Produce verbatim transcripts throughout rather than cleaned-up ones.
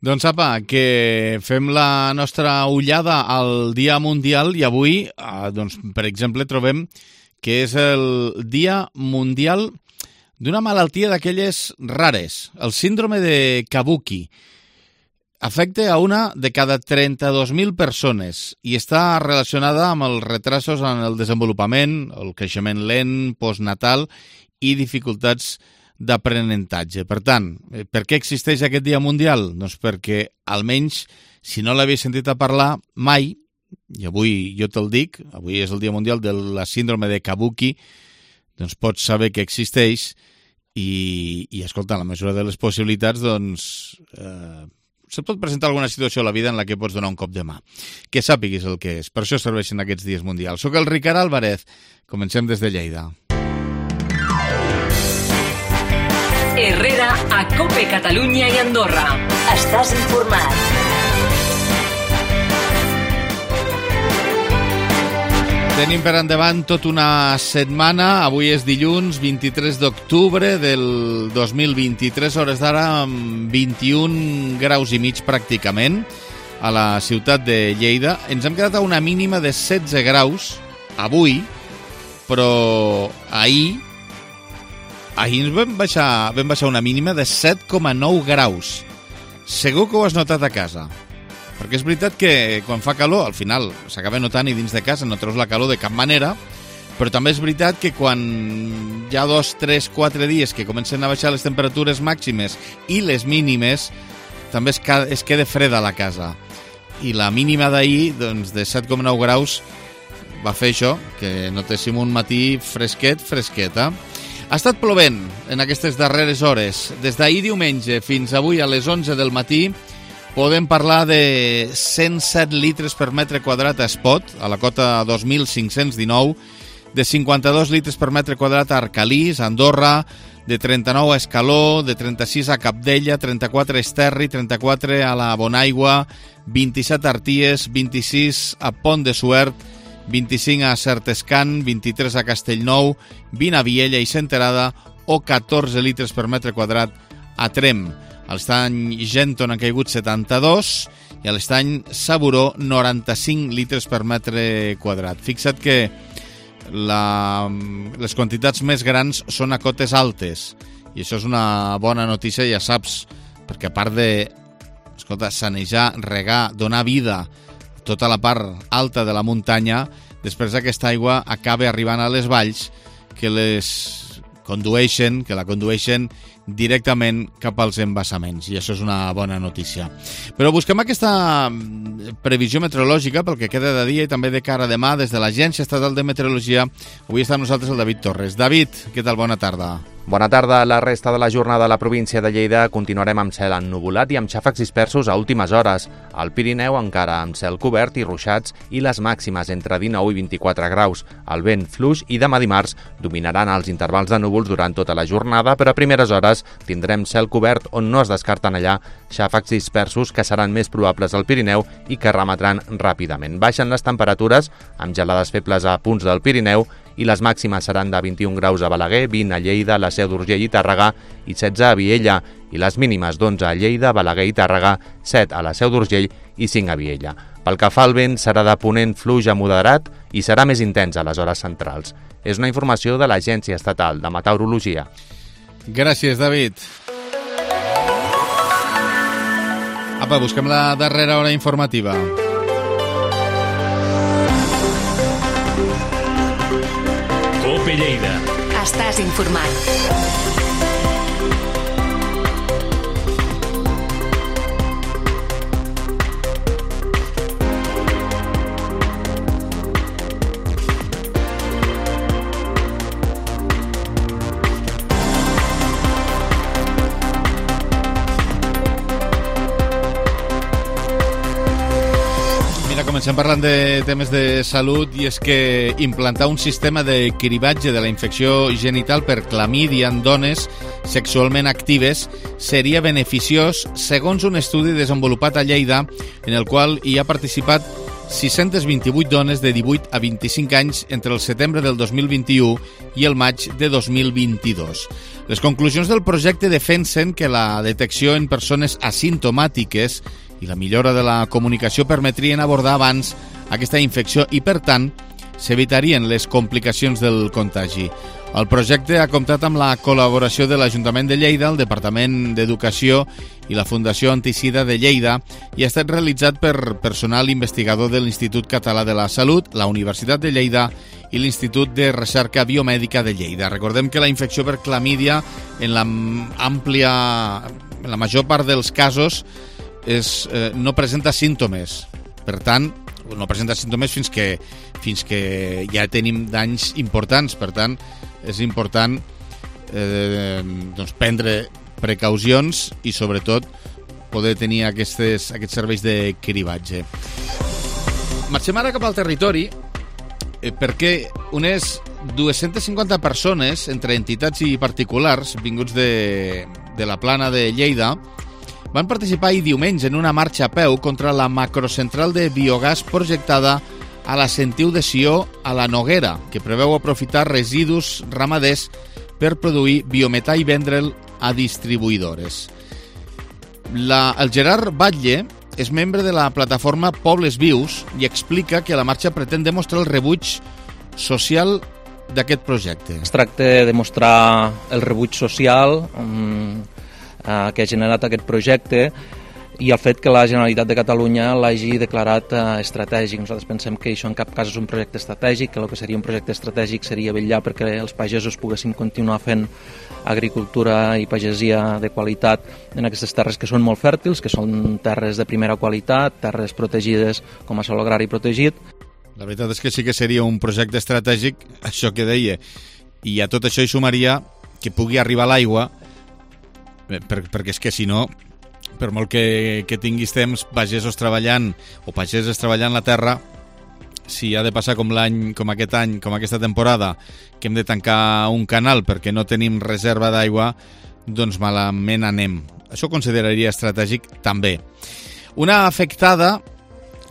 Doncs apa, que fem la nostra ullada al Dia Mundial i avui, doncs, per exemple, trobem que és el Dia Mundial d'una malaltia d'aquelles rares, el síndrome de Kabuki. Afecta a una de cada trenta-dos mil persones i està relacionada amb els retrasos en el desenvolupament, el creixement lent, postnatal i dificultats d'aprenentatge. Per tant, per què existeix aquest Dia Mundial? Doncs perquè, almenys, si no l'havies sentit a parlar mai, i avui jo te'l dic, avui és el Dia Mundial de la síndrome de Kabuki, doncs pots saber que existeix i, i escolta, en la mesura de les possibilitats, doncs, eh, se pot presentar alguna situació a la vida en la que pots donar un cop de mà. Que sàpiguis el que és. Per això serveixen aquests dies mundials. Soc el Ricard Álvarez. Comencem des de Lleida. Herrera a COPE Catalunya i Andorra. Estàs informat. Tenim per endavant tota una setmana. Avui és dilluns vint-i-tres d'octubre del dos mil vint-i-tres, hores d'ara amb vint-i-un graus i mig pràcticament a la ciutat de Lleida. Ens hem quedat a una mínima de setze graus avui, però ahir Ahir ens vam baixar, vam baixar una mínima de set coma nou graus. Segur que ho has notat a casa. Perquè és veritat que quan fa calor, al final s'acaba notant i dins de casa no treus la calor de cap manera, però també és veritat que quan hi ha dos, tres, quatre dies que comencen a baixar les temperatures màximes i les mínimes, també es, es queda freda a la casa. I la mínima d'ahir, doncs, de set coma nou graus, va fer això, que notéssim un matí fresquet, fresqueta. Ha estat plovent en aquestes darreres hores. Des d'ahir diumenge fins avui a les onze del matí podem parlar de cent set litres per metre quadrat a Espot, a la cota dos mil cinc-cents dinou, de cinquanta-dos litres per metre quadrat a Arcalís, a Andorra, de trenta-nou a Escaló, de trenta-sis a Capdella, trenta-quatre a Esterri, trenta-quatre a la Bonaigua, vint-i-set a Arties, vint-i-sis a Pont de Suert, vint-i-cinc a Certescan, vint-i-tres a Castellnou, vint a Viella i Senterada o catorze litres per metre quadrat a Trem. A l'estany Genton han caigut setanta-dos i a l'estany Saburó noranta-cinc litres per metre quadrat. Fixa't que la, les quantitats més grans són a cotes altes i això és una bona notícia, ja saps, perquè a part de, escolta, sanejar, regar, donar vida tota la part alta de la muntanya, després aquesta aigua acaba arribant a les valls que les condueixen, que la condueixen directament cap als embassaments, i això és una bona notícia. Però busquem aquesta previsió meteorològica pel que queda de dia i també de cara a demà des de l'Agència Estatal de Meteorologia. Avui està amb nosaltres el David Torres. David, què tal? Bona tarda. Bona tarda. La resta de la jornada a la província de Lleida continuarem amb cel ennuvolat i amb xàfecs dispersos a últimes hores. Al Pirineu encara amb cel cobert i ruixats i les màximes entre dinou i vint-i-quatre graus. El vent fluix i demà dimarts dominaran els intervals de núvols durant tota la jornada, però a primeres hores tindrem cel cobert on no es descarten allà xàfecs dispersos que seran més probables al Pirineu i que remetran ràpidament. Baixen les temperatures amb gelades febles a punts del Pirineu i les màximes seran de vint-i-un graus a Balaguer, vint a Lleida, la Seu d'Urgell i Tàrrega i setze a Viella, i les mínimes d'onze a Lleida, Balaguer i Tàrrega, set a la Seu d'Urgell i cinc a Viella. Pel que fa al vent, serà de ponent fluix a moderat i serà més intens a les hores centrals. És una informació de l'Agència Estatal de Meteorologia. Gràcies, David. Apa, busquem la darrera hora informativa. COPE Lleida. Estàs informat. Comencem parlant de temes de salut i és que implantar un sistema de cribatge de la infecció genital per clamídia en dones sexualment actives seria beneficiós segons un estudi desenvolupat a Lleida en el qual hi ha participat sis-centes vint-i-vuit dones de divuit a vint-i-cinc anys entre el setembre del dos mil vint-i-u i el maig de dos mil vint-i-dos. Les conclusions del projecte defensen que la detecció en persones asimptomàtiques i la millora de la comunicació permetrien abordar abans aquesta infecció i, per tant, s'evitarien les complicacions del contagi. El projecte ha comptat amb la col·laboració de l'Ajuntament de Lleida, el Departament d'Educació i la Fundació Antisida de Lleida i ha estat realitzat per personal investigador de l'Institut Català de la Salut, la Universitat de Lleida i l'Institut de Recerca Biomèdica de Lleida. Recordem que la infecció per clamídia, en la àmplia, en la major part dels casos, és, eh, no presenta símptomes. Per tant, no presenta símptomes fins que, fins que ja tenim danys importants. Per tant, és important eh, doncs prendre precaucions i, sobretot, poder tenir aquestes, aquests serveis de cribatge. Marxem ara cap al territori eh, perquè unes dues-centes cinquanta persones, entre entitats i particulars, vinguts de, de la Plana de Lleida, van participar ahir diumenge en una marxa a peu contra la macrocentral de biogàs projectada a la Sentiu de Sió a la Noguera, que preveu aprofitar residus ramaders per produir biometà i vendre'l a distribuïdores. La, el Gerard Batlle és membre de la plataforma Pobles Vius i explica que la marxa pretén demostrar el rebuig social d'aquest projecte. Es tracta de mostrar el rebuig social um, uh, que ha generat aquest projecte i el fet que la Generalitat de Catalunya l'hagi declarat eh, estratègic. Nosaltres pensem que això en cap cas és un projecte estratègic, que el que seria un projecte estratègic seria vetllar perquè els pagesos poguessin continuar fent agricultura i pagesia de qualitat en aquestes terres que són molt fèrtils, que són terres de primera qualitat, terres protegides com a sòl agrari protegit. La veritat és que sí que seria un projecte estratègic, això que deia, i a tot això hi sumaria que pugui arribar l'aigua, per, perquè és que si no, per molt que, que tinguis temps pagesos treballant o pageses treballant la terra, si ha de passar com l'any, com aquest any, com aquesta temporada, que hem de tancar un canal perquè no tenim reserva d'aigua, doncs malament anem. Això ho consideraria estratègic també. Una afectada,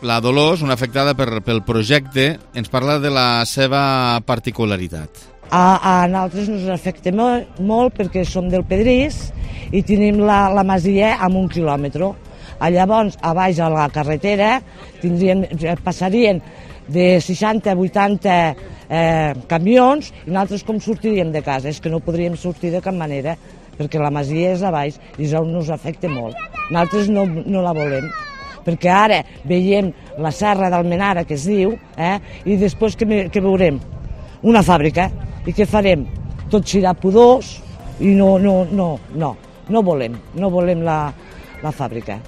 la Dolors, una afectada per, pel projecte, ens parla de la seva particularitat. A, a nosaltres ens afecta molt, molt perquè som del Pedrís i tenim la, la masia a un quilòmetre. Llavors, a baix a la carretera tindrien, passarien de seixanta a vuitanta eh, camions i nosaltres com sortiríem de casa? És que no podríem sortir de cap manera perquè la masia és a baix i això ens afecta molt. Nosaltres no, no la volem, perquè ara veiem la serra d'Almenara, que es diu, eh, i després què, què veurem? Una fàbrica. I què farem? Tot girar pudors i no, no, no, no, no volem, no volem la, la fàbrica.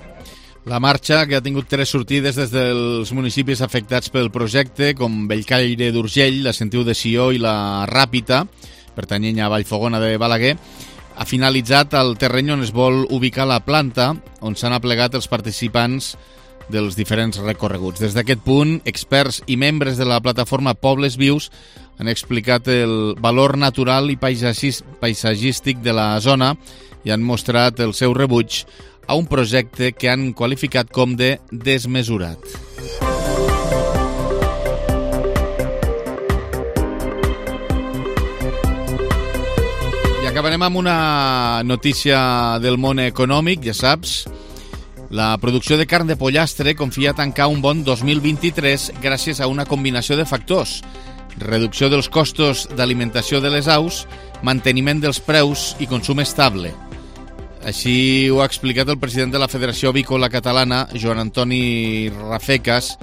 La marxa, que ha tingut tres sortides des dels municipis afectats pel projecte, com Bellcaire d'Urgell, la Sentiu de Sió i la Ràpita, pertanyent a Vallfogona de Balaguer, ha finalitzat el terreny on es vol ubicar la planta, on s'han aplegat els participants dels diferents recorreguts. Des d'aquest punt, experts i membres de la plataforma Pobles Vius han explicat el valor natural i paisatgístic de la zona i han mostrat el seu rebuig a un projecte que han qualificat com de desmesurat. I acabarem amb una notícia del món econòmic, ja saps. La producció de carn de pollastre confia tancar un bon dos mil vint-i-tres gràcies a una combinació de factors: reducció dels costos d'alimentació de les aus, manteniment dels preus i consum estable. Així ho ha explicat el president de la Federació Avícola Catalana, Joan Antoni Rafecas,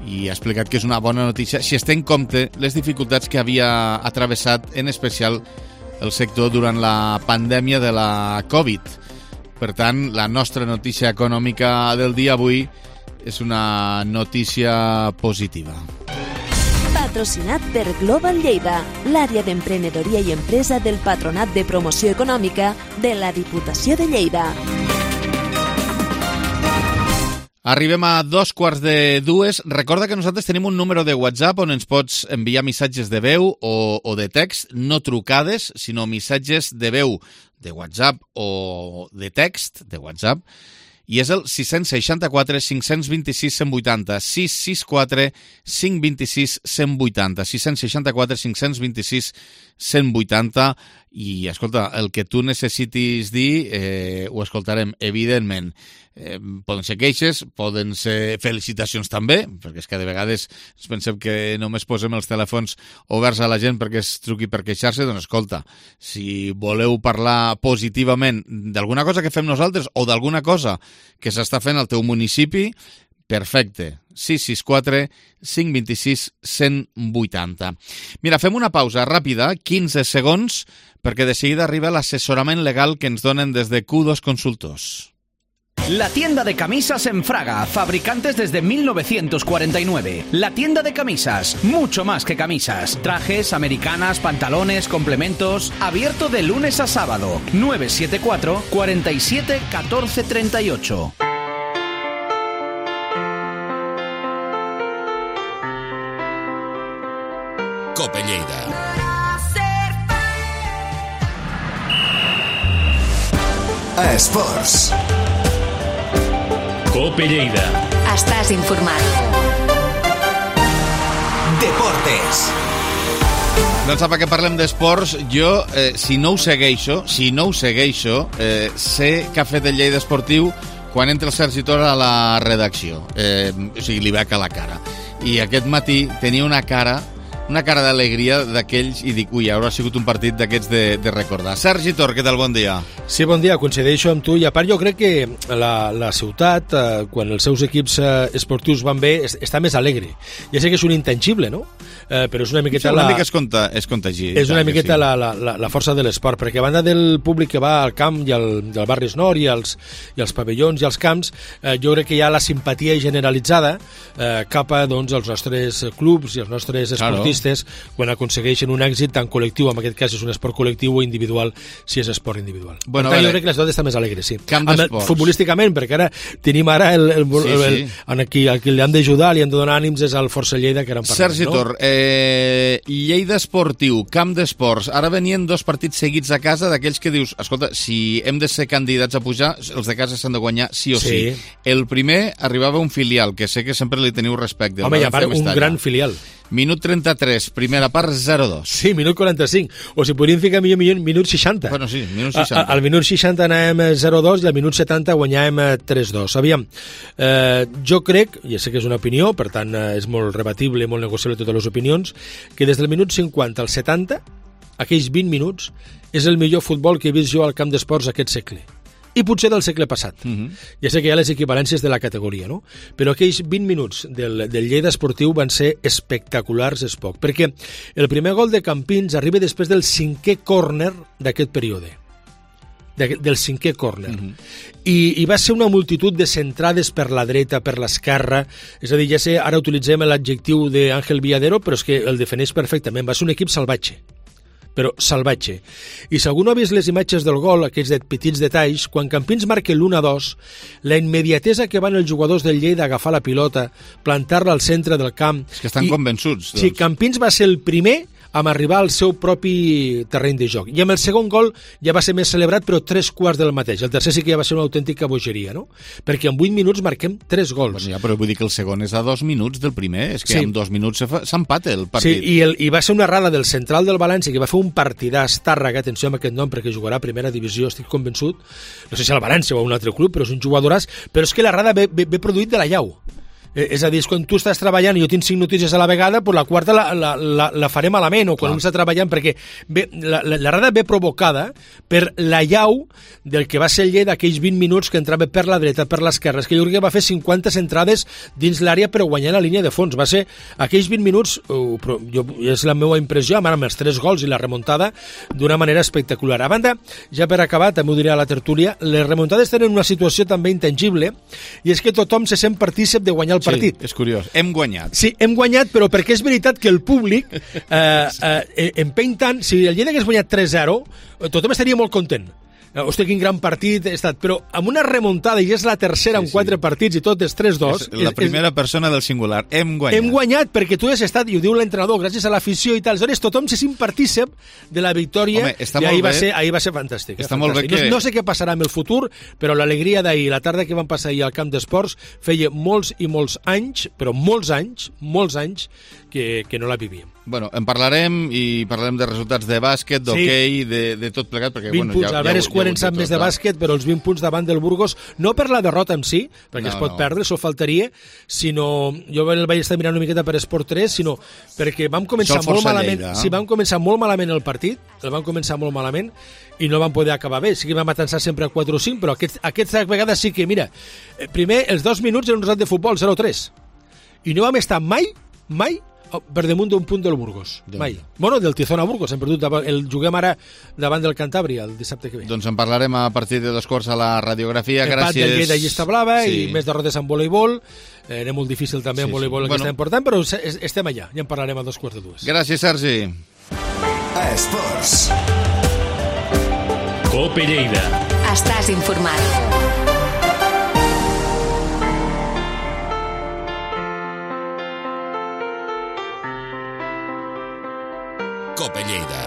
i ha explicat que és una bona notícia si es té en compte les dificultats que havia atravessat, en especial el sector durant la pandèmia de la Covid. Per tant, la nostra notícia econòmica del dia avui és una notícia positiva. Patrocinat per Global Lleida, l'àrea d'emprenedoria i empresa del Patronat de Promoció Econòmica de la Diputació de Lleida. Arribem a dos quarts de dues. Recorda que nosaltres tenim un número de WhatsApp on ens pots enviar missatges de veu o, o de text, no trucades, sinó missatges de veu de WhatsApp o de text de WhatsApp, i és el sis sis quatre, cinc dos sis, cent vuitanta, sis sis quatre, cinc dos sis, cent vuitanta, sis sis quatre, cinc dos sis, cent vuitanta, i, escolta, el que tu necessitis dir eh, ho escoltarem, evidentment. Eh, poden ser queixes, poden ser felicitacions també, perquè és que de vegades ens pensem que només posem els telèfons oberts a la gent perquè es truqui per queixar-se. Doncs escolta, si voleu parlar positivament d'alguna cosa que fem nosaltres o d'alguna cosa que s'està fent al teu municipi, perfecte. sis sis quatre, cinc dos sis, cent vuitanta. Mira, fem una pausa ràpida, quinze segons, perquè de seguida arriba l'assessorament legal que ens donen des de Q dos Consultors. La tienda de camisas en Fraga, fabricantes desde mil novecientos cuarenta y nueve. La tienda de camisas, mucho más que camisas. Trajes, americanas, pantalones, complementos. Abierto de lunes a sábado. nueve siete cuatro, cuatro siete, uno cuatro tres ocho. Cope Lleida. Esports. Cope Lleida. Estàs informat. Deportes. Doncs apa, que parlem d'esports, jo, eh, si no ho segueixo, si no ho segueixo, eh, sé que ha fet el Lleida Esportiu quan entra el Sergi Tora a la redacció. Eh, o sigui, li veig a la cara. I aquest matí tenia una cara... una cara d'alegria d'aquells, i dic, ui, haurà sigut un partit d'aquests de, de recordar. Sergi Tor, què tal? Bon dia. Sí, bon dia, coincideixo amb tu, i a part jo crec que la, la ciutat, eh, quan els seus equips eh, esportius van bé, es, està més alegre. Ja sé que és un intangible, no? Eh, però és una miqueta... Sí, una la... mica es, conta, es contagi. És una miqueta sí. la, la, la, la força de l'esport, perquè a banda del públic que va al camp i al, del barris nord i als, i als pavellons i als camps, eh, jo crec que hi ha la simpatia generalitzada eh, cap a doncs, els nostres clubs i els nostres esportistes, claro, quan aconsegueixen un èxit tan col·lectiu, en aquest cas és un esport col·lectiu, o individual, si és esport individual. Bueno, per tant, jo crec que la ciutat està més alegre, sí. Camp d'esports. Futbolísticament, perquè ara tenim ara el, el, sí, el, el, sí. el, qui, el qui li han d'ajudar, li han de donar ànims és al Força Lleida, que ara en parlem, Sergi no? Tor, eh, Lleida Esportiu, Camp d'Esports, ara venien dos partits seguits a casa d'aquells que dius, escolta, si hem de ser candidats a pujar, els de casa s'han de guanyar sí o sí. sí. El primer arribava un filial, que sé que sempre li teniu respecte. Home, i a part, un gran filial. Minut trenta-tres, primera part, zero dos. Sí, minut quaranta-cinc. O si podríem ficar millor, millor minut seixanta. Bueno, sí, minut seixanta. A, al minut seixanta anàvem zero dos i al minut setanta guanyàvem tres dos. Aviam, eh, jo crec, i sé que és una opinió, per tant eh, és molt rebatible, molt negociable totes les opinions, que des del minut cinquanta al setanta, aquells vint minuts, és el millor futbol que he vist jo al camp d'esports aquest segle. I potser del segle passat. Uh-huh. Ja sé que hi ha les equivalències de la categoria, no? Però aquells vint minuts del, del Lleida Esportiu van ser espectaculars, és poc, perquè el primer gol de Campins arriba després del cinquè córner d'aquest període. De, del cinquè córner. Uh-huh. I, I va ser una multitud de centrades per la dreta, per l'esquerra, és a dir, ja sé, ara utilitzem l'adjectiu d'Àngel Villadero, però és que el defineix perfectament. Va ser un equip salvatge, però salvatge. I si algú no ha vist les imatges del gol, aquests de petits detalls, quan Campins marca l'u a dos, la immediatesa que van els jugadors del Lleida a agafar la pilota, plantar-la al centre del camp... És que estan i, convençuts. Doncs. Sí, Campins va ser el primer amb arribar al seu propi terreny de joc. I amb el segon gol ja va ser més celebrat, però tres quarts del mateix. El tercer sí que ja va ser una autèntica bogeria, no? Perquè en vuit minuts marquem tres gols. Bueno, ja, però vull dir que el segon és a dos minuts del primer. És que sí. En dos minuts s'empata el partit. Sí, i, el, i va ser una errada del central del València, que va fer un partidàs, Tàrrega, atenció amb aquest nom, perquè jugarà a primera divisió, estic convençut. No sé si al València o a un altre club, però és un jugadoràs. Però és que l'errada ve, ve, ve produït de la llau. Eh, és a dir, és quan tu estàs treballant i jo tinc cinc notícies a la vegada, pues la quarta la, la, la, la faré malament, o quan Clar. un està treballant, perquè bé, la, la, l'errada ve provocada per la llau del que va ser el Lleida d'aquells vint minuts que entrava per la dreta, per l'esquerra. És que jo crec que va fer cinquanta entrades dins l'àrea però guanyant la línia de fons. Va ser aquells vint minuts, uh, però jo, és la meva impressió, amb els tres gols i la remuntada, d'una manera espectacular. A banda, ja per acabar, també ho diré a la tertúlia, les remuntades tenen una situació també intangible, i és que tothom se sent partícip de guanyar el partit. Sí, és curiós. Hem guanyat. Sí, hem guanyat, però perquè és veritat que el públic eh, eh, empeny tant. Si el Lleida hagués guanyat tres zero, tothom estaria molt content. hosti, quin gran partit he estat, però amb una remuntada, i és la tercera sí, en quatre sí. partits i tot és tres dos. És la és, primera és, persona del singular, hem guanyat. Hem guanyat perquè tu has estat, i ho diu l'entrenador, gràcies a l'afició i tal, aleshores tothom se sent partícip de la victòria. Home, està i ahir molt va, bé. ser, ahir va ser fantàstic. Està eh, molt fantàstic. bé que... No, no sé què passarà amb el futur, però l'alegria d'ahir, la tarda que van passar ahir al camp d'esports, feia molts i molts anys, però molts anys, molts anys, que, que no la vivíem. Bueno, en parlarem i parlarem de resultats de bàsquet, d'hoquei, sí. de, de tot plegat, perquè vint bueno, punts, ja, Albert ja, Escuer en sap més de bàsquet, però els vint punts davant del Burgos, no per la derrota en si, perquè no, es pot no. perdre, això faltaria, sinó, jo el vaig estar mirant una miqueta per Esport tres, sinó perquè vam començar molt malament, Lleida, eh? sí, vam començar molt malament el partit, el vam començar molt malament, i no vam poder acabar bé, sí que vam atançar sempre a quatre o cinc, però aquest, aquesta vegada sí que, mira, primer, els dos minuts en un resat de futbol, zero tres, i no vam estar mai, mai, per damunt d'un punt del Burgos, Déu mai. Déu. Bueno, del Tizona Burgos, hem perdut, el juguem ara davant del Cantàbria el dissabte que ve. Doncs en parlarem a partir de dos quarts a la radiografia, Empat gràcies. del Lleida Llista Blava sí. i més derrotes en voleibol, eh, era molt difícil també sí, en voleibol sí. que bueno. està important, però estem allà, ja en parlarem a dos quarts de dues. Gràcies, Sergi. Esports. Cope Lleida. Estàs informat. Cope Lleida.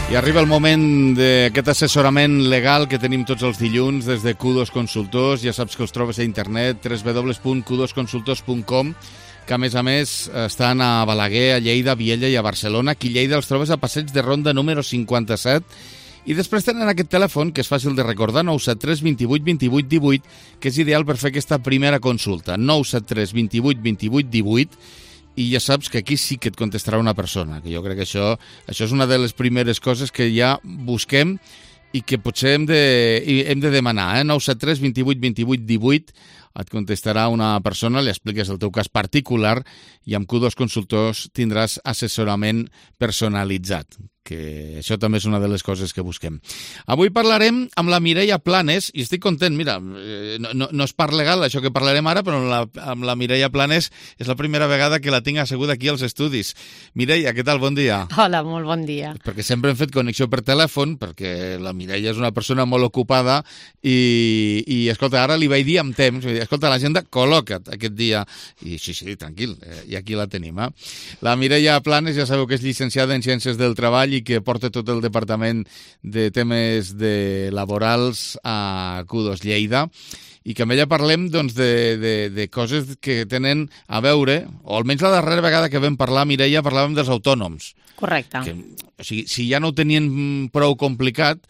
I arriba el moment d'aquest assessorament legal que tenim tots els dilluns des de Q dos Consultors. Ja saps que els trobes a internet, w w w punt q dos consultors punt com, que a més a més estan a Balaguer, a Lleida, a Viella i a Barcelona. Aquí a Lleida els trobes a Passeig de Ronda número cinquanta-set. I després tenen aquest telèfon, que és fàcil de recordar, nou set tres vint vuit vint vuit divuit, que és ideal per fer aquesta primera consulta. nou set tres vint vuit vint vuit divuit, i ja saps que aquí sí que et contestarà una persona, que jo crec que això, això és una de les primeres coses que ja busquem i que potser hem de, hem de demanar. Eh? nou set tres vint vuit vint vuit divuit, et contestarà una persona, li expliques el teu cas particular i amb Q dos Consultors tindràs assessorament personalitzat, que això també és una de les coses que busquem. Avui parlarem amb la Mireia Planes, i estic content, mira, no, no, no és part legal això que parlarem ara, però amb la, amb la Mireia Planes és la primera vegada que la tinc asseguda aquí als estudis. Mireia, què tal? Bon dia. Hola, molt bon dia. Perquè sempre hem fet connexió per telèfon, perquè la Mireia és una persona molt ocupada i, i escolta, ara li vaig dir amb temps, escolta, l'agenda, col·loca't aquest dia. I sí, sí, tranquil, eh, i aquí la tenim. Eh? La Mireia Planes, ja sabeu que és llicenciada en Ciències del Treball i que porta tot el departament de temes de laborals a Q dos Lleida, i que amb ella parlem doncs, de, de, de coses que tenen a veure, o almenys la darrera vegada que vam parlar, Mireia, parlàvem dels autònoms. Correcte. Que, o sigui, si ja no ho tenien prou complicat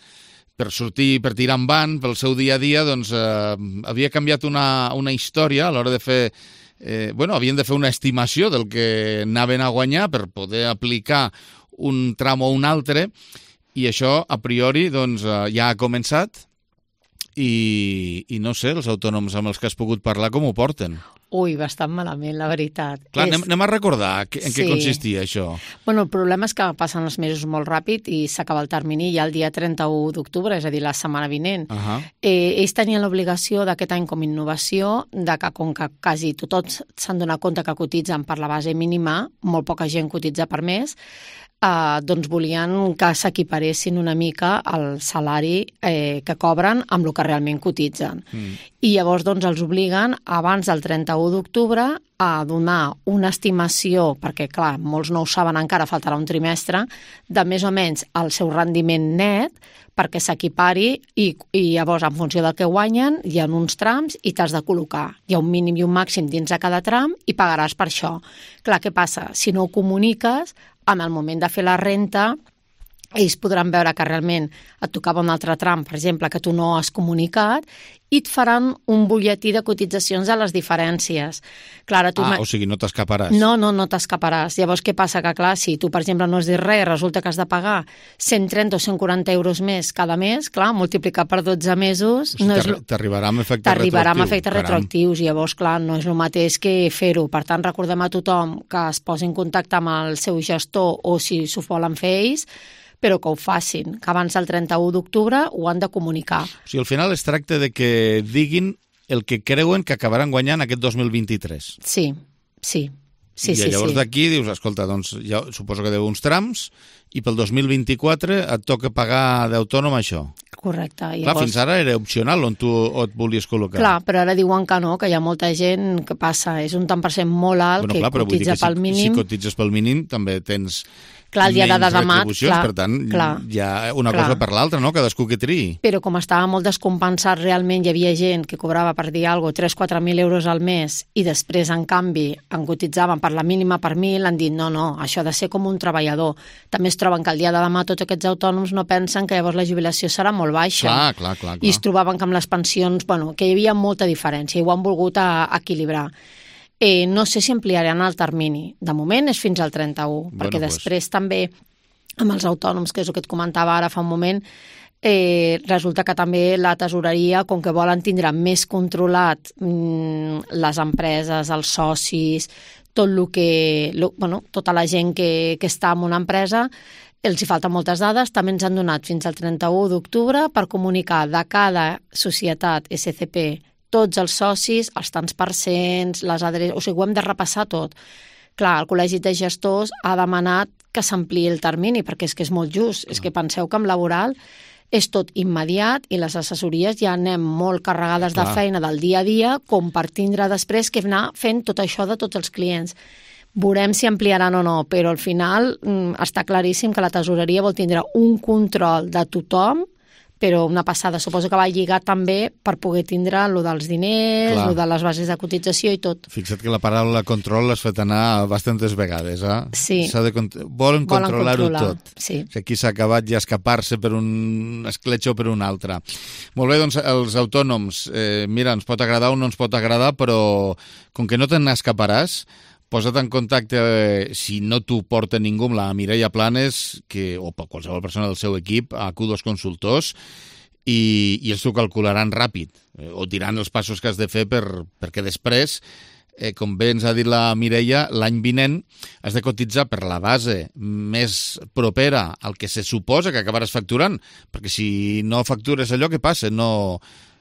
per sortir, per tirar endavant, pel seu dia a dia, doncs eh, havia canviat una, una història a l'hora de fer... Eh, bueno, havien de fer una estimació del que anaven a guanyar per poder aplicar un tram o un altre, i això a priori doncs, ja ha començat i, i no sé, els autònoms amb els que has pogut parlar com ho porten? Ui, bastant malament, la veritat. Clar, és... anem, anem a recordar en sí. què consistia això. Bueno, el problema és que passen els mesos molt ràpid i s'acaba el termini ja el dia trenta-u d'octubre, és a dir, la setmana vinent. Uh -huh. eh, ells tenien l'obligació d'aquest any com a innovació de que com que quasi tots s'han donat compte que cotitzen per la base mínima, molt poca gent cotitza per més, Uh, doncs volien que s'equiparessin una mica al salari eh, que cobren amb el que realment cotitzen. Mm. I llavors doncs, els obliguen abans del trenta-u d'octubre a donar una estimació, perquè clar, molts no ho saben encara, faltarà un trimestre, de més o menys el seu rendiment net perquè s'equipari i, i llavors en funció del que guanyen hi ha uns trams i t'has de col·locar. Hi ha un mínim i un màxim dins de cada tram i pagaràs per això. Clar, què passa? Si no ho comuniques, en el moment de fer la renta, ells podran veure que realment et tocava un altre tram, per exemple, que tu no has comunicat, i et faran un butlletí de cotitzacions de les diferències. Clar, tu ah, o sigui, no t'escaparàs. No, no, no t'escaparàs. Llavors, què passa? Que, clar, si tu, per exemple, no has dit res, resulta que has de pagar cent trenta o cent quaranta euros més cada mes, clar, multiplicar per dotze mesos... O sigui, no és... T'arribarà amb efectes T'arribarà amb retroactius. efectes retroactius, i llavors, clar, no és el mateix que fer-ho. Per tant, recordem a tothom que es posi en contacte amb el seu gestor o si s'ho volen fer ells, però que ho facin, que abans del trenta-u d'octubre ho han de comunicar. O sigui, al final es tracta de que diguin el que creuen que acabaran guanyant aquest dos mil vint-i-tres. Sí, sí. Sí, I sí, llavors sí. d'aquí dius, escolta, doncs ja suposo que deu uns trams i pel dos mil vint-i-quatre et toca pagar d'autònom això. Correcte. Clar, Llavors... fins ara era opcional on tu et volies col·locar. Clar, però ara diuen que no, que hi ha molta gent que passa, és un tant per cent molt alt, bueno, que clar, però vull dir cotitza que pel si, mínim. si cotitzes pel mínim també tens Clar, el dia de menys demà, retribucions, clar, per tant, clar, hi ha una clar. cosa per l'altra, no? Cadascú que triï. Però com estava molt descompensat, realment hi havia gent que cobrava, per dir alguna cosa, tres a quatre mil euros al mes i després, en canvi, en cotitzaven per la mínima per mil, han dit no, no, això ha de ser com un treballador. També es troben que el dia de demà tots aquests autònoms no pensen que llavors la jubilació serà molt baixa. Clar, clar, clar. clar. I es trobaven que amb les pensions, bueno, que hi havia molta diferència i ho han volgut a, a equilibrar. Eh, no sé si ampliaran el termini. De moment és fins al trenta-u, Bueno, perquè pues. després també amb els autònoms, que és el que et comentava ara fa un moment, eh, resulta que també la tesoreria, com que volen tindre més controlat mmm, les empreses, els socis, tot lo que, lo, bueno, tota la gent que, que està en una empresa, els hi falten moltes dades, també ens han donat fins al trenta-u d'octubre per comunicar de cada societat S C P tots els socis, els tants percents, les adreces, o sigui, ho hem de repassar tot. Clar, el Col·legi de Gestors ha demanat que s'ampliï el termini, perquè és que és molt just. És que penseu que amb laboral és tot immediat i les assessories ja anem molt carregades Clar. de feina del dia a dia com per tindre després que anar fent tot això de tots els clients. Veurem si ampliaran o no, però al final mm, està claríssim que la tesoreria vol tindre un control de tothom, però una passada. Suposo que va lligat també per poder tindre lo dels diners, Clar. lo de les bases de cotització i tot. Fixa't que la paraula control l'has fet anar bastantes vegades, eh? Sí. S'ha de cont... Volen, Volen controlar-ho controlar, tot. sí. Que aquí s'ha acabat ja escapar-se per un escletx o per un altre. Molt bé, doncs els autònoms, eh, mira, ens pot agradar o no ens pot agradar, però com que no te n'escaparàs, posa't en contacte, eh, si no t'ho porta ningú, amb la Mireia Planes, que, o qualsevol persona del seu equip, a Q dos Consultors, i, i ells t'ho calcularan ràpid, eh, o diran els passos que has de fer per, perquè després, eh, com bé ens ha dit la Mireia, l'any vinent has de cotitzar per la base més propera al que se suposa que acabaràs facturant, perquè si no factures allò, què passa? No,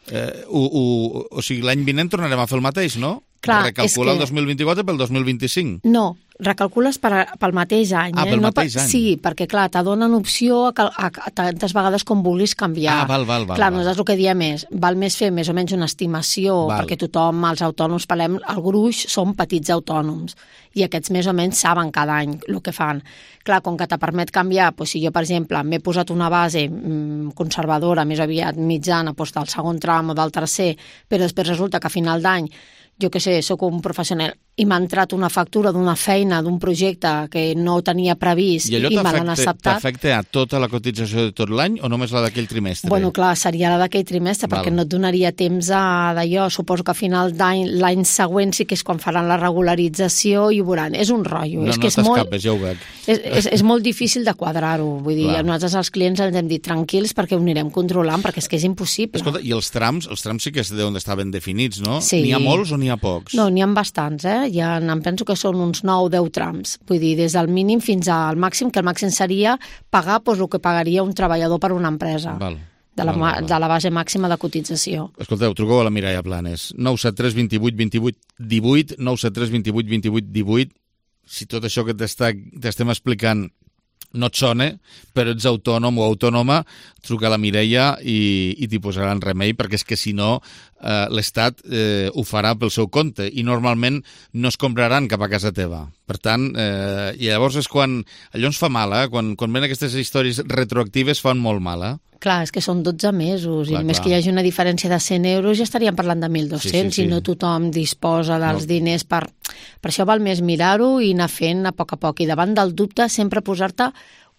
eh, o, o, o sigui, l'any vinent tornarem a fer el mateix, no? Clar, Recalcular és que- el dos mil vint-i-quatre pel dos mil vint-i-cinc. No, recalcules per, pel mateix any. Ah, eh? pel no mateix per, any. Sí, perquè clar, te donen opció a, cal- a, a tantes vegades com vulguis canviar. Ah, val, val, val, Clar, val. nosaltres el que diem és, val més fer més o menys una estimació, Val. perquè tothom, els autònoms, parlem, el gruix són petits autònoms, i aquests més o menys saben cada any el que fan. Clar, com que te permet canviar, doncs si jo, per exemple, m'he posat una base mmm, conservadora, més aviat mitjana, doncs del segon tram o del tercer, però després resulta que a final d'any jo que sé, sóc un professional i m'ha entrat una factura d'una feina, d'un projecte que no tenia previst I allò i me l'han t'afecta acceptat. t'afecta a tota la cotització de tot l'any o només la d'aquell trimestre? Bueno, clar, seria la d'aquell trimestre, Val. perquè no et donaria temps a d'allò. Suposo que a final d'any, l'any següent sí que és quan faran la regularització i ho veuran. És un rotllo. No, és no que és molt, t'escapes, ja ho veig. és, és, és molt difícil de quadrar-ho. Vull dir, Clar. nosaltres als clients ens hem dit tranquils perquè ho anirem controlant, perquè és que és impossible. Escolta, i els trams, els trams sí que és d'on estaven definits, no? Sí. N'hi ha molts o n'hi ha pocs? No, n'hi ha bastants, eh? Ja em penso que són uns nou o deu trams. Vull dir, des del mínim fins al màxim, que el màxim seria pagar doncs, el que pagaria un treballador per una empresa. Val. De la, Val, val, val. de la base màxima de cotització. Escolteu, truqueu a la Mireia Planes. nou set tres dos vuit dos vuit un vuit, nou set tres dos vuit dos vuit un vuit. Si tot això que t'està- t'estem explicant no et sona, però ets autònom o autònoma, truca a la Mireia i, i t'hi posaran remei, perquè és que si no eh, l'Estat eh, ho farà pel seu compte i normalment no es compraran cap a casa teva. Per tant, eh, i llavors és quan... Allò ens fa mal, eh? Quan, quan ven aquestes històries retroactives fan molt mal, eh? Clar, és que són dotze mesos, Clar, i més clar. que hi hagi una diferència de cent euros ja estaríem parlant de mil dos-cents, Sí, sí, sí. i no tothom disposa dels No. diners per... Per això val més mirar-ho i anar fent a poc a poc. I davant del dubte sempre posar-te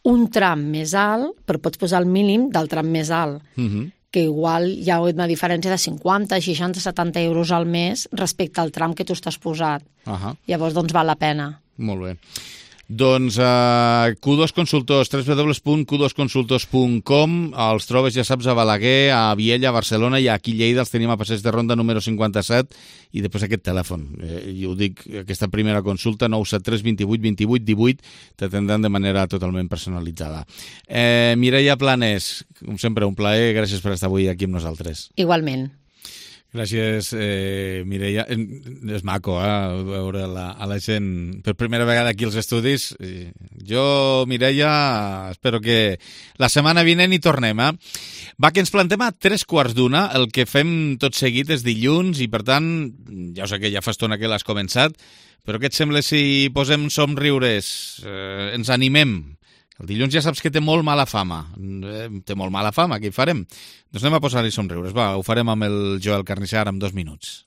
un tram més alt, però pots posar el mínim del tram més alt, Mhm. que igual hi ha una diferència de cinquanta, seixanta, setanta euros al mes respecte al tram que tu estàs posat. Ahà. Llavors, doncs, val la pena. Molt bé. Doncs uh, Q dos Consultors, w w w punt q dos consultors punt com, els trobes, ja saps, a Balaguer, a Viella, a Barcelona, i aquí a Lleida els tenim a Passeig de Ronda número cinquanta-set, i després aquest telèfon. Eh, jo ho dic, aquesta primera consulta, nou set tres dos vuit dos vuit un vuit, t'atendran de manera totalment personalitzada. Eh, Mireia Planes, com sempre, un plaer, gràcies per estar avui aquí amb nosaltres. Igualment. Gràcies, eh, Mireia. És maco, eh, veure la, a la gent per primera vegada aquí als estudis. Jo, Mireia, espero que la setmana vinent hi tornem, eh? Va, que ens plantem a tres quarts d'una. El que fem tot seguit és dilluns i, per tant, ja ho sé que ja fa estona que l'has començat, però què et sembla si posem somriures, eh, ens animem? El dilluns ja saps que té molt mala fama. Eh, té molt mala fama, què hi farem? Doncs anem a posar-hi somriures. Va, ho farem amb el Joel Carnicer en dos minuts.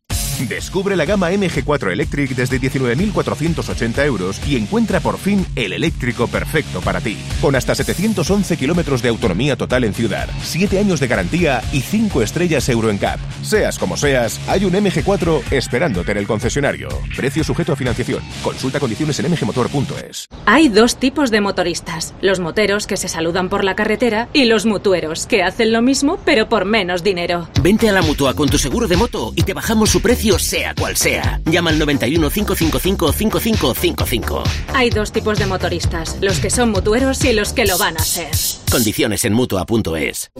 Descubre la gama M G cuatro Electric desde diecinueve mil cuatrocientos ochenta euros y encuentra por fin el eléctrico perfecto para ti. Con hasta setecientos once kilómetros de autonomía total en ciudad, siete años de garantía y cinco estrellas Euro N C A P. Seas como seas, hay un M G cuatro esperándote en el concesionario. Precio sujeto a financiación. Consulta condiciones en m g motor punto es. Hay dos tipos de motoristas. Los moteros que se saludan por la carretera y los mutueros que hacen lo mismo pero por menos dinero. Vente a la Mutua con tu seguro de moto y te bajamos su precio sea cual sea. Llama al noventa y uno, cinco cinco cinco, cinco cinco cinco cinco. Hay dos tipos de motoristas, los que son mutueros y los que lo van a ser. Condiciones en mutua punto es.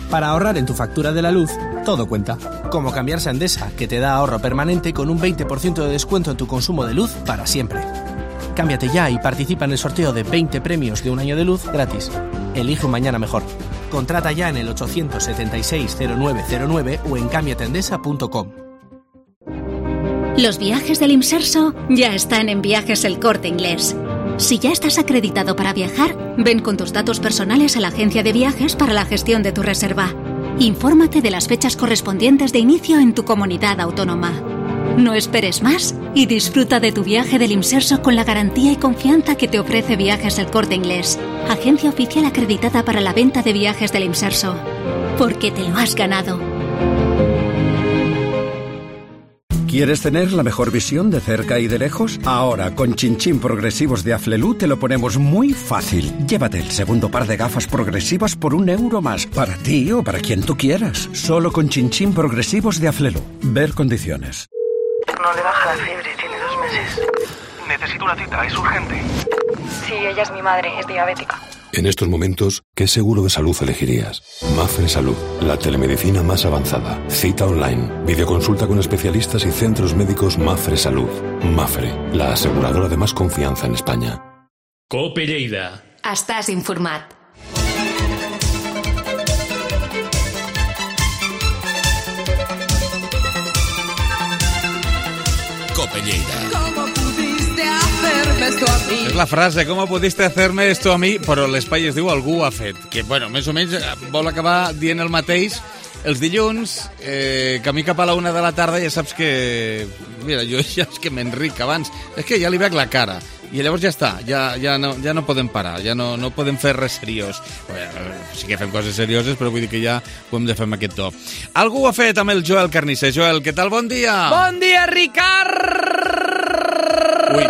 Para ahorrar en tu factura de la luz, todo cuenta. Como cambiarse a Endesa, que te da ahorro permanente con un veinte por ciento de descuento en tu consumo de luz para siempre. Cámbiate ya y participa en el sorteo de veinte premios de un año de luz gratis. Elige un mañana mejor. Contrata ya en el ochocientos setenta y seis cero nueve cero nueve o en cámbiate endesa punto com. Los viajes del Imserso ya están en Viajes El Corte Inglés. Si ya estás acreditado para viajar, ven con tus datos personales a la agencia de viajes para la gestión de tu reserva. Infórmate de las fechas correspondientes de inicio en tu comunidad autónoma. No esperes más y disfruta de tu viaje del Imserso con la garantía y confianza que te ofrece Viajes El Corte Inglés, agencia oficial acreditada para la venta de viajes del Imserso. Porque te lo has ganado. ¿Quieres tener la mejor visión de cerca y de lejos? Ahora, con Chinchín Progresivos de Aflelu te lo ponemos muy fácil. Llévate el segundo par de gafas progresivas por un euro más, para ti o para quien tú quieras. Solo con Chinchín Progresivos de Aflelu. Ver condiciones. No le baja la fiebre, tiene dos meses. Necesito una cita, es urgente. Sí, ella es mi madre, es diabética. En estos momentos, ¿qué seguro de salud elegirías? Mafre Salud, la telemedicina más avanzada. Cita online, videoconsulta con especialistas y centros médicos Mafre Salud. Mafre, la aseguradora de más confianza en España. Cope Lleida. Estàs informat. Cope Lleida. És la frase, com pudiste hacerme esto a mi, però l'espai es diu algú ho ha fet, que, bueno, més o menys vol acabar dient el mateix. Els dilluns, eh, camí cap a la una de la tarda, ja saps que... Mira, jo ja és que m'enric abans. És que ja li veig la cara. I llavors ja està, ja, ja, no, ja no podem parar, ja no, no podem fer res seriós. Bueno, sí que fem coses serioses, però vull dir que ja ho hem de fer amb aquest to. Algú ho ha fet amb el Joel Carnicer. Joel, què tal? Bon dia! Bon dia, Ricard! Ui.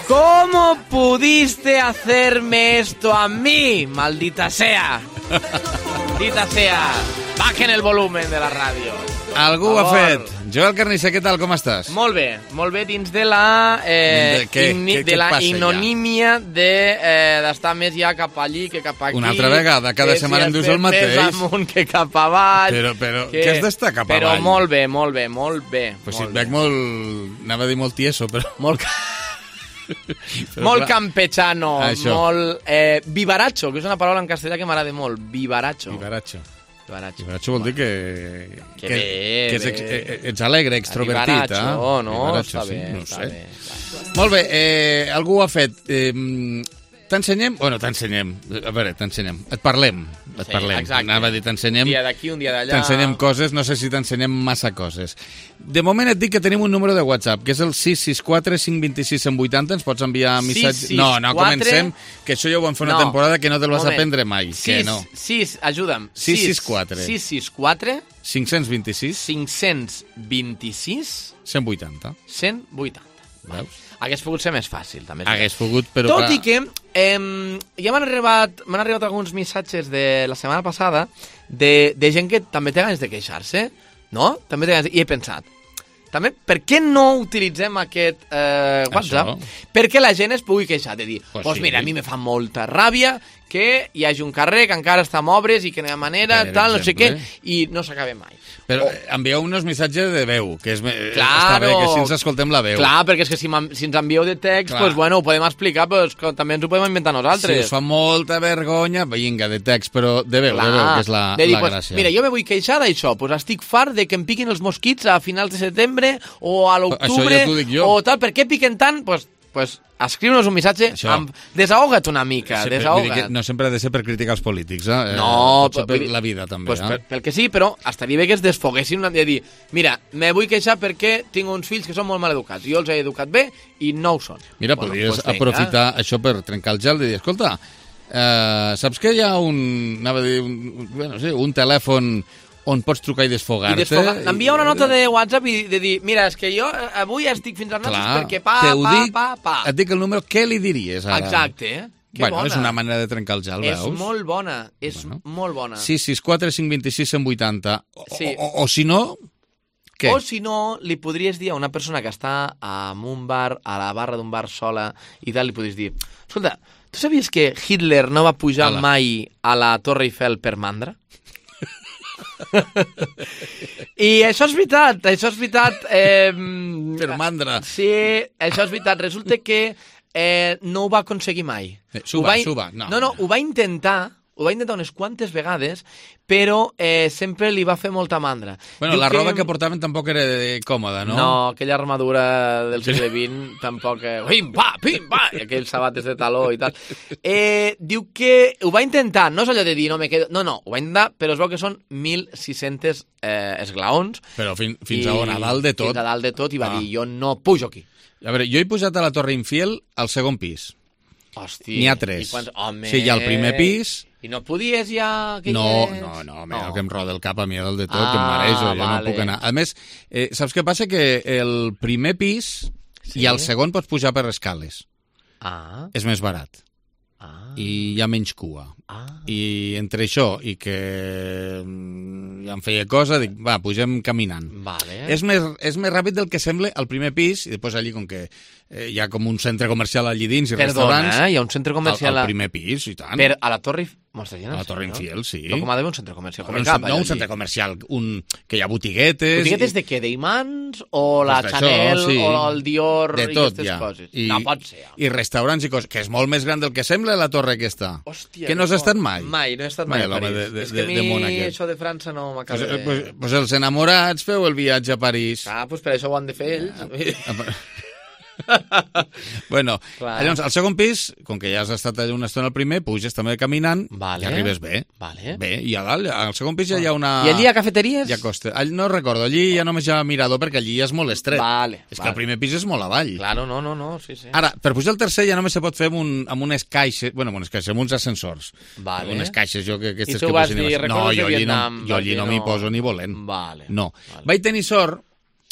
¿Cómo pudiste hacerme esto a mí? Maldita sea. Maldita sea. Bajen el volumen de la ràdio. Algú ho ha fet. Joel Carnicer, què tal? Com estàs? Molt bé, molt bé dins de la eh, de, què, igni, què, de què la passa, ignomínia d'estar de, eh, més ja cap allí que cap aquí. Una altra vegada, cada setmana em dius el mateix. Més amunt que cap avall. Però, però que, què has d'estar cap però avall? Però molt bé, molt bé, molt bé. Pues molt si et bé. veig molt... Anava a dir molt tieso, però... Molt... Però molt clar, campechano, això. Molt eh, vivaracho, que és una paraula en castellà que m'agrada molt, vivaracho. Vivaracho. Vivaracho. Vivaracho vol dir que, que, que, bé, que ets, bé. ets alegre, extrovertit. Vivaracho, eh? no, Vivaracho, està sí, bé, no està sé. bé. Està. Molt bé, eh, algú ho ha fet. Eh, t'ensenyem? Bueno, t'ensenyem. A veure, t'ensenyem. Et parlem. Et Sí, parlem. exacte. Anava a dir, t'ensenyem. Un dia d'aquí, un dia d'allà. T'ensenyem coses, no sé si t'ensenyem massa coses. De moment et dic que tenim un número de WhatsApp, que és el sis sis quatre cinc dos sis cent vuitanta. Ens pots enviar missatges... sis sis No, no quatre comencem, que això ja ho vam fer una No. temporada que no te'l vas Moment. aprendre mai. sis, Que no. sis, ajuda'm. sis sis quatre. sis sis quatre cinc cents vint-i-sis. cinc cents vint-i-sis cent vuitanta. cent vuitanta. Veus? Hagués pogut ser més fàcil, també. Hagués pogut, però... Tot clar, i que eh, ja m'han arribat, m'han arribat alguns missatges de la setmana passada de, de gent que també té ganes de queixar-se, no? També té ganes de... I he pensat, també, per què no utilitzem aquest eh, WhatsApp? Això. Perquè la gent es pugui queixar de dir, pues, pues sí. mira, a mi me fa molta ràbia que hi hagi un carrer que encara està amb obres i que no hi ha manera, per tal, exemple. No sé què, i no s'acaba mai. Però oh. envieu uns missatges de veu, que és, claro, està bé, que si ens escoltem la veu. Clar, perquè és que si, si ens envieu de text, pues, bueno, ho podem explicar, però que també ens ho podem inventar nosaltres. Si us fa molta vergonya, vinga, de text, però de veu, Clar. de veu, que és la, dir, la pues, gràcia. Mira, jo me vull queixar d'això, pues estic fart de que em piquin els mosquits a finals de setembre o a l'octubre, ja o tal, per què piquen tant? Pues, pues escriu-nos un missatge, amb... desahoga't una mica, sempre, desahoga't. No sempre ha de ser per criticar els polítics, eh? No, pot ser per la vida també. Pues, eh? per, pel que sí, però estaria bé que es desfoguessin de dir, mira, me vull queixar perquè tinc uns fills que són molt mal educats, jo els he educat bé i no ho són. Mira, bueno, podries pues aprofitar això per trencar el gel i dir, escolta, eh, saps que hi ha un, anava a dir, un, bueno, sí, un telèfon on pots trucar i desfogar-te. Desfogar. Envia una nota de WhatsApp i de dir, mira, és que jo avui estic fins als nassos perquè pa, pa, dic, pa, pa. Et dic el número, què li diries ara? Exacte, eh? Que bueno, bona. És una manera de trencar el gel, veus? És molt bona, és bueno. molt bona. sis sis quatre cinc dos sis cent vuitanta. O, sí. o, o, o si no, què? O si no, li podries dir a una persona que està en un bar, a la barra d'un bar sola i tal, li podries dir, escolta, tu sabies que Hitler no va pujar Ala. mai a la Torre Eiffel per mandra? I això és veritat, això és veritat. Eh, per mandra. Sí, això és veritat. Resulta que eh, no ho va aconseguir mai. Eh, suba, va, suba. No, no, no, ho va intentar, ho va intentar unes quantes vegades, però eh, sempre li va fer molta mandra. Bueno, Diu la que... roba que portaven tampoc era còmoda, no? No, aquella armadura del segle vint tampoc... Eh, pim, pa, pim, pa, i aquells sabates de taló i tal. Eh, diu que ho va intentar, no és allò de dir no me quedo... No, no, ho va intentar, però es veu que són mil sis-cents eh, esglaons. Però fin, fins i, a on, a dalt de tot? Fins a dalt de tot, i va ah. dir, jo no pujo aquí. A veure, jo he pujat a la Torre Infiel al segon pis. Hòstia. N'hi ha tres. Quants... Home... Sí, hi ha el primer pis... I no podies ja... Que no, és... no, no, mira, no. que em roda el cap a mi del de tot, ah, que em marejo, jo vale. no puc anar. A més, eh, saps què passa? Que el primer pis sí? i el segon pots pujar per escales. Ah. És més barat. Ah. I hi ha menys cua. Ah. I entre això i que ja em feia cosa, dic, va, pugem caminant. Vale. És més, és més ràpid del que sembla al primer pis, i després allí, com que eh, hi ha com un centre comercial allí dins i Perdona, restaurants... Perdona, eh? Hi ha un centre comercial... Al, al primer pis, i tant. Per a la Torre... A la Torre Infiel, sí. Però com ha d'haver un centre comercial? Com un, cap, no un centre comercial, un, que hi ha botiguetes... Botiguetes i... de què? D'imants? O la pues Chanel? Això, sí. O el Dior? De tot, i aquestes ja. coses? I, no pot ser. I restaurants i coses, que és molt més gran del que sembla la torre aquesta. Hòstia, que no has estat mai? Mai, no he estat mai, mai a París. De, de, és que a mi de, de això de França no m'acaba pues, de... Pues, pues els enamorats feu el viatge a París. Ah, doncs pues per això ho han de fer ells. Ah, bueno, Clar. llavors, al segon pis, com que ja has estat allà una estona al primer, puges també caminant vale. i arribes bé. Vale. Bé, i a dalt, al segon pis ja hi ha una... I allí hi ha cafeteries? Ja costa. No recordo, allí ja només hi ha mirador perquè allí ja és molt estret. Vale, és vale. que el primer pis és molt avall. Claro, no, no, no, sí, sí. Ara, per pujar al tercer ja només se pot fer amb, un, amb unes caixes, bueno, amb unes caixes, amb uns ascensors. Vale. Unes caixes, jo que aquestes I tu que vas dir, no, jo allí Vietnam, no, jo allí no m'hi poso ni volent. Vale. No. Vale. Vaig tenir sort,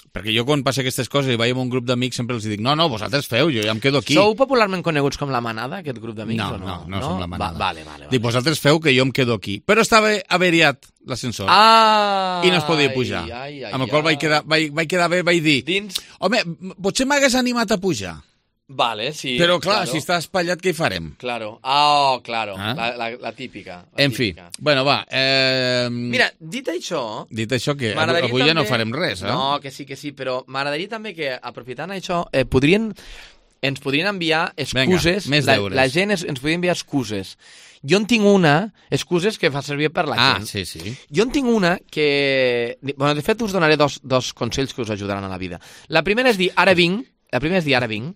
perquè jo quan passa aquestes coses i vaig amb un grup d'amics sempre els dic, no, no, vosaltres feu, jo ja em quedo aquí. Sou popularment coneguts com la manada, aquest grup d'amics, no, o no? No, no, no som la manada. Va, vale, vale, vale. Dic, vosaltres feu que jo em quedo aquí. Però estava averiat l'ascensor. Ah, i no es podia pujar. Ai, ai, amb el qual vaig quedar, vaig, vaig quedar bé, vaig dir, Dins... home, potser m'hagués animat a pujar. Vale, sí. Però clar, claro. si està espatllat, què hi farem? Claro. Ah, oh, claro. Ah? La, la, la típica. La en típica. fi, bueno, va. Eh... Mira, dit això... Dit això, que avui també... ja no farem res, eh? No, que sí, que sí, però m'agradaria també que, aprofitant això, eh, podrien... ens podrien enviar excuses. Vinga, més deures. La, la gent es, ens podria enviar excuses. Jo en tinc una, excuses que fa servir per la ah, gent. Ah, sí, sí. Jo en tinc una que... Bueno, de fet, us donaré dos, dos consells que us ajudaran a la vida. La primera és dir, ara vinc, la primera és dir, ara vinc,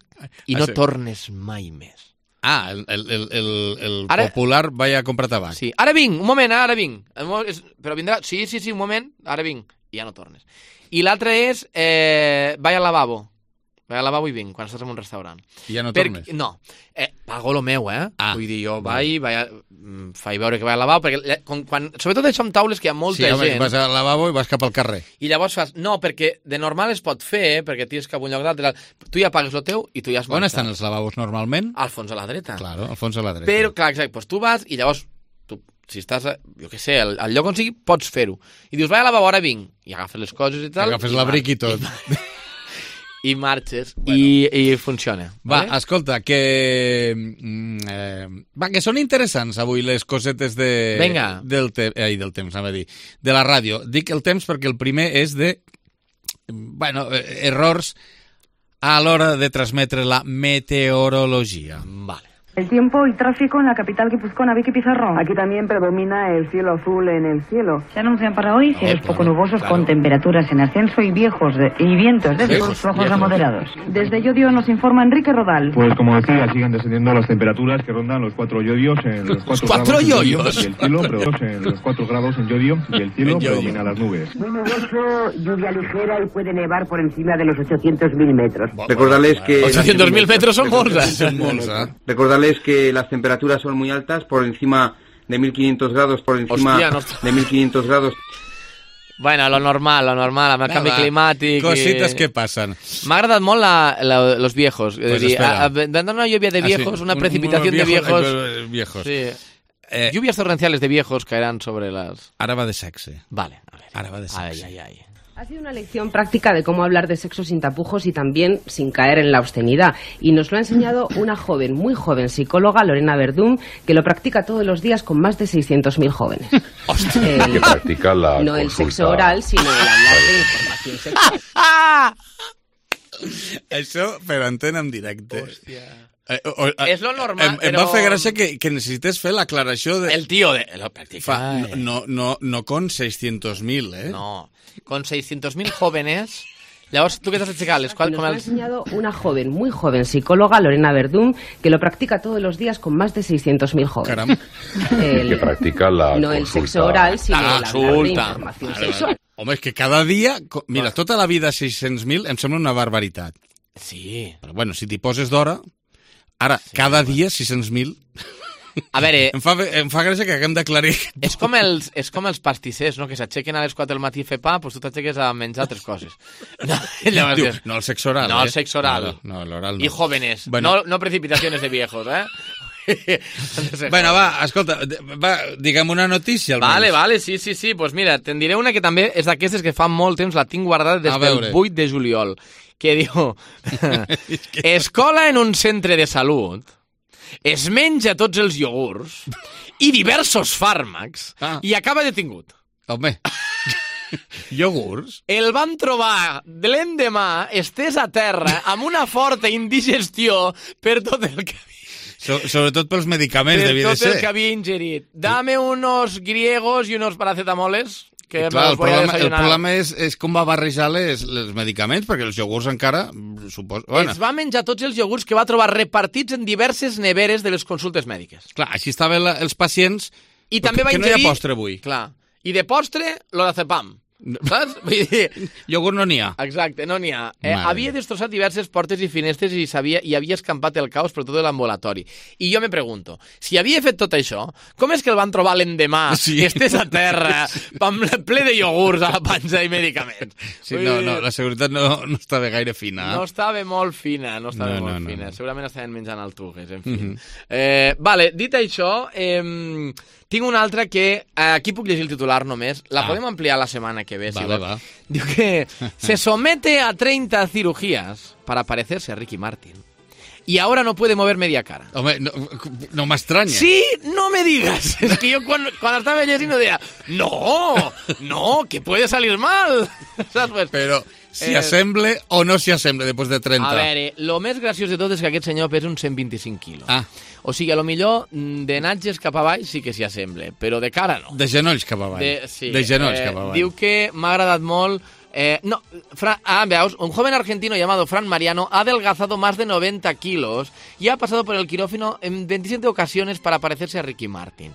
i no ah, sí. tornes mai més. Ah, el, el, el, el, el ara... popular vaig a comprar tabac. Sí, ara vinc, un moment, ara vinc. Però vindrà, sí, sí, sí, un moment, ara vinc, i ja no tornes. I l'altra és, eh, vaig al lavabo. Vaig al lavabo i vinc, quan estàs en un restaurant. I ja no per... tornes? No, eh, pago lo meu, eh? Ah, vull dir, jo vaig, vaig a... faig veure que vaig al lavabo, perquè quan, quan... sobretot això amb taules que hi ha molta sí, home, gent... vas al lavabo i vas cap al carrer. I llavors fas... No, perquè de normal es pot fer, perquè tires cap a un lloc d'altre. Tu ja pagues el teu i tu ja has marxat. On estan els lavabos normalment? Al fons a la dreta. Claro, al fons a la dreta. Però, clar, exacte, doncs tu vas i llavors... Tu, si estàs, jo què sé, al, al lloc on sigui, pots fer-ho. I dius, vaig al lavabo, ara vinc. I agafes les coses i tal... I agafes l'abric i tot. i marxes bueno. i, i funciona. Va, vale? escolta, que... Eh, va, que són interessants avui les cosetes de... Vinga. Del, te... Ai, del temps, anava a dir. De la ràdio. Dic el temps perquè el primer és de... Bueno, errors a l'hora de transmetre la meteorologia. Vale. El tiempo y tráfico en la capital guipuzcoana, Vicky Pizarro. Aquí también predomina el cielo azul en el cielo. Se anuncian para hoy cielos Oh, poco claro, nubosos claro. con temperaturas en ascenso y viejos de- y vientos de Viejos, sur flojos a viejos. moderados. Desde Llodio nos informa Enrique Rodal. Pues como decía, siguen descendiendo las temperaturas que rondan los cuatro yodios en los cuatro, ¿Cuatro grados en Llodio, yodios? y el cielo predomina en los cuatro grados en Llodio y el cielo En Llodio. predomina las nubes. Muy nuboso, lluvia ligera y puede nevar por encima de los ochocientos mil metros. Recordarles que... ochocientos mil metros son molts, eh? Són molts, eh? Recordarles que las temperaturas son muy altas, por encima de mil quinientos grados, por encima Hostia, no. de mil quinientos grados. Bueno, lo normal, lo normal, amb el Va, canvi va, climàtic... Cosites i... que passen. M'ha agradat molt la, la, los viejos. Pues és a dir, espera. a, a, dando una lluvia de Ah, sí, viejos, una un- precipitación unos de viejos, viejos... eh, viejos. Sí. Eh, Lluvias torrenciales de viejos caerán sobre las... Ara va de sexe. Vale, a ver. Ara va de sexe. Ay, ay, ay. Ha sido una lección práctica de cómo hablar de sexo sin tapujos y también sin caer en la obscenidad. Y nos lo ha enseñado una joven, muy joven psicóloga, Lorena Verdún, que lo practica todos los días con más de seiscientos mil jóvenes. El- Que practica la no el consulta. sexo oral, sino el hablar de información sexual. Això per antena en directe. Hòstia. Eh, o, o, És lo normal, em, em però- va fer gràcia que, que necessites fer l'aclaració de... El tío de... Lo practica. Fa, no, no, no, no con seiscientos mil, eh? No, con seiscientos mil jóvenes... Llavors, tu què t'has aixecat? Les Y quals, nos com lo ha els... enseñado una joven, muy joven psicóloga, Lorena Verdún, que lo practica todos los días con más de seiscientos mil jóvenes. Caram. El- Que practica la no el consulta. sexo oral, sino La el hablar de consulta. información Vale, vale. sexual. Home, és que cada dia... co- Mira, tota la vida seiscientos mil em sembla una barbaritat. Sí. Però bueno, si t'hi poses d'hora... Ara, sí, cada dia seiscientos mil... A veure... Em fa, em fa gràcia que haguem d'aclarir... És com els, és com els pastissers, no? Que s'aixequen a les quatre del matí a fer pa, doncs tu t'aixeques a menjar altres coses. No, llavors, Diu, no el sexe oral, no eh? el sexe oral. No, no l'oral no. I jóvenes. Bueno. No, no precipitaciones de viejos, eh? Bueno, va, escolta, va, digue'm una notícia, almenys. Vale, vale, sí, sí, sí. Pues mira, te'n diré una que també és d'aquestes que fa molt temps, la tinc guardada des A del veure. vuit de juliol, que diu... Escola en un centre de salut es menja tots els iogurts i diversos fàrmacs Ah. i acaba detingut. Home, iogurts? El van trobar de l'endemà estès a terra amb una forta indigestió per tot el que So, sobretot pels medicaments, per devia de tot el ser. que havia ingerit. Dame unos griegos i unos paracetamoles que Clar, el me'ls voy a problema, el desayunar. problema és, és com va barrejar les, els medicaments, perquè els iogurts encara, suposo... Bueno, Es va menjar tots els iogurts que va trobar repartits en diverses neveres de les consultes mèdiques. clar, així estaven la, els pacients... I també va que no hi ingerir... ha postre avui. Clar. I de postre, l'orazepam. Saps? Vull dir... Iogurt no n'hi ha. Exacte, no n'hi ha. Eh, Mare havia destrossat diverses portes i finestres i, sabia, i havia escampat el caos per tot l'ambulatori. I jo me pregunto, si havia fet tot això, com és que el van trobar l'endemà, Sí. sí. estés a terra, amb ple de iogurts a la panxa i medicaments? Sí, Vull no, dir, no, la seguretat no, no estava gaire fina. No estava molt fina, no estava No, no, molt no, fina. no. Segurament estaven menjant altugues, en fi. Mhm. eh, vale, dit això, eh, tinc una altra que... Eh, aquí puc llegir el titular només. La Ah. podem ampliar la setmana que ve, si Vale, vols. va. Diu que se somete a treinta cirugías para parecerse a Ricky Martin. Y ahora no puede mover media cara. Home, no, no m'estranya. Sí, no me digas. Es que yo cuando, cuando estaba llegint deia, no, no, que puede salir mal. Saps? Pues, Però si eh, assemble o no s'hi assemble després de trenta. A veure, el més graciós de tot és que aquest senyor pesa uns cent vint-i-cinc quilos. Ah. O sigui, a lo millor mm, de natges cap avall sí que s'hi assemble, però de cara no. De genolls cap avall. De, sí, de genolls eh, cap avall. Diu que m'ha agradat molt... Eh, no, Fra, ah, veus, un joven argentino llamado Fran Mariano ha adelgazado más de noventa kilos y ha pasado por el quirófano en veintisiete ocasiones para parecerse a Ricky Martin.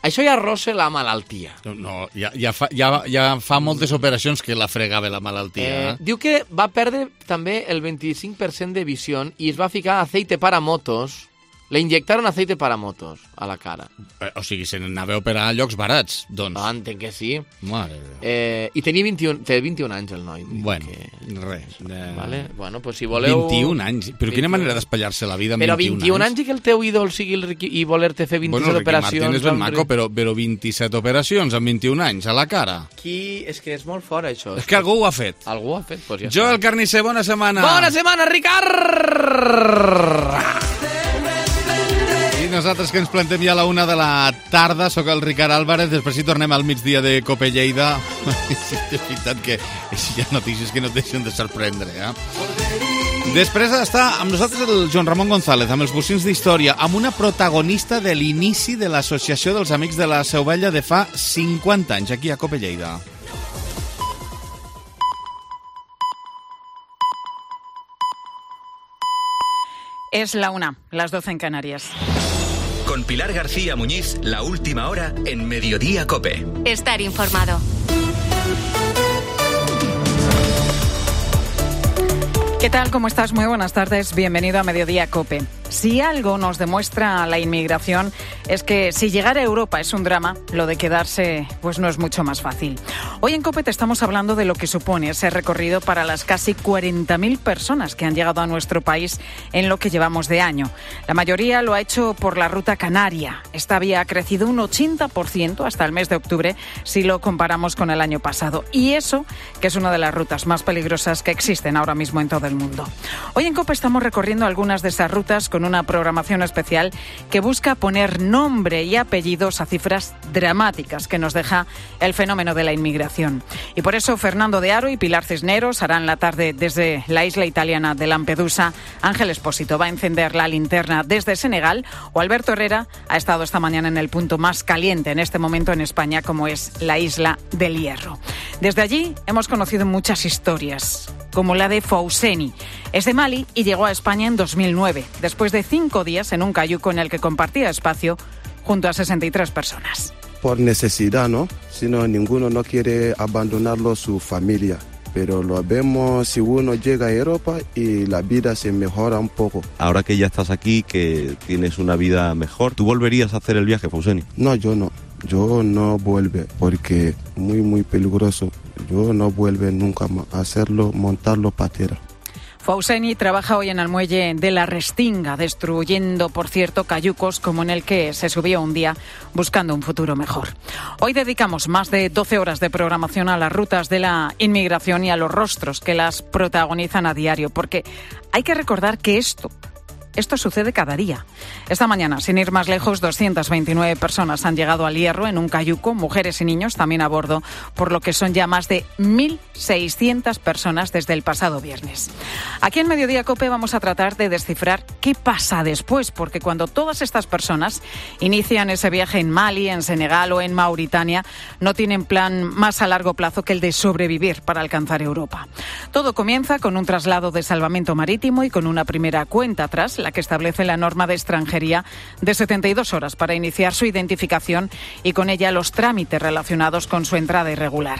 Això ja rossa la malaltia. No, no ja, ja, fa, ja, ja fa moltes operacions que la fregava la malaltia. Eh, Eh? diu que va perdre també el vint-i-cinc per cent de visió i es va ficar aceite para motos Le inyectaron aceite para motos a la cara. Eh, o sigui, se n'anava a operar a llocs barats, doncs. Ah, entenc que sí. Mare eh, I tenia vint-i-un, té vint-i-un anys, el noi. Bueno, que... res. Eh... Vale. Bueno, pues si voleu... vint-i-un anys? Però quina manera d'espatllar-se la vida amb però vint-i-un anys? Però vint-i-un anys i que el teu ídol sigui el Ricky i voler-te fer vint-i-set bueno, operacions... Bueno, Ricky Martin és ben maco, però, però vint-i-set operacions amb vint-i-un anys a la cara. Qui... És que és molt fort, això. És que algú ho ha fet. Algú ho ha fet, doncs ja Jo, està. el carnisser, bona setmana. Bona setmana, Ricard! I nosaltres que ens plantem ja a la una de la tarda, sóc el Ricard Álvarez, després hi tornem al migdia de Cope Lleida. És veritat que hi ha notícies que no et deixen de sorprendre, eh? Després està amb nosaltres el Joan Ramon González, amb els bocins d'història, amb una protagonista de l'inici de l'Associació dels Amics de la Seu Vella de fa cinquanta anys, aquí a Cope Lleida. Es la una, las doce en Canarias. Con Pilar García Muñiz, la última hora en Mediodía Cope. Estar informado. ¿Qué tal? ¿Cómo estás? Muy buenas tardes. Bienvenido a Mediodía Cope. Si algo nos demuestra la inmigración es que si llegar a Europa es un drama, lo de quedarse pues no es mucho más fácil. Hoy en Cope te estamos hablando de lo que supone ese recorrido para las casi cuarenta mil personas que han llegado a nuestro país en lo que llevamos de año. La mayoría lo ha hecho por la ruta canaria. Esta vía ha crecido un ochenta por ciento hasta el mes de octubre si lo comparamos con el año pasado. Y eso que es una de las rutas más peligrosas que existen ahora mismo en todo el mundo. Hoy en Cope estamos recorriendo algunas de esas rutas con una programación especial que busca poner nombre y apellidos a cifras dramáticas que nos deja el fenómeno de la inmigración. Y por eso Fernando de Aro y Pilar Cisneros harán la tarde desde la isla italiana de Lampedusa. Ángel Espósito va a encender la linterna desde Senegal, o Alberto Herrera ha estado esta mañana en el punto más caliente en este momento en España, como es la isla del Hierro. Desde allí hemos conocido muchas historias, como la de Fousseni. Es de Mali y llegó a España en dos mil nueve, después de cinco días en un cayuco en el que compartía espacio junto a sesenta y tres personas. Por necesidad, ¿no? Si no, ninguno no quiere abandonarlo su familia. Pero lo vemos si uno llega a Europa y la vida se mejora un poco. Ahora que ya estás aquí, que tienes una vida mejor, ¿tú volverías a hacer el viaje, Fousseni? No, yo no. Yo no vuelvo porque muy, muy peligroso. Yo no vuelvo nunca más a hacerlo, montarlo patera. Fousseni trabaja hoy en el muelle de la Restinga, destruyendo, por cierto, cayucos como en el que se subió un día buscando un futuro mejor. Hoy dedicamos más de doce horas de programación a las rutas de la inmigración y a los rostros que las protagonizan a diario, porque hay que recordar que esto... Esto sucede cada día. Esta mañana, sin ir más lejos, doscientas veintinueve personas han llegado al Hierro en un cayuco, mujeres y niños también a bordo, por lo que son ya más de mil seiscientas personas desde el pasado viernes. Aquí en Mediodía Cope vamos a tratar de descifrar qué pasa después, porque cuando todas estas personas inician ese viaje en Mali, en Senegal o en Mauritania, no tienen plan más a largo plazo que el de sobrevivir para alcanzar Europa. Todo comienza con un traslado de salvamento marítimo y con una primera cuenta atrás, la que establece la norma de extranjería de setenta y dos horas para iniciar su identificación y con ella los trámites relacionados con su entrada irregular.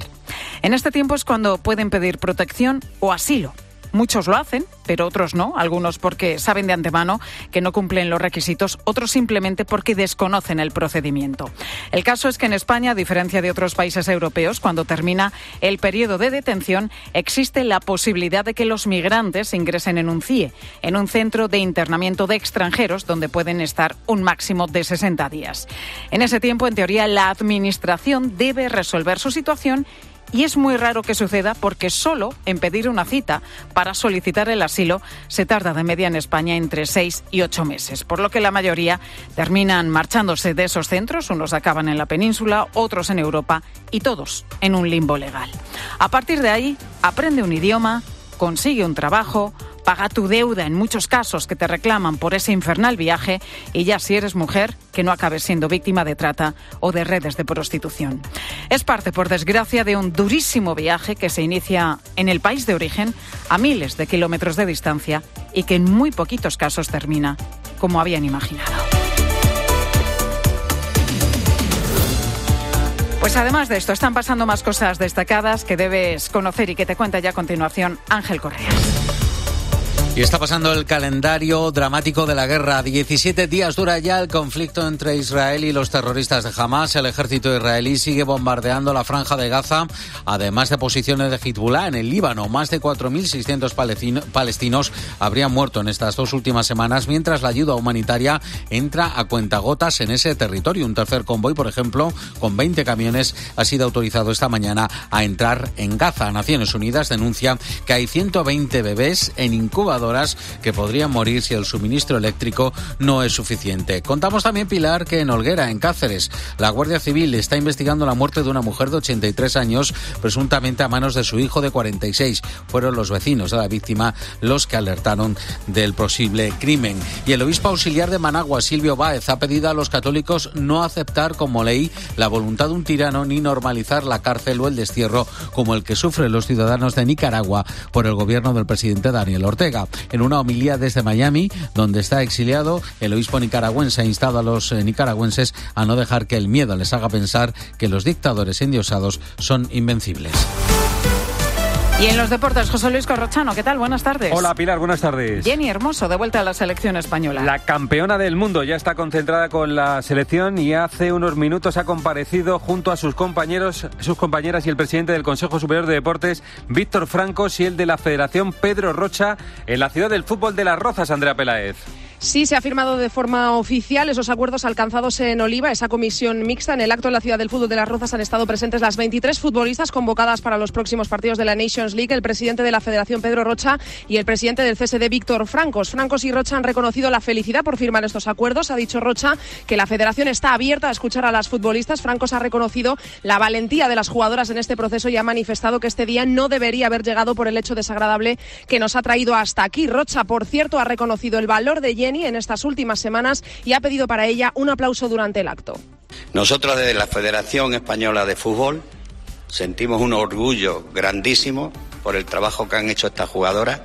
En este tiempo es cuando pueden pedir protección o asilo. Muchos lo hacen, pero otros no, algunos porque saben de antemano que no cumplen los requisitos, otros simplemente porque desconocen el procedimiento. El caso es que en España, a diferencia de otros países europeos, cuando termina el periodo de detención, existe la posibilidad de que los migrantes ingresen en un C I E, en un centro de internamiento de extranjeros, donde pueden estar un máximo de sesenta días. En ese tiempo, en teoría, la Administración debe resolver su situación. Y es muy raro que suceda porque solo en pedir una cita para solicitar el asilo se tarda de media en España entre seis y ocho meses, por lo que la mayoría terminan marchándose de esos centros, unos acaban en la península, otros en Europa y todos en un limbo legal. A partir de ahí, aprende un idioma, consigue un trabajo, paga tu deuda en muchos casos que te reclaman por ese infernal viaje y ya si eres mujer, que no acabes siendo víctima de trata o de redes de prostitución. Es parte, por desgracia, de un durísimo viaje que se inicia en el país de origen a miles de kilómetros de distancia y que en muy poquitos casos termina como habían imaginado. Pues además de esto, están pasando más cosas destacadas que debes conocer y que te cuenta ya a continuación Ángel Correas. Y está pasando el calendario dramático de la guerra. diecisiete días dura ya el conflicto entre Israel y los terroristas de Hamas. El ejército israelí sigue bombardeando la franja de Gaza, además de posiciones de Hezbollah en el Líbano. Más de cuatro mil seiscientos palestinos habrían muerto en estas dos últimas semanas, mientras la ayuda humanitaria entra a cuentagotas en ese territorio. Un tercer convoy, por ejemplo, con veinte camiones, ha sido autorizado esta mañana a entrar en Gaza. Naciones Unidas denuncia que hay ciento veinte bebés en incubador que podrían morir si el suministro eléctrico no es suficiente. Contamos también, Pilar, que en Olguera, en Cáceres, la Guardia Civil está investigando la muerte de una mujer de ochenta y tres años, presuntamente a manos de su hijo de cuarenta y seis. Fueron los vecinos de la víctima los que alertaron del posible crimen. Y el obispo auxiliar de Managua, Silvio Báez, ha pedido a los católicos no aceptar como ley la voluntad de un tirano ni normalizar la cárcel o el destierro como el que sufren los ciudadanos de Nicaragua por el gobierno del presidente Daniel Ortega. En una homilía desde Miami, donde está exiliado, el obispo nicaragüense ha instado a los nicaragüenses a no dejar que el miedo les haga pensar que los dictadores endiosados son invencibles. Y en los deportes, José Luis Corrochano, ¿qué tal? Buenas tardes. Hola, Pilar, buenas tardes. Jenny Hermoso, de vuelta a la selección española. La campeona del mundo ya está concentrada con la selección y hace unos minutos ha comparecido junto a sus compañeros, sus compañeras y el presidente del Consejo Superior de Deportes, Víctor Francos, y el de la Federación, Pedro Rocha, en la ciudad del fútbol de Las Rozas, Andrea Peláez. Sí, se ha firmado de forma oficial esos acuerdos alcanzados en Oliva, esa comisión mixta. En el acto en la ciudad del fútbol de Las Rozas han estado presentes las veintitrés futbolistas convocadas para los próximos partidos de la Nations League, el presidente de la Federación, Pedro Rocha, y el presidente del C S D, Víctor Francos. Francos y Rocha han reconocido la felicidad por firmar estos acuerdos. Ha dicho Rocha que la Federación está abierta a escuchar a las futbolistas. Francos ha reconocido la valentía de las jugadoras en este proceso y ha manifestado que este día no debería haber llegado por el hecho desagradable que nos ha traído hasta aquí. Rocha, por cierto, ha reconocido el valor de Jenny en estas últimas semanas y ha pedido para ella un aplauso durante el acto. Nosotros desde la Federación Española de Fútbol sentimos un orgullo grandísimo por el trabajo que han hecho estas jugadoras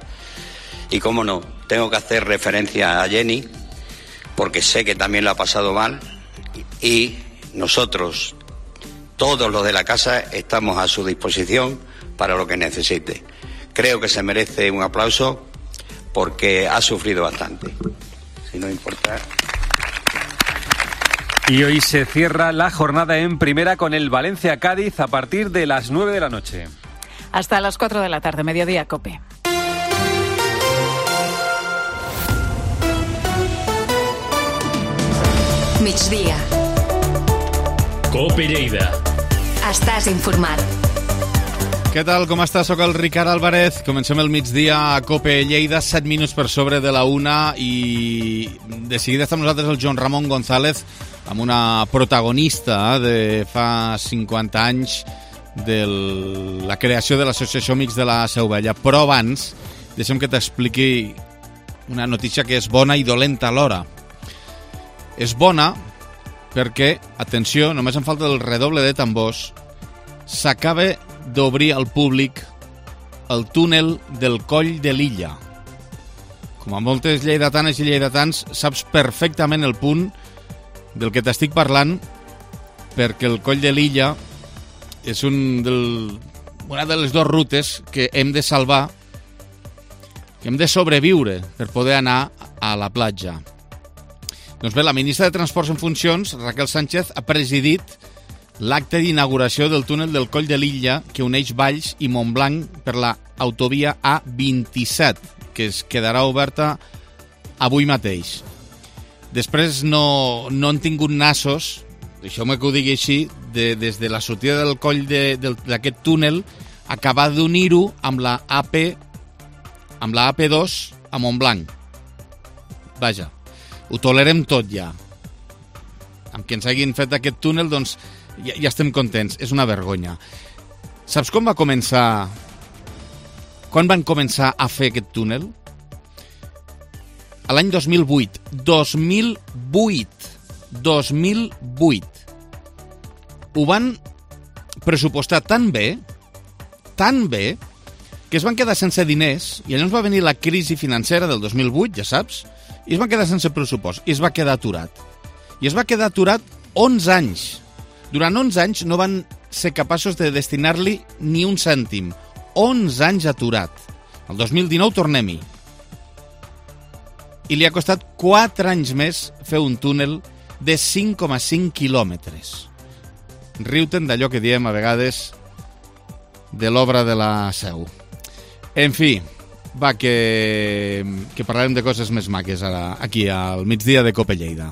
y, cómo no, tengo que hacer referencia a Jenny porque sé que también lo ha pasado mal y nosotros, todos los de la casa, estamos a su disposición para lo que necesite. Creo que se merece un aplauso porque ha sufrido bastante. Si no importa. Y hoy se cierra la jornada en primera con el Valencia-Cádiz a partir de las nueve de la noche. Hasta las cuatro de la tarde, mediodía, COPE. Migdia. COPE Lleida. Estàs informat. Què tal, com està? Soc el Ricard Álvarez. Comencem el migdia a COPE Lleida, set minuts per sobre de la una, i de seguida està amb nosaltres el Joan Ramon González, amb una protagonista de fa cinquanta anys de la creació de l'Associació Amics de la Seu Vella. Però abans, deixem que t'expliqui una notícia que és bona i dolenta alhora. És bona perquè, atenció, només em falta el redoble de tambors, s'acaba d'obrir al públic el túnel del Coll de l'Illa. Com a moltes lleidatanes i lleidatans, saps perfectament el punt del que t'estic parlant, perquè el Coll de l'Illa és un del, una de les dues rutes que hem de salvar, que hem de sobreviure per poder anar a la platja. Doncs bé, la ministra de Transports en funcions, Raquel Sánchez, ha presidit l'acte d'inauguració del túnel del Coll de l'Illa que uneix Valls i Montblanc per la autovia A vint-i-set, que es quedarà oberta avui mateix. Després no, no han tingut nassos, deixeu-me que ho digui així, de, des de la sortida del coll d'aquest túnel, acabar d'unir-ho amb la A P amb la A P dos a Montblanc. Vaja, ho tolerem tot ja. Amb que ens hagin fet aquest túnel, doncs ja, ja estem contents. És una vergonya. Saps com va començar... Quan van començar a fer aquest túnel? A l'any dos mil vuit. dos mil vuit. dos mil vuit. Ho van pressupostar tan bé, tan bé, que es van quedar sense diners, i llavors va venir la crisi financera del dos mil vuit, ja saps, i es van quedar sense pressupost, i es va quedar aturat. I es va quedar aturat onze anys. Durant onze anys no van ser capaços de destinar-li ni un cèntim. onze anys aturat. El dos mil dinou tornem-hi. i li ha costat quatre anys més fer un túnel de cinc coma cinc quilòmetres. Riu-te'n d'allò que diem a vegades de l'obra de la Seu. En fi, va, que, que parlarem de coses més maques ara, aquí al migdia de Cope Lleida.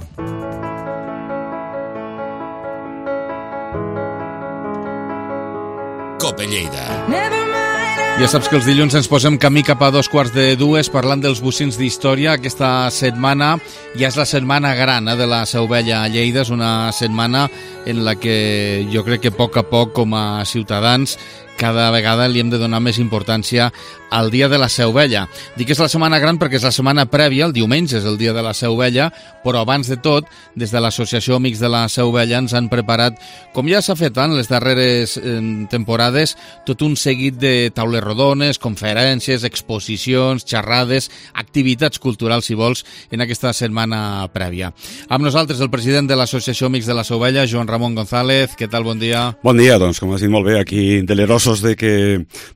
Cope Lleida. Ja saps que els dilluns ens posem camí cap a dos quarts de dues parlant dels bocins d'història. Aquesta setmana ja és la setmana gran eh, de la Seu Vella a Lleida. És una setmana en la que jo crec que a poc a poc, com a ciutadans, cada vegada li hem de donar més importància al dia de la Seu Vella. Dic que és la setmana gran perquè és la setmana prèvia, el diumenge és el dia de la Seu Vella, però abans de tot, des de l'Associació Amics de la Seu Vella ens han preparat, com ja s'ha fet en les darreres eh, temporades, tot un seguit de taules rodones, conferències, exposicions, xerrades, activitats culturals, si vols, en aquesta setmana prèvia. Amb nosaltres el president de l'Associació Amics de la Seu Vella, Joan Ramon González. Què tal? Bon dia. Bon dia, doncs, com has dit molt bé, aquí delerosos de que,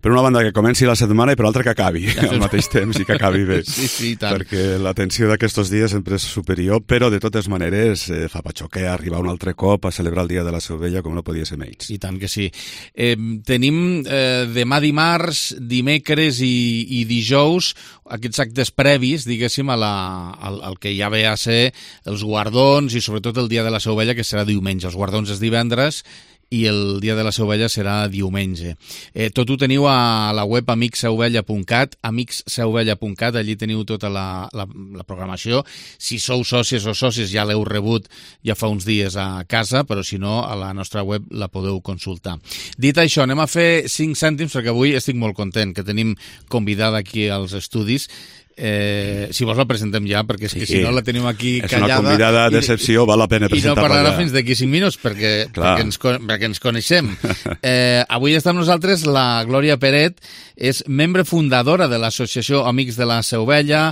per una banda, que comenci la setmana i per l'altra que acabi ja, al mateix temps i que acabi bé. Sí, sí, tant. Perquè la tensió d'aquests dies sempre és superior, però de totes maneres eh, fa patxoquer arribar un altre cop a celebrar el dia de la Seu Vella com no podia ser menys. I tant que sí. Eh, tenim eh, demà dimarts, dimecres i, i dijous aquests actes previs, diguéssim, a la, al, al que ja ve a ser els guardons i sobretot el dia de la Seu Vella, que serà diumenge. Els guardons és divendres i el dia de la Seu Vella serà diumenge. Eh, tot ho teniu a la web amics seu vella punt cat, amics seu vella punt cat, allí teniu tota la, la, la programació. Si sou sòcies o sòcies ja l'heu rebut ja fa uns dies a casa, però si no, a la nostra web la podeu consultar. Dit això, anem a fer cinc cèntims, perquè avui estic molt content que tenim convidada aquí als estudis. Eh, si vols la presentem ja, perquè és que sí, si no la tenim aquí és callada... És una convidada d'excepció, val la pena presentar-la. I no parlarà ja fins d'aquí cinc minuts, perquè, perquè, ens, perquè ens coneixem. Eh, avui està amb nosaltres la Glòria Peret, és membre fundadora de l'Associació Amics de la Seu Vella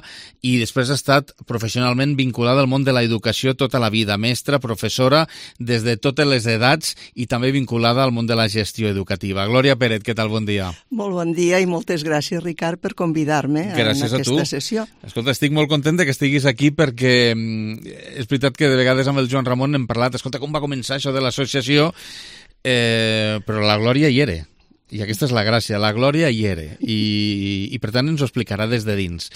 i després ha estat professionalment vinculada al món de l'educació tota la vida, mestra, professora, des de totes les edats i també vinculada al món de la gestió educativa. Glòria Peret, què tal? Bon dia. Molt bon dia i moltes gràcies, Ricard, per convidar-me en aquesta sessió. Escolta, estic molt content que estiguis aquí perquè és veritat que de vegades amb el Joan Ramon hem parlat, escolta, com va començar això de l'associació, eh, però la Glòria hi era. I aquesta és la gràcia, la Glòria hi era. I, i per tant ens ho explicarà des de dins.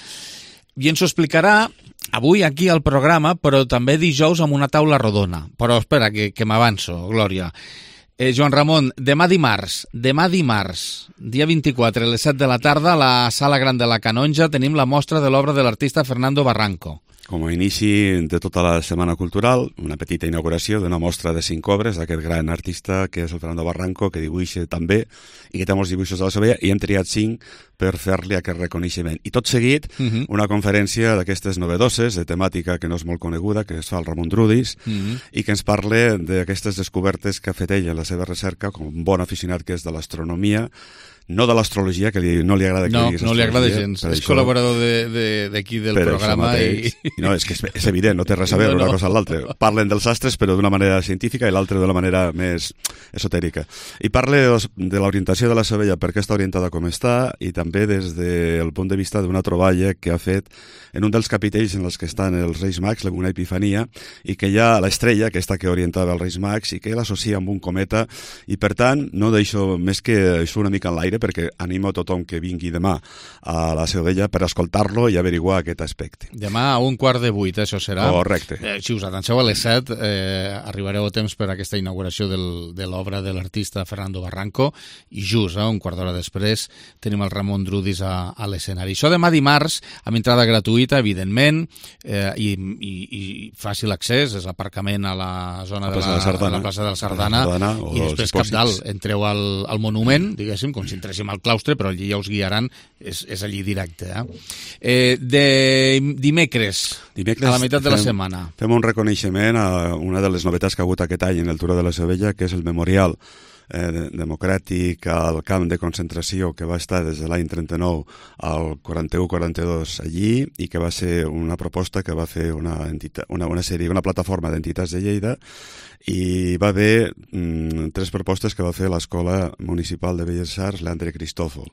I ens ho explicarà avui aquí al programa, però també dijous amb una taula rodona. Però espera, que, que m'avanço, Glòria. Eh, Joan Ramon, demà dimarts, demà dimarts, dia vint-i-quatre, a les set de la tarda, a la Sala Gran de la Canonja, tenim la mostra de l'obra de l'artista Fernando Barranco. Com a inici de tota la Setmana Cultural, una petita inauguració d'una mostra de cinc obres d'aquest gran artista que és el Fernando Barranco, que dibuixa també i que té molts dibuixos de la Seu Vella, i hem triat cinc per fer-li aquest reconeixement. I tot seguit, uh-huh. una conferència d'aquestes novedoses, de temàtica que no és molt coneguda, que es fa el Ramon Drudis, uh-huh. i que ens parla d'aquestes descobertes que ha fet ell en la seva recerca, com un bon aficionat que és de l'astronomia, no de l'astrologia, que li, no li agrada que no, diguis no li agrada gens, és això, col·laborador d'aquí de, de, del programa i... I no, és que és, és evident, no té res a veure no, no. una cosa amb l'altra. Parlen dels astres però d'una manera científica i l'altra d'una manera més esotèrica. I parla de l'orientació de la Seu Vella, per què està orientada com està, i també des del punt de vista d'una troballa que ha fet en un dels capitells en els que estan els Reis Mags, una epifania, i que hi ha l'estrella, aquesta que orientava els Reis Mags, i que l'associa amb un cometa, i per tant no deixo més que això una mica en l'aire, perquè animo a tothom que vingui demà a la Seu Vella per escoltar-lo i averiguar aquest aspecte. Demà a un quart de vuit, això serà. Correcte. Eh, si us atanseu a les set, eh, arribareu a temps per a aquesta inauguració del, de l'obra de l'artista Fernando Barranco, i just, eh, un quart d'hora després, tenim el Ramon Drudis a, a l'escenari. Això demà dimarts, amb entrada gratuïta, evidentment, eh, i, i, i fàcil accés, és aparcament a la zona de la, de la plaça de la Sardana, Sardana i després cap dalt, entreu al, al monument, diguéssim, com si entréssim al claustre, però allí ja us guiaran, és, és allí directe. Eh? Eh, de dimecres, dimecres, a la meitat de la fem, setmana. Fem un reconeixement a una de les novetats que ha hagut aquest any en el Turó de la Seu Vella, que és el memorial eh, democràtic al camp de concentració que va estar des de l'any trenta-nou al quaranta-u quaranta-dos allí i que va ser una proposta que va fer una, entitat, una, una sèrie, una plataforma d'entitats de Lleida i va haver mm, tres propostes que va fer l'Escola Municipal de Belles Arts Leandre Cristòfol.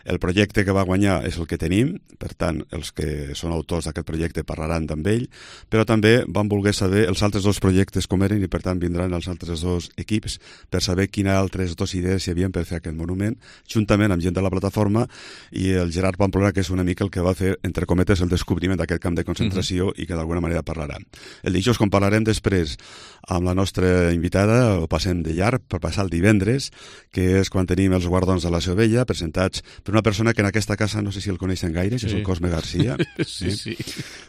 El projecte que va guanyar és el que tenim, per tant, els que són autors d'aquest projecte parlaran amb ell, però també van voler saber els altres dos projectes com eren i, per tant, vindran els altres dos equips per saber quines altres dues idees hi havia per fer aquest monument, juntament amb gent de la plataforma i el Gerard Pamplona, que és una mica el que va fer, entre cometes, el descobriment d'aquest camp de concentració mm-hmm. i que d'alguna manera parlaran. El dijous, com parlarem després amb la nostra invitada, ho passem de llarg per passar el divendres, que és quan tenim els guardons de la Seu Vella, presentats per una persona que en aquesta casa no sé si el coneixen gaire, sí. que és el Cosme Garcia. sí, sí.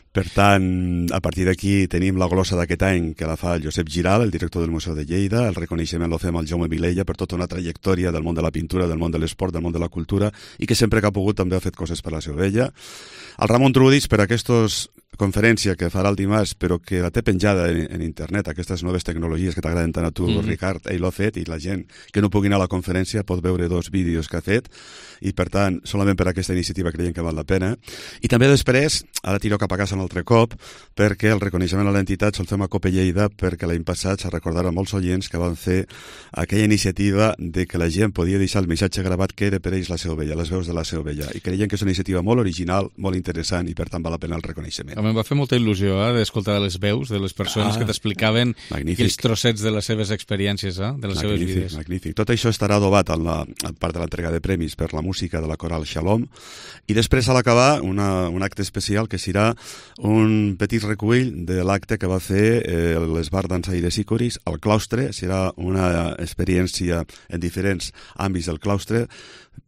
Per tant, a partir d'aquí tenim la glossa d'aquest any que la fa el Josep Giral, el director del Museu de Lleida, el reconeixement lo fem al Jaume Vilella per tota una trajectòria del món de la pintura, del món de l'esport, del món de la cultura i que sempre que ha pogut també ha fet coses per la Seu Vella. El Ramon Trudis per aquestes conferència que farà el dimarts, però que la té penjada en, en internet, aquestes noves tecnologies que t'agraden tant a tu, mm-hmm. Ricard, ell l'ha fet, i la gent que no pugui anar a la conferència pot veure dos vídeos que ha fet, i per tant, solament per aquesta iniciativa creiem que val la pena. I també després, ara tiro cap a casa un altre cop, perquè el reconeixement a l'entitat se'l fem a Cope Lleida, perquè l'any passat se recordaran molts oients que van fer aquella iniciativa de que la gent podia deixar el missatge gravat que era per ells la Seu Vella, les veus de la Seu Vella, i creiem que és una iniciativa molt original, molt interessant, i per tant val la pena el reconeixement. Em va fer molta il·lusió eh, d'escoltar les veus de les persones ah, que t'explicaven aquells trossets de les seves experiències, eh, de les magnífic, seves vides. Magnífic. Tot això estarà adobat en la en part de l'entrega de premis per la música de la coral Shalom i després a l'acabar una, un acte especial que serà un petit recull de l'acte que va fer eh, l'Esbar Dansaires i Coris al claustre. Serà una experiència en diferents àmbits del claustre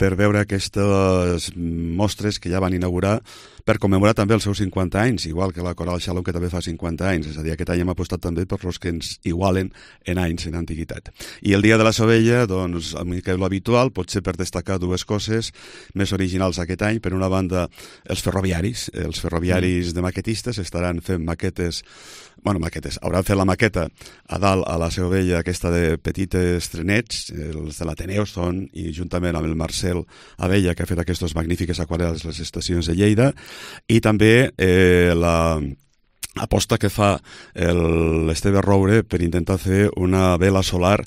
per veure aquestes mostres que ja van inaugurar per commemorar també els seus cinquanta anys, igual que la Coral Shalom, que també fa cinquanta anys. És a dir, aquest any hem apostat també per los que ens igualen en anys, en antiguitat. I el dia de la Seu Vella, doncs, a mi que és l'habitual, potser per destacar dues coses més originals aquest any. Per una banda, els ferroviaris. Els ferroviaris de maquetistes estaran fent maquetes bueno, maquetes, hauran fet la maqueta a dalt a la Seu Vella, aquesta de petites trenets, els de l'Ateneu són, i juntament amb el Marcel Abella, que ha fet aquestes magnífiques aquarel·les a les estacions de Lleida, i també eh, la aposta que fa l'Esteve Roure per intentar fer una vela solar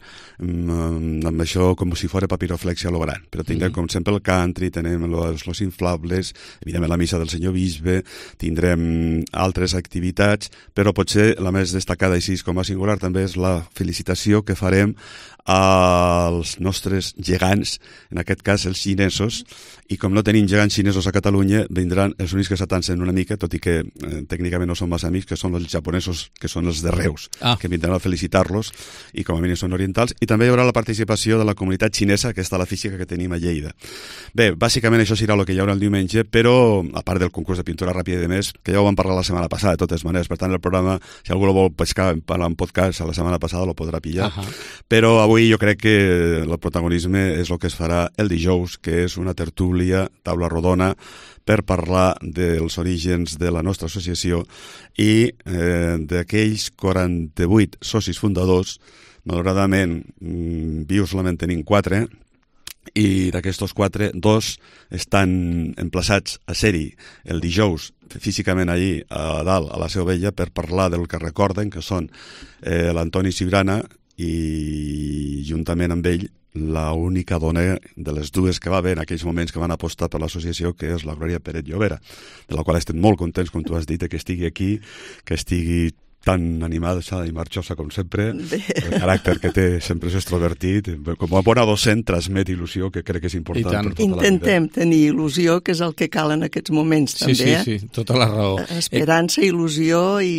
amb, amb això com si fos papiroflexia a lo gran. Però tindrem, mm-hmm. com sempre, el country, tenem los, los inflables, evidentment la missa del senyor bisbe, tindrem altres activitats, però potser la més destacada així com a singular també és la felicitació que farem als nostres gegants, en aquest cas els xinesos, i com no tenim gegants xinesos a Catalunya, vindran els únics que s'atancen una mica, tot i que eh, tècnicament no són massa amics, que són els japonesos, que són els de Reus, ah. que vindran a felicitar-los, i com a mínim són orientals, i també hi haurà la participació de la comunitat xinesa, que està a la física que tenim a Lleida. Bé, bàsicament això serà el que hi haurà el diumenge, però, a part del concurs de pintura ràpida i de més, que ja ho vam parlar la setmana passada, de totes maneres, per tant el programa, si algú el vol pescar en podcast a la setmana passada, lo podrà pillar, uh -huh. però avui jo crec que el protagonisme és el que es farà el dijous, que és una tertúlia, taula rodona, per parlar dels orígens de la nostra associació i eh, d'aquells quaranta-vuit socis fundadors. Malauradament, vius solament tenim quatre, i d'aquestos quatre, dos estan emplaçats a ser-hi el dijous, físicament allí a dalt, a la Seu Vella, per parlar del que recorden, que són eh, l'Antoni Cibrana i juntament amb ell la única dona de les dues que va haver en aquells moments que van apostar per l'associació, que és la Glòria Pérez Llobera, de la qual estem molt contents, com tu has dit, que estigui aquí, que estigui tan animada i marxosa com sempre. El caràcter que té sempre és extrovertit. Com a bona docent transmet il·lusió, que crec que és important per tota la vida. Intentem tenir il·lusió, que és el que cal en aquests moments, també. Sí, sí, sí, tota la raó. Esperança, il·lusió i,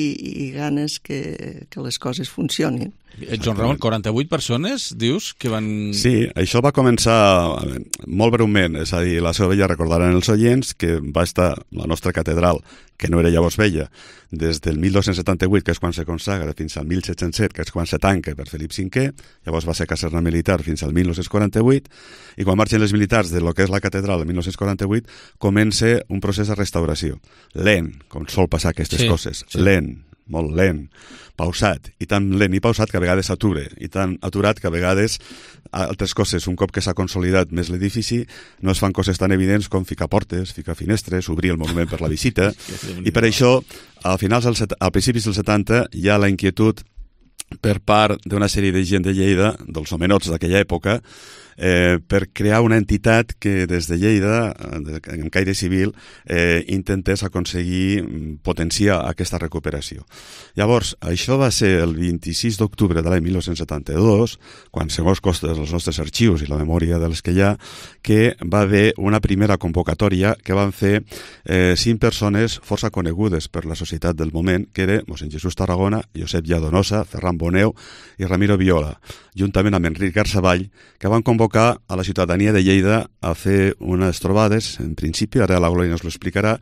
i ganes que, que les coses funcionin. Joan Ramon, quaranta-vuit persones, dius, que van... Sí, això va començar molt breument, és a dir, la Seu Vella, recordaran els oients, que va estar la nostra catedral, que no era llavors vella, des del mil dos-cents setanta-vuit, que és quan se consagra, fins al mil set-cents set, que és quan se tanca per Felip cinquè, llavors va ser caserna militar fins al mil nou-cents quaranta-vuit, i quan marxen els militars de lo que és la catedral el mil nou-cents quaranta-vuit, comença un procés de restauració. Lent, com sol passar aquestes sí, coses, sí. lent, molt lent, pausat, i tan lent i pausat que a vegades s'atura, i tan aturat que a vegades altres coses, un cop que s'ha consolidat més l'edifici, no es fan coses tan evidents com ficar portes, ficar finestres, obrir el monument per la visita, i per això, a finals del, a principis dels setanta, hi ha la inquietud per part d'una sèrie de gent de Lleida, dels homenots d'aquella època, eh, per crear una entitat que des de Lleida, en caire civil, eh, intentés aconseguir potenciar aquesta recuperació. Llavors, això va ser el vint-i-sis d'octubre de l'any mil nou-cents setanta-dos, quan, segons costes dels nostres arxius i la memòria dels que hi ha, que va haver una primera convocatòria que van fer eh, cinc persones força conegudes per la societat del moment, que era mossèn Jesús Tarragona, Josep Lladonosa, Ferran Boneu i Ramiro Viola, juntament amb Enric Garzavall, que van convocar a la ciutadania de Lleida a fer unes trobades, en principi, ara la Glòria ens ho explicarà,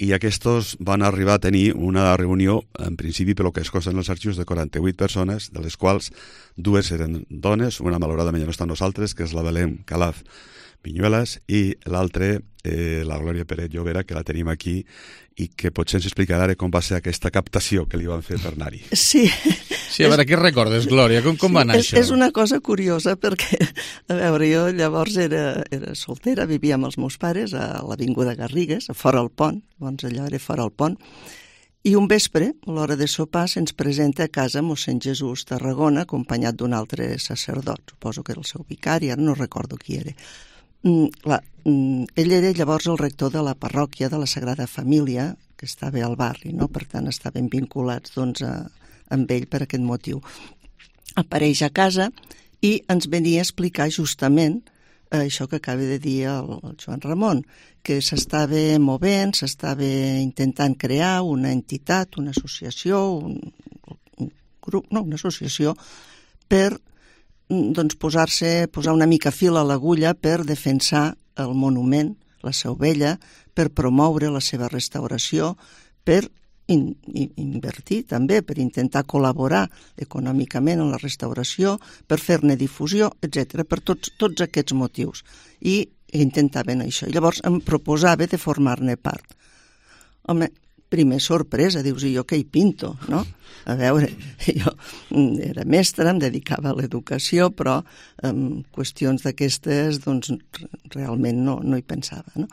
i aquests van arribar a tenir una reunió, en principi, pel que es consta en els arxius, de quaranta-vuit persones, de les quals dues eren dones, una malauradament ja no està amb nosaltres, que és la Belén Calaf Viñuelas, i l'altra, eh, la Glòria Pérez Llobera, que la tenim aquí, i que potser ens explicarà com va ser aquesta captació que li van fer per anar-hi. Sí. Sí, a veure, què recordes, Glòria? Com, com sí, va anar és, això? És una cosa curiosa perquè, a veure, jo llavors era, era soltera, vivia amb els meus pares a l'Avinguda Garrigues, a fora el pont, llavors allò era fora el pont, i un vespre, a l'hora de sopar, se'ns presenta a casa mossèn Jesús Tarragona, acompanyat d'un altre sacerdot, suposo que era el seu vicari, ara no recordo qui era. Mm, clar, mm, ell era llavors el rector de la parròquia de la Sagrada Família, que estava al barri, no? Per tant estaven vinculats doncs, a, amb ell per aquest motiu. Apareix a casa i ens venia a explicar justament eh, això que acaba de dir el, el Joan Ramon, que s'estava movent, s'estava intentant crear una entitat, una associació, un, un grup, no, una associació per doncs posar-se, posar una mica fil a l'agulla per defensar el monument, la Seu Vella, per promoure la seva restauració, per in, in, invertir també, per intentar col·laborar econòmicament en la restauració, per fer-ne difusió, etcètera, per tots, tots aquests motius. I intentaven això. I llavors em proposava de formar-ne part. Home, primer sorpresa, dius, i jo què hi pinto, no? A veure, jo era mestra, em dedicava a l'educació, però en qüestions d'aquestes, doncs, realment no, no hi pensava, no?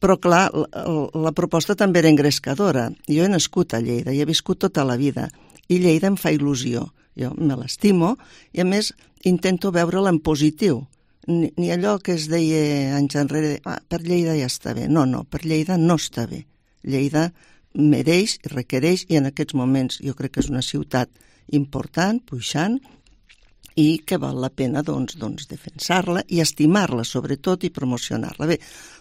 Però, clar, la, la proposta també era engrescadora. Jo he nascut a Lleida i he viscut tota la vida, i Lleida em fa il·lusió. Jo me l'estimo i, a més, intento veure-la en positiu. Ni, ni allò que es deia anys enrere, ah, per Lleida ja està bé. No, no, per Lleida no està bé. Lleida mereix i requereix, i en aquests moments jo crec que és una ciutat important, puixant, i que val la pena doncs, doncs, defensar-la i estimar-la, sobretot, i promocionar-la. Bé,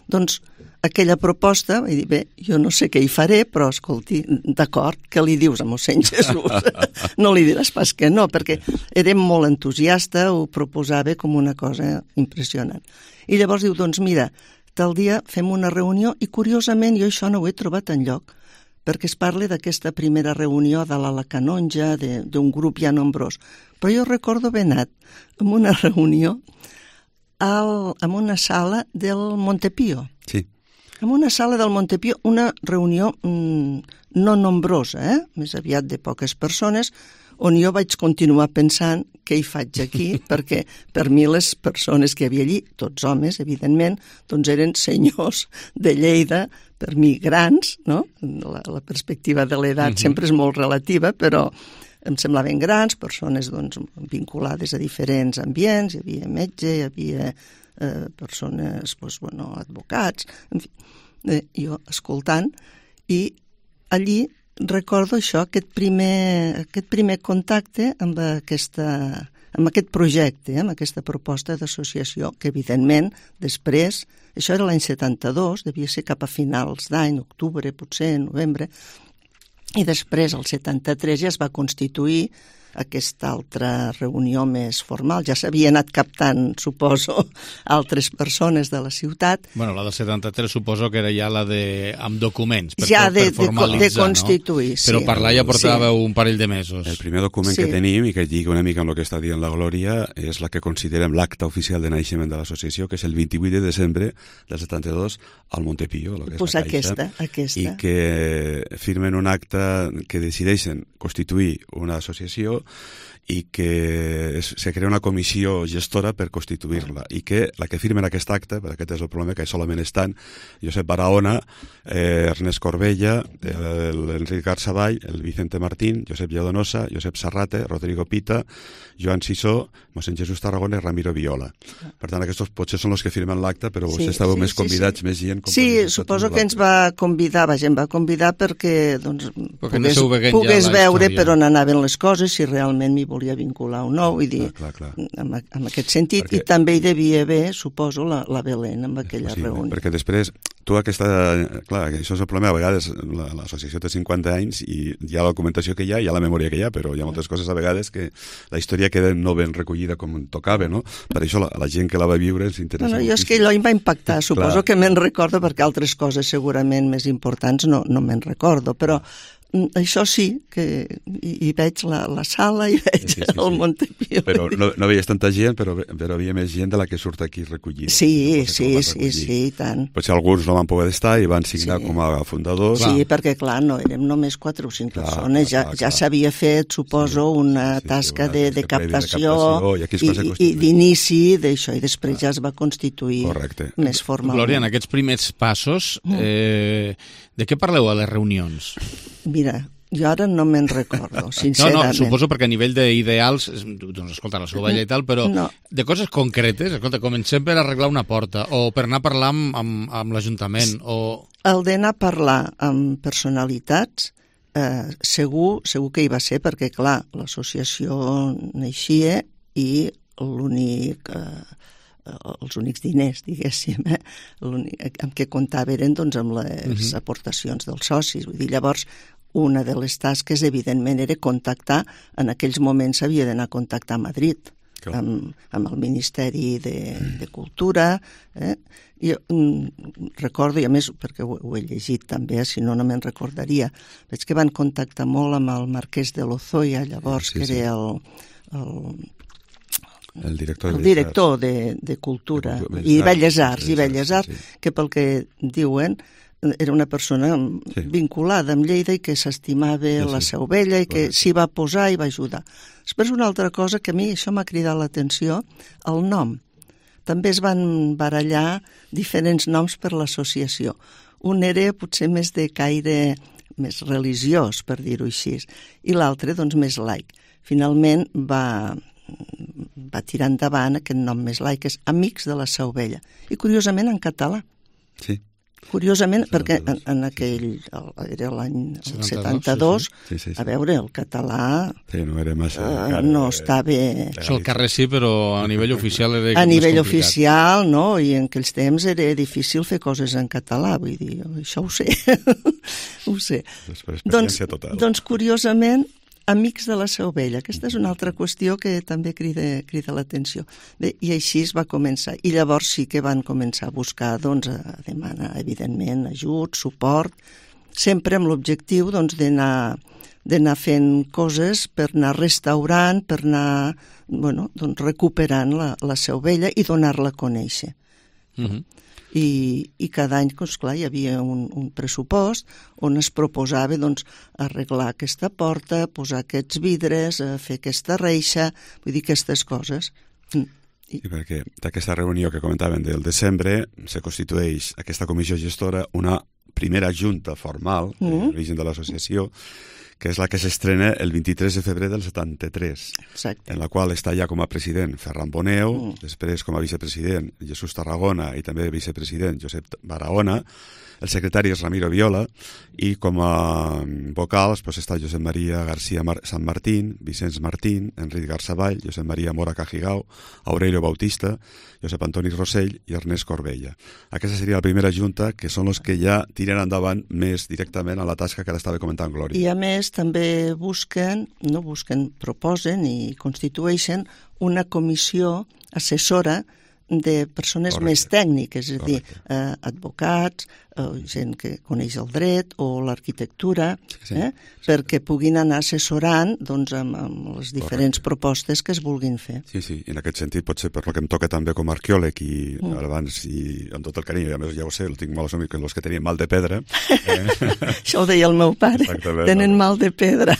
doncs, aquella proposta, vaig dir, bé, jo no sé què hi faré, però, escolti, d'acord, què li dius a mossèn Jesús? No li diràs pas que no, perquè era molt entusiasta, ho proposava com una cosa impressionant. I llavors diu, doncs mira, tal dia fem una reunió, i curiosament jo això no ho he trobat enlloc, perquè es parla d'aquesta primera reunió de la Canonja, d'un grup ja nombrós. Però jo recordo haver anat a una reunió al, en una sala del Montepío. Sí. En una sala del Montepío, una reunió mmm, no nombrosa, eh? Més aviat de poques persones, on jo vaig continuar pensant què hi faig aquí, perquè per mi les persones que hi havia allí, tots homes, evidentment, doncs eren senyors de Lleida, per mi grans, no? La, la perspectiva de l'edat uh-huh. sempre és molt relativa, però em semblaven grans, persones doncs, vinculades a diferents ambients, hi havia metge, hi havia eh, persones, doncs, bueno, advocats, en fi, eh, jo escoltant, i allí recordo això, aquest primer, aquest primer contacte amb, aquesta, amb aquest projecte, amb aquesta proposta d'associació, que evidentment després, això era l'any setanta-dos, devia ser cap a finals d'any, octubre, potser, novembre, i després, el setanta-tres, ja es va constituir aquesta altra reunió més formal. Ja s'havia anat captant, suposo, altres persones de la ciutat. Bueno, la del setanta-tres suposo que era ja la de amb documents, per, ja de, per formalitzar, de constituir, no? Sí. Però parlar ja portava sí. un parell de mesos. El primer document sí. que tenim, i que lliga una mica amb el que està dient la Glòria, és la que considerem l'acte oficial de naixement de l'associació, que és el vint-i-vuit de desembre del setanta-dos al Montepío, la que pues és la Caixa, aquesta, aquesta. i que firmen un acte que decideixen constituir una associació i que es, se crea una comissió gestora per constituir-la, i que la que firmen aquest acte, perquè aquest és el problema, que solament estan Josep Barahona, eh, Ernest Corbella, l'Enric Garzaball, el Vicente Martín, Josep Llodonosa, Josep Sarrate, Rodrigo Pita, Joan Sisó, mossèn Jesús Tarragona i Ramiro Viola. Per tant, aquests potser són els que firmen l'acte, però vostès sí, estàveu sí, més convidats, sí, sí. més gent... Sí, suposo que ens va convidar, vaja, em va convidar perquè doncs, pogués, pogués ja veure història. Per on anaven les coses, si realment m'hi volia vincular o no, vull dir, clar, clar, clar. En, en aquest sentit, perquè... i també hi devia haver, suposo, la, la Belén amb aquella sí, reunió. Perquè després, tu aquesta... Clar, això és el problema, a vegades l'associació té cinquanta anys i hi ha la documentació que hi ha, hi ha la memòria que hi ha, però hi ha moltes coses a vegades que la història queda no ben recollida com tocava, no? Per això la, la gent que la va viure ens interessa no, no, moltíssim. Jo és que allò em va impactar, suposo que me'n recordo, perquè altres coses segurament més importants no, no me'n recordo, però això sí, que hi, hi veig la, la sala i veig sí, sí, sí, el Montepío. Però no, no veies tanta gent, però, però havia més gent de la que surt aquí recollida. Sí, sí, sí, sí, i tant. Potser alguns no van poder estar i van signar sí. com a fundadors. Sí, clar. Perquè clar, no érem només quatre o cinc clar, persones, ja, ja s'havia fet, suposo, sí, una sí, tasca sí, una de, de, captació de captació i, i d'inici d'això, i després ja es va constituir Correcte. Més formalment. Glòria, en aquests primers passos, eh, de què parleu a les reunions? Mira, jo ara no me'n recordo, sincerament. No, no, suposo perquè a nivell d'ideals, doncs escolta, la sovella i tal, però no. De coses concretes, escolta, comencem per arreglar una porta, o per anar a parlar amb, amb, amb l'Ajuntament, o... El d'anar a parlar amb personalitats, eh, segur, segur que hi va ser, perquè, clar, l'associació naixia i l'únic... Eh, els únics diners, diguéssim, eh? amb què comptava eren doncs, amb les uh-huh. aportacions dels socis. Vull dir, llavors, una de les tasques, evidentment, era contactar, en aquells moments s'havia d'anar a contactar a Madrid, amb, amb el Ministeri de, de Cultura. Eh? Jo mm, recordo, i a més, perquè ho, ho he llegit també, si no, no me'n recordaria, veig que van contactar molt amb el Marquès de Lozoya, llavors, sí, sí. que era el... el el director, el director de, de Cultura de, i Belles Arts, i Belles Arts, sí. que pel que diuen era una persona sí. vinculada amb Lleida i que s'estimava sí, sí. la Seu Vella i que Correcte. S'hi va posar i va ajudar. Després una altra cosa que a mi això m'ha cridat l'atenció, el nom. També es van barallar diferents noms per l'associació. Un era potser més de caire més religiós, per dir-ho així, i l'altre doncs més laic. Finalment va... va tirar endavant aquest nom més laic, és Amics de la Seu Vella. I curiosament en català. Sí. Curiosament, perquè en, en aquell, era l'any setanta-dos, sí, sí. Sí, sí, sí. A veure, el català sí, no, era massa, uh, no estava... Això al carrer sí, però a nivell oficial era a nivell oficial, no, i en aquells temps era difícil fer coses en català, vull dir, això ho sé. Ho sé. Doncs, total. Doncs, curiosament, Amics de la Seu Vella. Aquesta és una altra qüestió que també crida, crida l'atenció. Bé, i així es va començar. I llavors sí que van començar a buscar, doncs, a demanar, evidentment, ajut, suport, sempre amb l'objectiu, doncs, d'anar d'anar fent coses per anar restaurant, per anar, bueno, doncs, recuperant la, la Seu Vella i donar-la a conèixer. Mm-hmm. I, i cada any, doncs, clar, hi havia un, un pressupost on es proposava doncs, arreglar aquesta porta, posar aquests vidres, fer aquesta reixa, vull dir, aquestes coses. I, I perquè d'aquesta reunió que comentaven del desembre se constitueix aquesta comissió gestora una primera junta formal, mm. l'origen de l'associació, que és la que s'estrena el vint-i-tres de febrer del setanta-tres, Exacte. En la qual està ja com a president Ferran Boneu, mm. després com a vicepresident Jesús Tarragona i també vicepresident Josep Barahona, el secretari és Ramiro Viola i com a vocals pues, està Josep Maria García Mar- San Martín, Vicenç Martín, Enric Garzaball, Josep Maria Mora Cajigao, Aurelio Bautista, Josep Antoni Rossell i Ernest Corbella. Aquesta seria la primera junta, que són els que ja tiren endavant més directament a la tasca que ara estava comentant Glòria. I a més ells també busquen, no busquen, proposen i constitueixen una comissió assessora de persones Correcte. Més tècniques, és a dir, eh, advocats, eh, gent que coneix el dret o l'arquitectura, sí, eh, sí, perquè puguin anar assessorant doncs, amb, amb les diferents Correcte. Propostes que es vulguin fer. Sí, sí, en aquest sentit potser per lo que em toca també com a arqueòleg i mm. abans, i amb tot el carinyo, a més ja ho sé, el tinc molts amics que els que tenien mal de pedra. Eh? Això ho deia el meu pare, Exactament, tenen no? mal de pedra.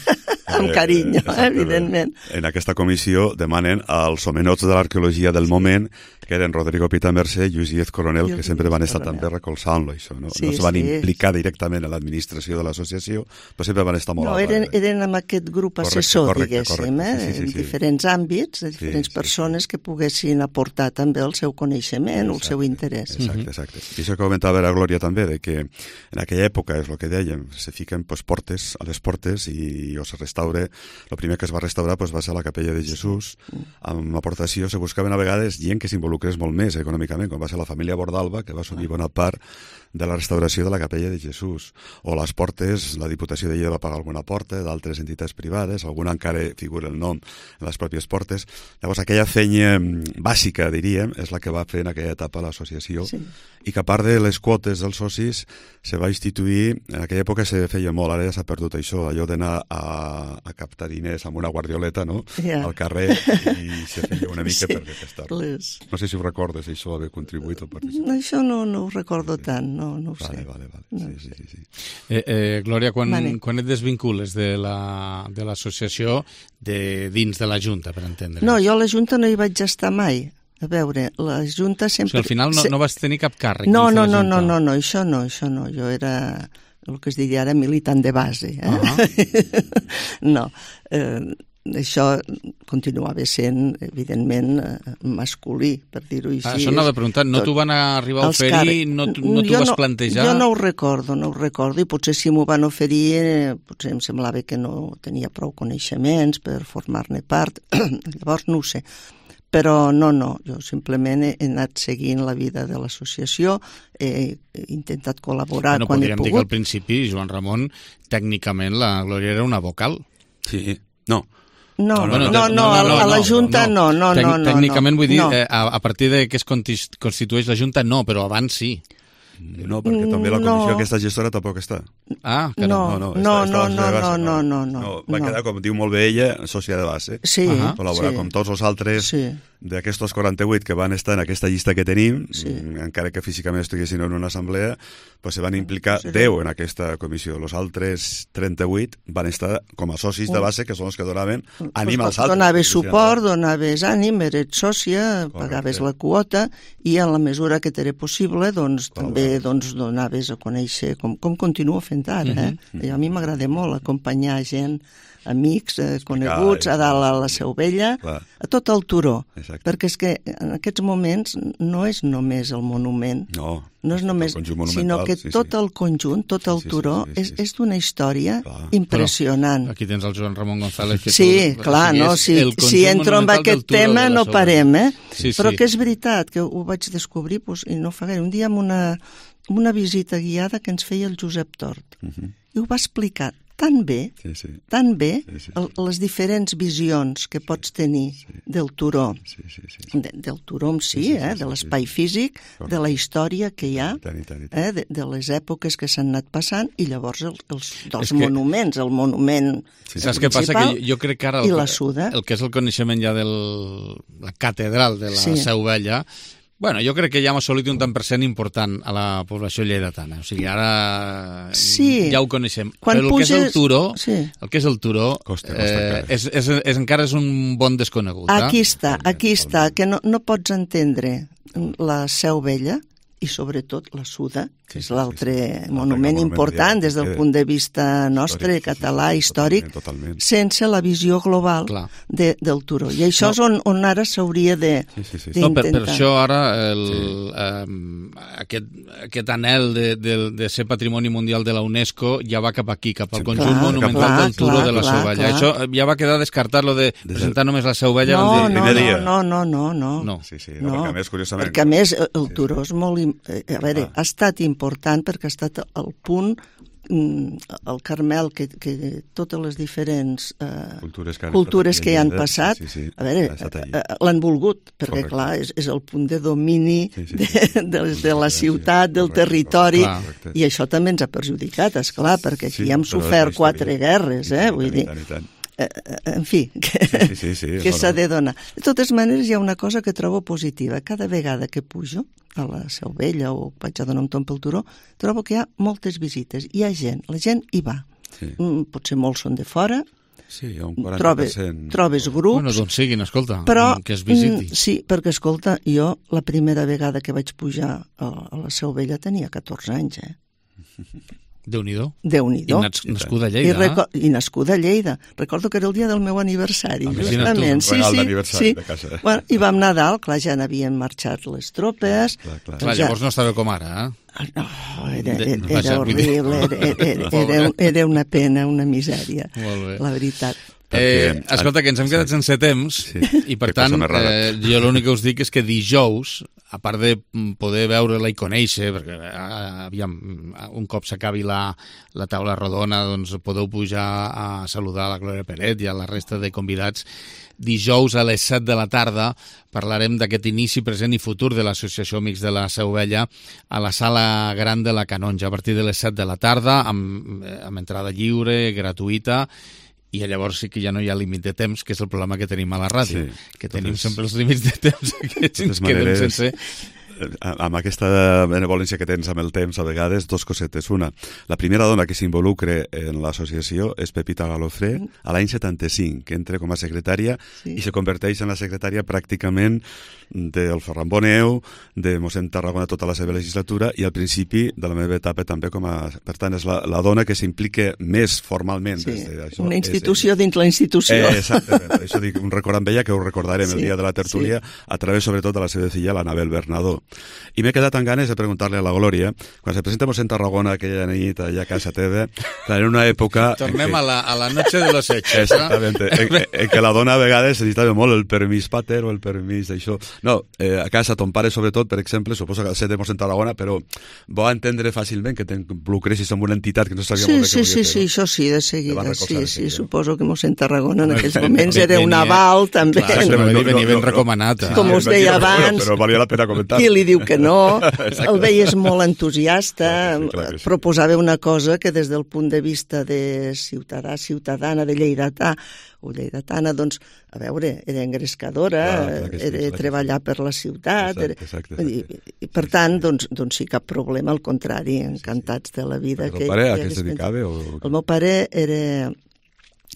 Amb carinyo, eh, evidentment. En aquesta comissió demanen als homenots de l'arqueologia del moment, que eren Rodrigo Pitamerce i Lluís Díez Coronel, que sempre van estar Coronel. També recolzant-lo, això. No, sí, no es van sí. implicar directament en l'administració de l'associació, però sempre van estar molt no, a eren, eren amb aquest grup correcte, assessor, correcte, diguéssim, correcte, eh, sí, sí, sí, en diferents sí. àmbits, de diferents sí, sí, persones sí. que poguessin aportar també el seu coneixement exacte, o el seu interès. Exacte, exacte. I això que comentava la Glòria també, de que en aquella època, és el que dèiem, se fiquen pues, portes a les portes i o se restaure. El primer que es va restaurar pues, va ser la Capella de Jesús. Amb aportació se buscaven a vegades gent que s'involucrés molt més econòmicament, com va ser la família Bordalba, que va assumir bona part de la restauració de la Capella de Jesús. O les portes, la Diputació de Lleida va pagar alguna porta, d'altres entitats privades, alguna encara figura el nom en les pròpies portes. Llavors, aquella feina bàsica, diríem, és la que va fer en aquella etapa l'associació, sí. i que a part de les quotes dels socis se va instituir, en aquella època se feia molt, ara ja s'ha perdut això, allò d'anar a, a captar diners amb una guardioleta, no?, yeah. al carrer, i se feia una mica sí. per detestar-les. No sé si ho recordes, això haver contribuït o participar. Això no, no ho recordo sí. tant, no, no ho vale, sé. Vale, vale, no sí, sí, sí. Eh, eh, Glòria, quan, quan et desvincules de la, de l'associació de dins de la Junta, per entendre? No, jo a la Junta no hi vaig estar mai. A veure, la Junta sempre... O sigui, al final no, no vas tenir cap càrrec no, dins no, de la no, Junta? No, no, no, això no, això no. Jo era el que es diria ara militant de base. Eh? Uh-huh. no, eh, això continuava sent, evidentment, masculí, per dir-ho així. Ah, això anava a preguntar, no t'ho van arribar a oferir, no, no t'ho vas no, plantejar? Jo no ho recordo, no ho recordo, i potser si m'ho van oferir, eh, potser em semblava que no tenia prou coneixements per formar-ne part, llavors no ho sé. Però no, no, jo simplement he anat seguint la vida de l'associació, he intentat col·laborar bueno, quan he pogut. Podríem dir que al principi, Joan Ramon, tècnicament la Glòria era una vocal. Sí, no. No, no, no, no, no, a, a la Junta no, no, no, no. Tècnicament vull dir, no. eh, a, a partir de que es constitueix la Junta, no, però abans sí. No, perquè també la comissió no. aquesta gestora tampoc està. Ah, que no. No, no, no, no, no, no, no, no. Va quedar, com diu molt bé ella, sòcia de base. Sí. Uh-huh. Col·laborar sí. com tots els altres sí. d'aquestos quaranta-vuit que van estar en aquesta llista que tenim, sí. encara que físicament estiguessin en una assemblea, pues se van implicar sí. deu en aquesta comissió. Els altres trenta-vuit van estar com a socis de base, que són els que donaven ànim als altres. Donaves suport, donaves ànim, eres sòcia, pagaves la quota, i en la mesura que t'era possible, doncs també doncs, donaves a conèixer, com, com continuo fent ara. Eh? Mm-hmm. I a mi m'agrada molt acompanyar gent, amics, eh, coneguts, a dalt a la Seu Vella, clar. A tot el turó. Exacte. Perquè és que en aquests moments no és només el monument, no, no és només, sinó que sí, tot sí. el conjunt, tot el sí, turó, sí, sí, sí, sí. és, és d'una història clar. Impressionant. Però aquí tens el Joan Ramon González. Que sí, tu, clar, no, si, si entro en aquest tema no parem, eh? Sí, però sí. que és veritat, que ho vaig descobrir, doncs, i no fa gaire, un dia amb una, una visita guiada que ens feia el Josep Tort, uh-huh. i ho va explicar tan bé, sí, sí. tan bé, sí, sí, sí. El, les diferents visions que pots tenir sí. del turó, sí, sí, sí, sí. De, del turó en si, sí, sí, eh, sí, de l'espai sí, sí. físic, Correcte. De la història que hi ha, tant, tant, tant. Eh, de, de les èpoques que s'han anat passant, i llavors el, els dos que... monuments, el monument sí, saps què passa? Que jo, jo crec que ara el, i la Suda. El que és el coneixement ja de la catedral de la sí. Seu Vella, bueno, jo crec que ja hem assolit un tant per cent important a la població lleidatana. O sigui, ara sí. ja ho coneixem. Quan Però el puges... que és el turó, sí. el que és el turó costa, costa eh, és, és, és, encara és un bon desconegut. Aquí eh? està, aquí està, que no, no pots entendre la Seu Vella i sobretot la Suda, que és l'altre sí, sí, sí. monument important des del punt de vista nostre, històric, català, sí, sí, històric, totalment, totalment. Sense la visió global de, del turó. I això no. és on, on ara s'hauria de, sí, sí, sí. No, per, per això ara el, sí. eh, aquest, aquest anhel de, de, de ser patrimoni mundial de la UNESCO ja va cap aquí, cap al sí, conjunt clar, monumental clar, del turó clar, de la Seu Vella. Clar. Això ja va quedar descartat, lo de presentar només la Seu Vella. No, el no, dia. no, no, no, no, no. Sí, sí, no, no. Perquè a més, curiosament... Perquè a més el turó és molt... A veure, ha estat important perquè ha estat el punt el Carmel, que, que totes les diferents eh, cultures que, cultures que hi han Lleida, passat, sí, sí, a veure, eh, l'han volgut, perquè Correcte. clar, és, és el punt de domini sí, sí, de, sí. de, de la ciutat, del territori, Correcte. i això també ens ha perjudicat, esclar, perquè aquí Sí, hem però sofert és la quatre guerres, eh? Vull dir, I tant. eh, en fi, que, Sí, sí, sí, que no, s'ha no. de donar. De totes maneres, hi ha una cosa que trobo positiva. Cada vegada que pujo a la Seu Vella o vaig a donar un tomb pel turó, trobo que hi ha moltes visites. Hi ha gent, la gent hi va. Sí. Mm, potser molts són de fora, Sí, hi ha un quaranta per trobes, cent. trobes grups, Bueno, doncs siguin, escolta, però, que es visiti. mm, sí, perquè, escolta, jo la primera vegada que vaig pujar a, a la Seu Vella tenia catorze anys, eh? Déu-n'hi-do. Déu-n'hi-do. I nas nascuda a I, Lleida. reco I nascuda a Lleida. Recordo que era el dia del meu aniversari, Imagina't tu, justament. un regal sí, d'aniversari sí, de casa. sí. Bueno, i vam anar a dalt, clar, ja n'havien marxat les tropes. Clar, clar. Clar, llavors no estava com ara, eh? No, era, De- era, vaja, era vull dir- horrible, era, era, era, era una pena, una misèria, Molt bé. la veritat. Eh, Perquè- escolta, que ens hem quedat Sí. sense temps Sí. i per Que tant cosa més rara. eh, jo l'únic que us dic és que dijous, a part de mm, poder veure-la i conèixer, perquè eh, aviam, un cop s'acabi la, la taula rodona, doncs podeu pujar a saludar a la Glòria Peret i a la resta de convidats. Dijous a les set de la tarda parlarem d'aquest inici present i futur de l'Associació Amics de la Seu Vella a la sala gran de la Canonja a partir de les set de la tarda amb, amb entrada lliure, gratuïta, i llavors sí que ja no hi ha límit de temps, que és el problema que tenim a la ràdio, Sí, que totes- tenim sempre els límits de temps aquests i ens totes quedem maneres, sense... amb aquesta benevolència que tens amb el temps, a vegades, dos cosetes. Una, la primera dona que s'involucre en l'associació és Pepita Galofré, a l'any setanta-cinc, que entra com a secretària Sí. i se converteix en la secretària pràcticament del Ferran Boneu, de mossèn Tarragona tota la seva legislatura i al principi de la meva etapa també com a... Per tant, és la, la dona que s'implica més formalment. Sí, des de això. una És institució ella. dins la institució. Eh, exactament, això dic, un record amb ella que ho recordarem Sí, el dia de la tertúlia a través sobretot de la seva filla, l'Anabel Bernadó. I m'he quedat amb ganes de preguntar-li a la Glòria, quan se presenta mossèn Tarragona aquella nit allà a casa teva, clar, en una època... Tornem en a la, a la noche de los hechos. Exactament, en, en què la dona a vegades necessitava molt el permís pater o el permís d'això. No, eh, a casa ton pare sobretot, per exemple, suposo que ser de mossèn Tarragona, però va entendre fàcilment que t'involucressis en una entitat que no sabia Sí, molt bé sí, què sí, volia sí, fer. això sí, de Te va seguida, recolzar sí, de sí, seguida. suposo que mossèn Tarragona en aquells Venia- moments era un aval, també. Clar, Exactament, no, no, venia no, ben no, recomanat. eh? Com us deia Però- abans, però valia la pena comentar. qui li diu que no, Exacte. el veies molt entusiasta, Clar que sí, clar que sí. proposava una cosa que des del punt de vista de ciutadà, ciutadana, de lleidatà o lleidatana, doncs, a veure, era engrescadora, Clar, clar que sí, era clar que treballar per la ciutat, Exacte, era, exacte, vull dir, i per tant, doncs, doncs sí, cap problema, al contrari, encantats de la vida. El que, teu pare a que què es hagués dedicava? pensat. O... El meu pare era,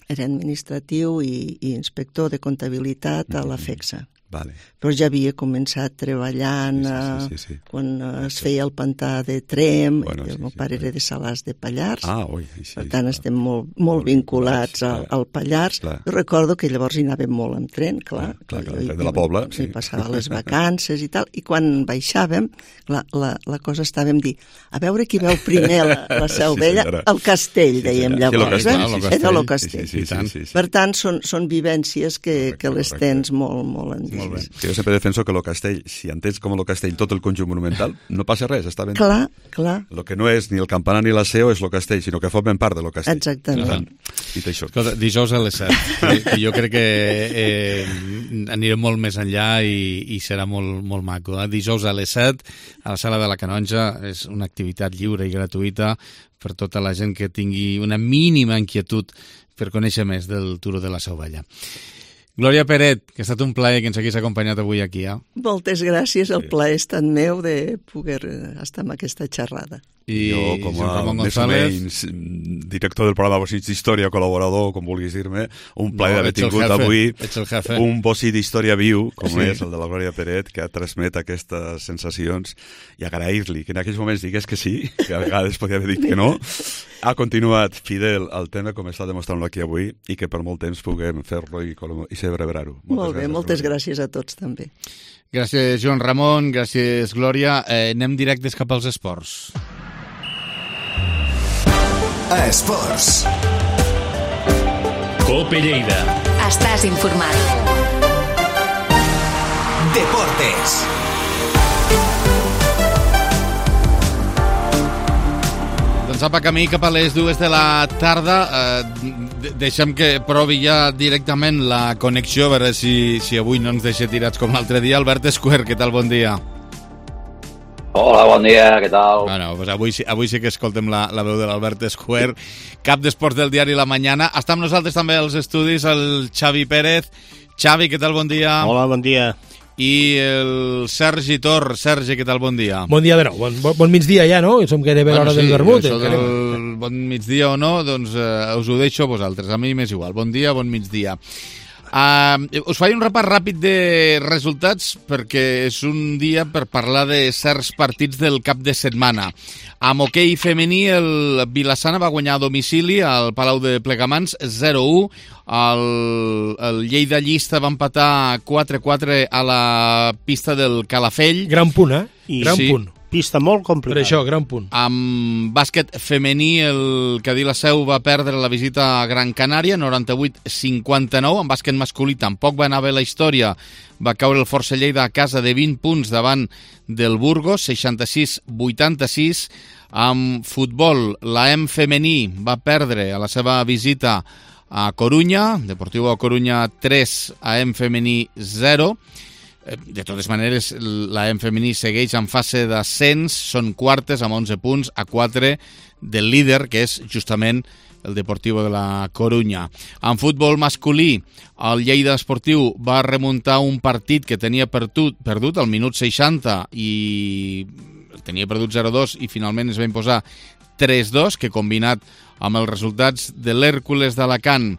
era administratiu i, i inspector de comptabilitat a la FEXA. Vale. Però ja havia començat treballant Sí, sí, sí, sí, sí. eh, quan eh, es feia el pantà de Trem, Bueno, i el sí, meu sí, pare clar. era de Salàs de Pallars, Ah, ui, sí, per tant estem molt, molt Molt vinculats vinculats, al, clar. al Pallars. Clar. Jo recordo que llavors hi anàvem molt amb tren, clar. Ah, clar, clar, Jo hi- el tren de la Pobla, hi sí. passava les vacances i tal, i quan baixàvem, la, la, la cosa estàvem dir, a veure qui veu primer la, la Seu Sí, Vella, senyora. el castell, Sí, dèiem senyora. Sí, lo llavors. castell, eh? lo Era castell. el castell. Sí, sí, sí, sí, sí. Per tant, són, són vivències que, Correcte, que les correcte. tens molt, molt Molt bé. endins. Que jo sempre defenso que el castell, si entens com el castell tot el conjunt monumental, no passa res, està ben... Clar, clar. El que no és ni el campanar ni la seu és el castell, sinó que formen part de lo castell. Exactament. Per tant, dit això. Escolta, dijous a les set, que, que jo crec que eh, anirem molt més enllà i, i serà molt, molt maco. Eh? Dijous a les set, a la sala de la Canonja, és una activitat lliure i gratuïta per tota la gent que tingui una mínima inquietud per conèixer més del Turó de la Seu Vella. Glòria Peret, que ha estat un plaer que ens hagués acompanyat avui aquí. Eh? Moltes gràcies, el plaer és tan meu de poder estar amb aquesta xerrada. I jo, com Joan a Ramon més o González. menys mm, director del programa Bocí d'Història, col·laborador, com vulguis dir-me, un plaer No, d'haver ets el tingut jefe, avui ets el jefe. un bocí d'història viu, com Sí. és el de la Glòria Peret, que transmet aquestes sensacions, i agrair-li que en aquells moments digués que sí, que a vegades podia haver dit que no, ha continuat fidel al tema com està demostrant-lo aquí avui, i que per molt temps puguem fer-lo i, i celebrar-ho. Molt bé, moltes gràcies a tots també. Gràcies, Joan Ramon, gràcies, Glòria. Eh, anem directes cap als esports. Esports. Cope Lleida. Estàs informat. Deportes. Doncs apa, camí cap a les dues de la tarda. Eh, deixem que provi ja directament la connexió, a veure si, si avui no ens deixa tirats com l'altre dia. Albert Escuer, què tal? Bon dia. Hola, bon dia, què tal? Bueno, pues avui, avui sí que escoltem la, la veu de l'Albert Escuer, cap d'esports del diari La Mañana. Està amb nosaltres també als estudis el Xavi Pérez. Xavi, què tal? Bon dia. Hola, bon dia. I el Sergi Tor. Sergi, què tal? Bon dia. Bon dia de nou. Bon, bon, bon migdia ja, no? Som gairebé bueno, l'hora sí, del vermut. Això del bon migdia o no, doncs eh, us ho deixo a vosaltres. A mi m'és igual. Bon dia, bon migdia. Uh, us faig un repàs ràpid de resultats perquè és un dia per parlar de certs partits del cap de setmana. Amb hoquei femení, el Vilassana va guanyar a domicili al Palau de Plegamans zero a u. El, el Lleida Llista va empatar quatre a quatre a la pista del Calafell. Gran punt, eh? I Gran sí. punt. Pista molt complicada. Per això, gran punt. Amb bàsquet femení, el Cadí la Seu va perdre la visita a Gran Canària, noranta-vuit a cinquanta-nou. En bàsquet masculí tampoc va anar bé la història. Va caure el Força Lleida a casa de vint punts davant del Burgos, seixanta-sis a vuitanta-sis. Amb futbol, la E M femení va perdre a la seva visita a Corunya, Deportivo a Corunya tres, a E M femení zero. De totes maneres, la E M femení segueix en fase d'ascens, són quartes amb onze punts, a quatre del líder, que és justament el Deportivo de la Corunya. En futbol masculí, el Lleida Esportiu va remuntar un partit que tenia perdut, perdut al minut seixanta i tenia perdut zero a dos i finalment es va imposar tres a dos, que combinat amb els resultats de l'Hèrcules d'Alacant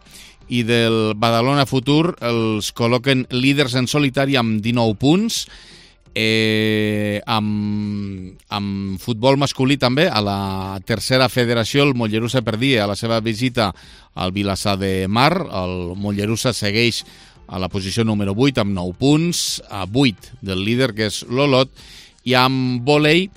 i del Badalona Futur els col·loquen líders en solitari amb dinou punts. Eh, amb, amb futbol masculí també, a la tercera federació, el Mollerussa perdia a la seva visita al Vilassar de Mar. El Mollerussa segueix a la posició número vuit amb nou punts, a vuit del líder, que és l'Olot. I amb vòlei,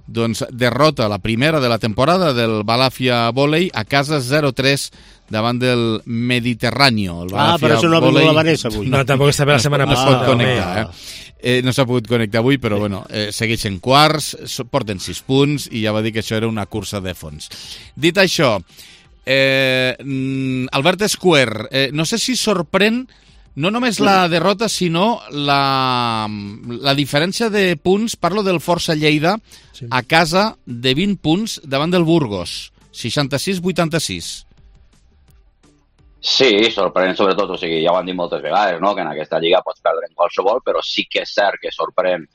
doncs, derrota la primera de la temporada del Balàfia Vòlei a casa zero a tres davant del Mediterráneo. El ah, per això no ha vingut la Vanessa avui. No, tampoc està bé la setmana no, passada. No, connectar, eh? Eh, no s'ha pogut connectar avui, però bueno, eh, segueixen quarts, porten sis punts i ja va dir que això era una cursa de fons. Dit això, eh, Albert Escuer, eh, no sé si sorprèn no només la derrota, sinó la, la diferència de punts, parlo del Força Lleida, sí, a casa de vint punts davant del Burgos, seixanta-sis a vuitanta-sis. Sí, sorprèn sobretot, o sigui, ja ho han dit moltes vegades, no?, que en aquesta lliga pots perdre en qualsevol, però sí que és cert que sorprèn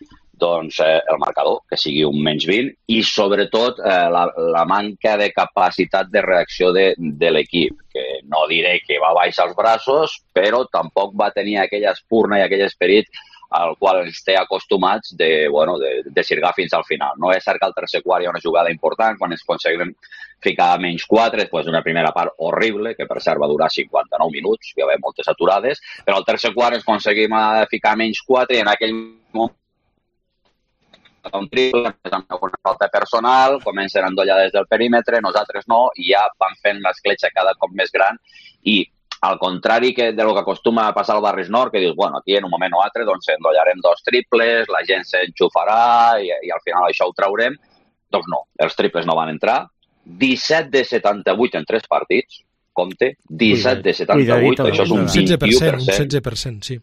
doncs, eh, el marcador, que sigui un menys vint, i sobretot eh, la, la manca de capacitat de reacció de, de l'equip, que no diré que va baixar els braços, però tampoc va tenir aquella espurna i aquell esperit al qual ens té acostumats de, bueno, de, de sirgar fins al final. No és cert que al tercer quart hi ha una jugada important, quan ens aconseguim ficar a menys quatre, després d'una primera part horrible, que per cert va durar cinquanta-nou minuts, hi va haver moltes aturades, però al tercer quart ens aconseguim ficar a menys quatre i en aquell moment un triple, amb una falta personal, comencen a endollar des del perímetre, nosaltres no, i ja van fent l'escletxa cada cop més gran i al contrari que de lo que acostuma a passar al Barris Nord, que dius, bueno, aquí en un moment o altre doncs endollarem dos triples, la gent s'enxufarà i, i al final això ho traurem. Doncs no, els triples no van entrar. disset de setanta-vuit en tres partits, compte, disset de setanta-vuit, Cuidadito, això és un vint-i-u per cent. Un setze per cent, sí.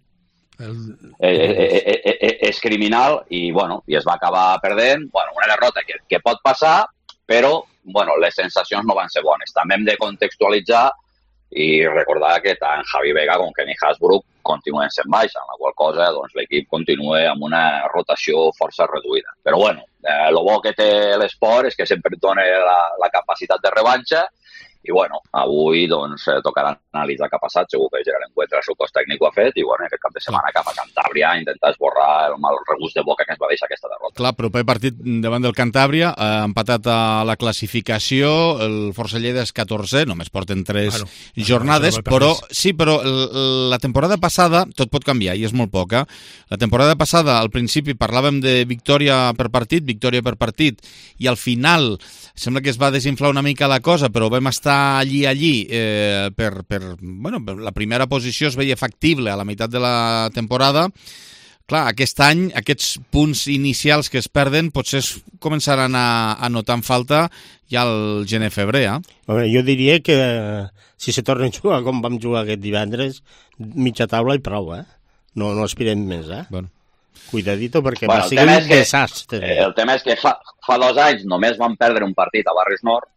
El... Eh, eh, eh, eh, és criminal i, bueno, i es va acabar perdent. Bueno, una derrota que, que pot passar, però bueno, les sensacions no van ser bones. També hem de contextualitzar i recordar que tant Javi Vega com Kenny Hasbrook continuen sent baixa, en la qual cosa doncs, l'equip continua amb una rotació força reduïda. Però bueno, eh, lo bo que té l'esport és que sempre et dona la, la capacitat de revanxa i bueno, avui doncs eh, tocarà analitzar què ha passat, segur que Gerard Encuentra el seu cos tècnic ho ha fet i bueno, aquest cap de setmana cap a Cantàbria a intentar esborrar el mal regust de boca que ens va deixar aquesta derrota. Clar, proper partit davant del Cantàbria, eh, empatat a la classificació, el Força Lleida és catorzè, només porten tres bueno, jornades, però sí, però la temporada passada, tot pot canviar i és molt poca, la temporada passada al principi parlàvem de victòria per partit, victòria per partit, i al final sembla que es va desinflar una mica la cosa, però vam estar allí, allí, eh, per, per, bueno, per la primera posició es veia factible a la meitat de la temporada. clar, aquest any, aquests punts inicials que es perden potser es començaran a, a notar en falta ja al gener-febrer, eh? Home, jo diria que eh, si se torna a jugar com vam jugar aquest divendres, mitja taula i prou, eh? No, no aspirem més, eh? Bueno. Cuidadito, perquè Bueno, va el ser tema un és que- desastre. Eh, el tema és que fa, fa dos anys només vam perdre un partit a Barris Nord.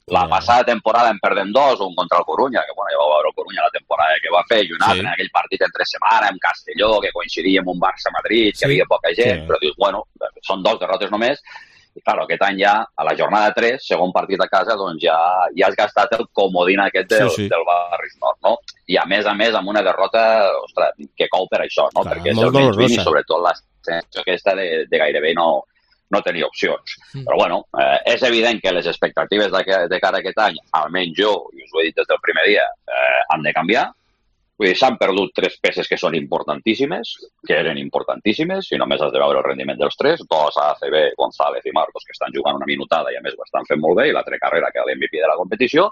La passada temporada en perdem dos, un contra el Corunya, que bueno, ja vau veure el Corunya la temporada que va fer, i un altre Sí. en aquell partit entre setmana, amb Castelló, que coincidia amb un Barça-Madrid, que Sí. hi havia poca gent, Sí. però dius, bueno, són dos derrotes només, i clar, aquest any ja, a la jornada tres, segon partit a casa, doncs ja, ja has gastat el comodín aquest del, Sí, sí. del Barris Nord, no? I a més a més amb una derrota, ostres, que cou per això, no? Clar, Perquè és molt el menys vint i dolorosa. sobretot la sensació aquesta de, de gairebé no, no tenir opcions. Mm. Però bueno, eh, és evident que les expectatives de, de cara a aquest any, almenys jo, i us ho he dit des del primer dia, eh, han de canviar. Vull dir, s'han perdut tres peces que són importantíssimes, que eren importantíssimes, i només has de veure el rendiment dels tres, dos A C B, González i Marcos, que estan jugant una minutada i a més ho estan fent molt bé, i l'altre Carrera, que és l'M V P de la competició.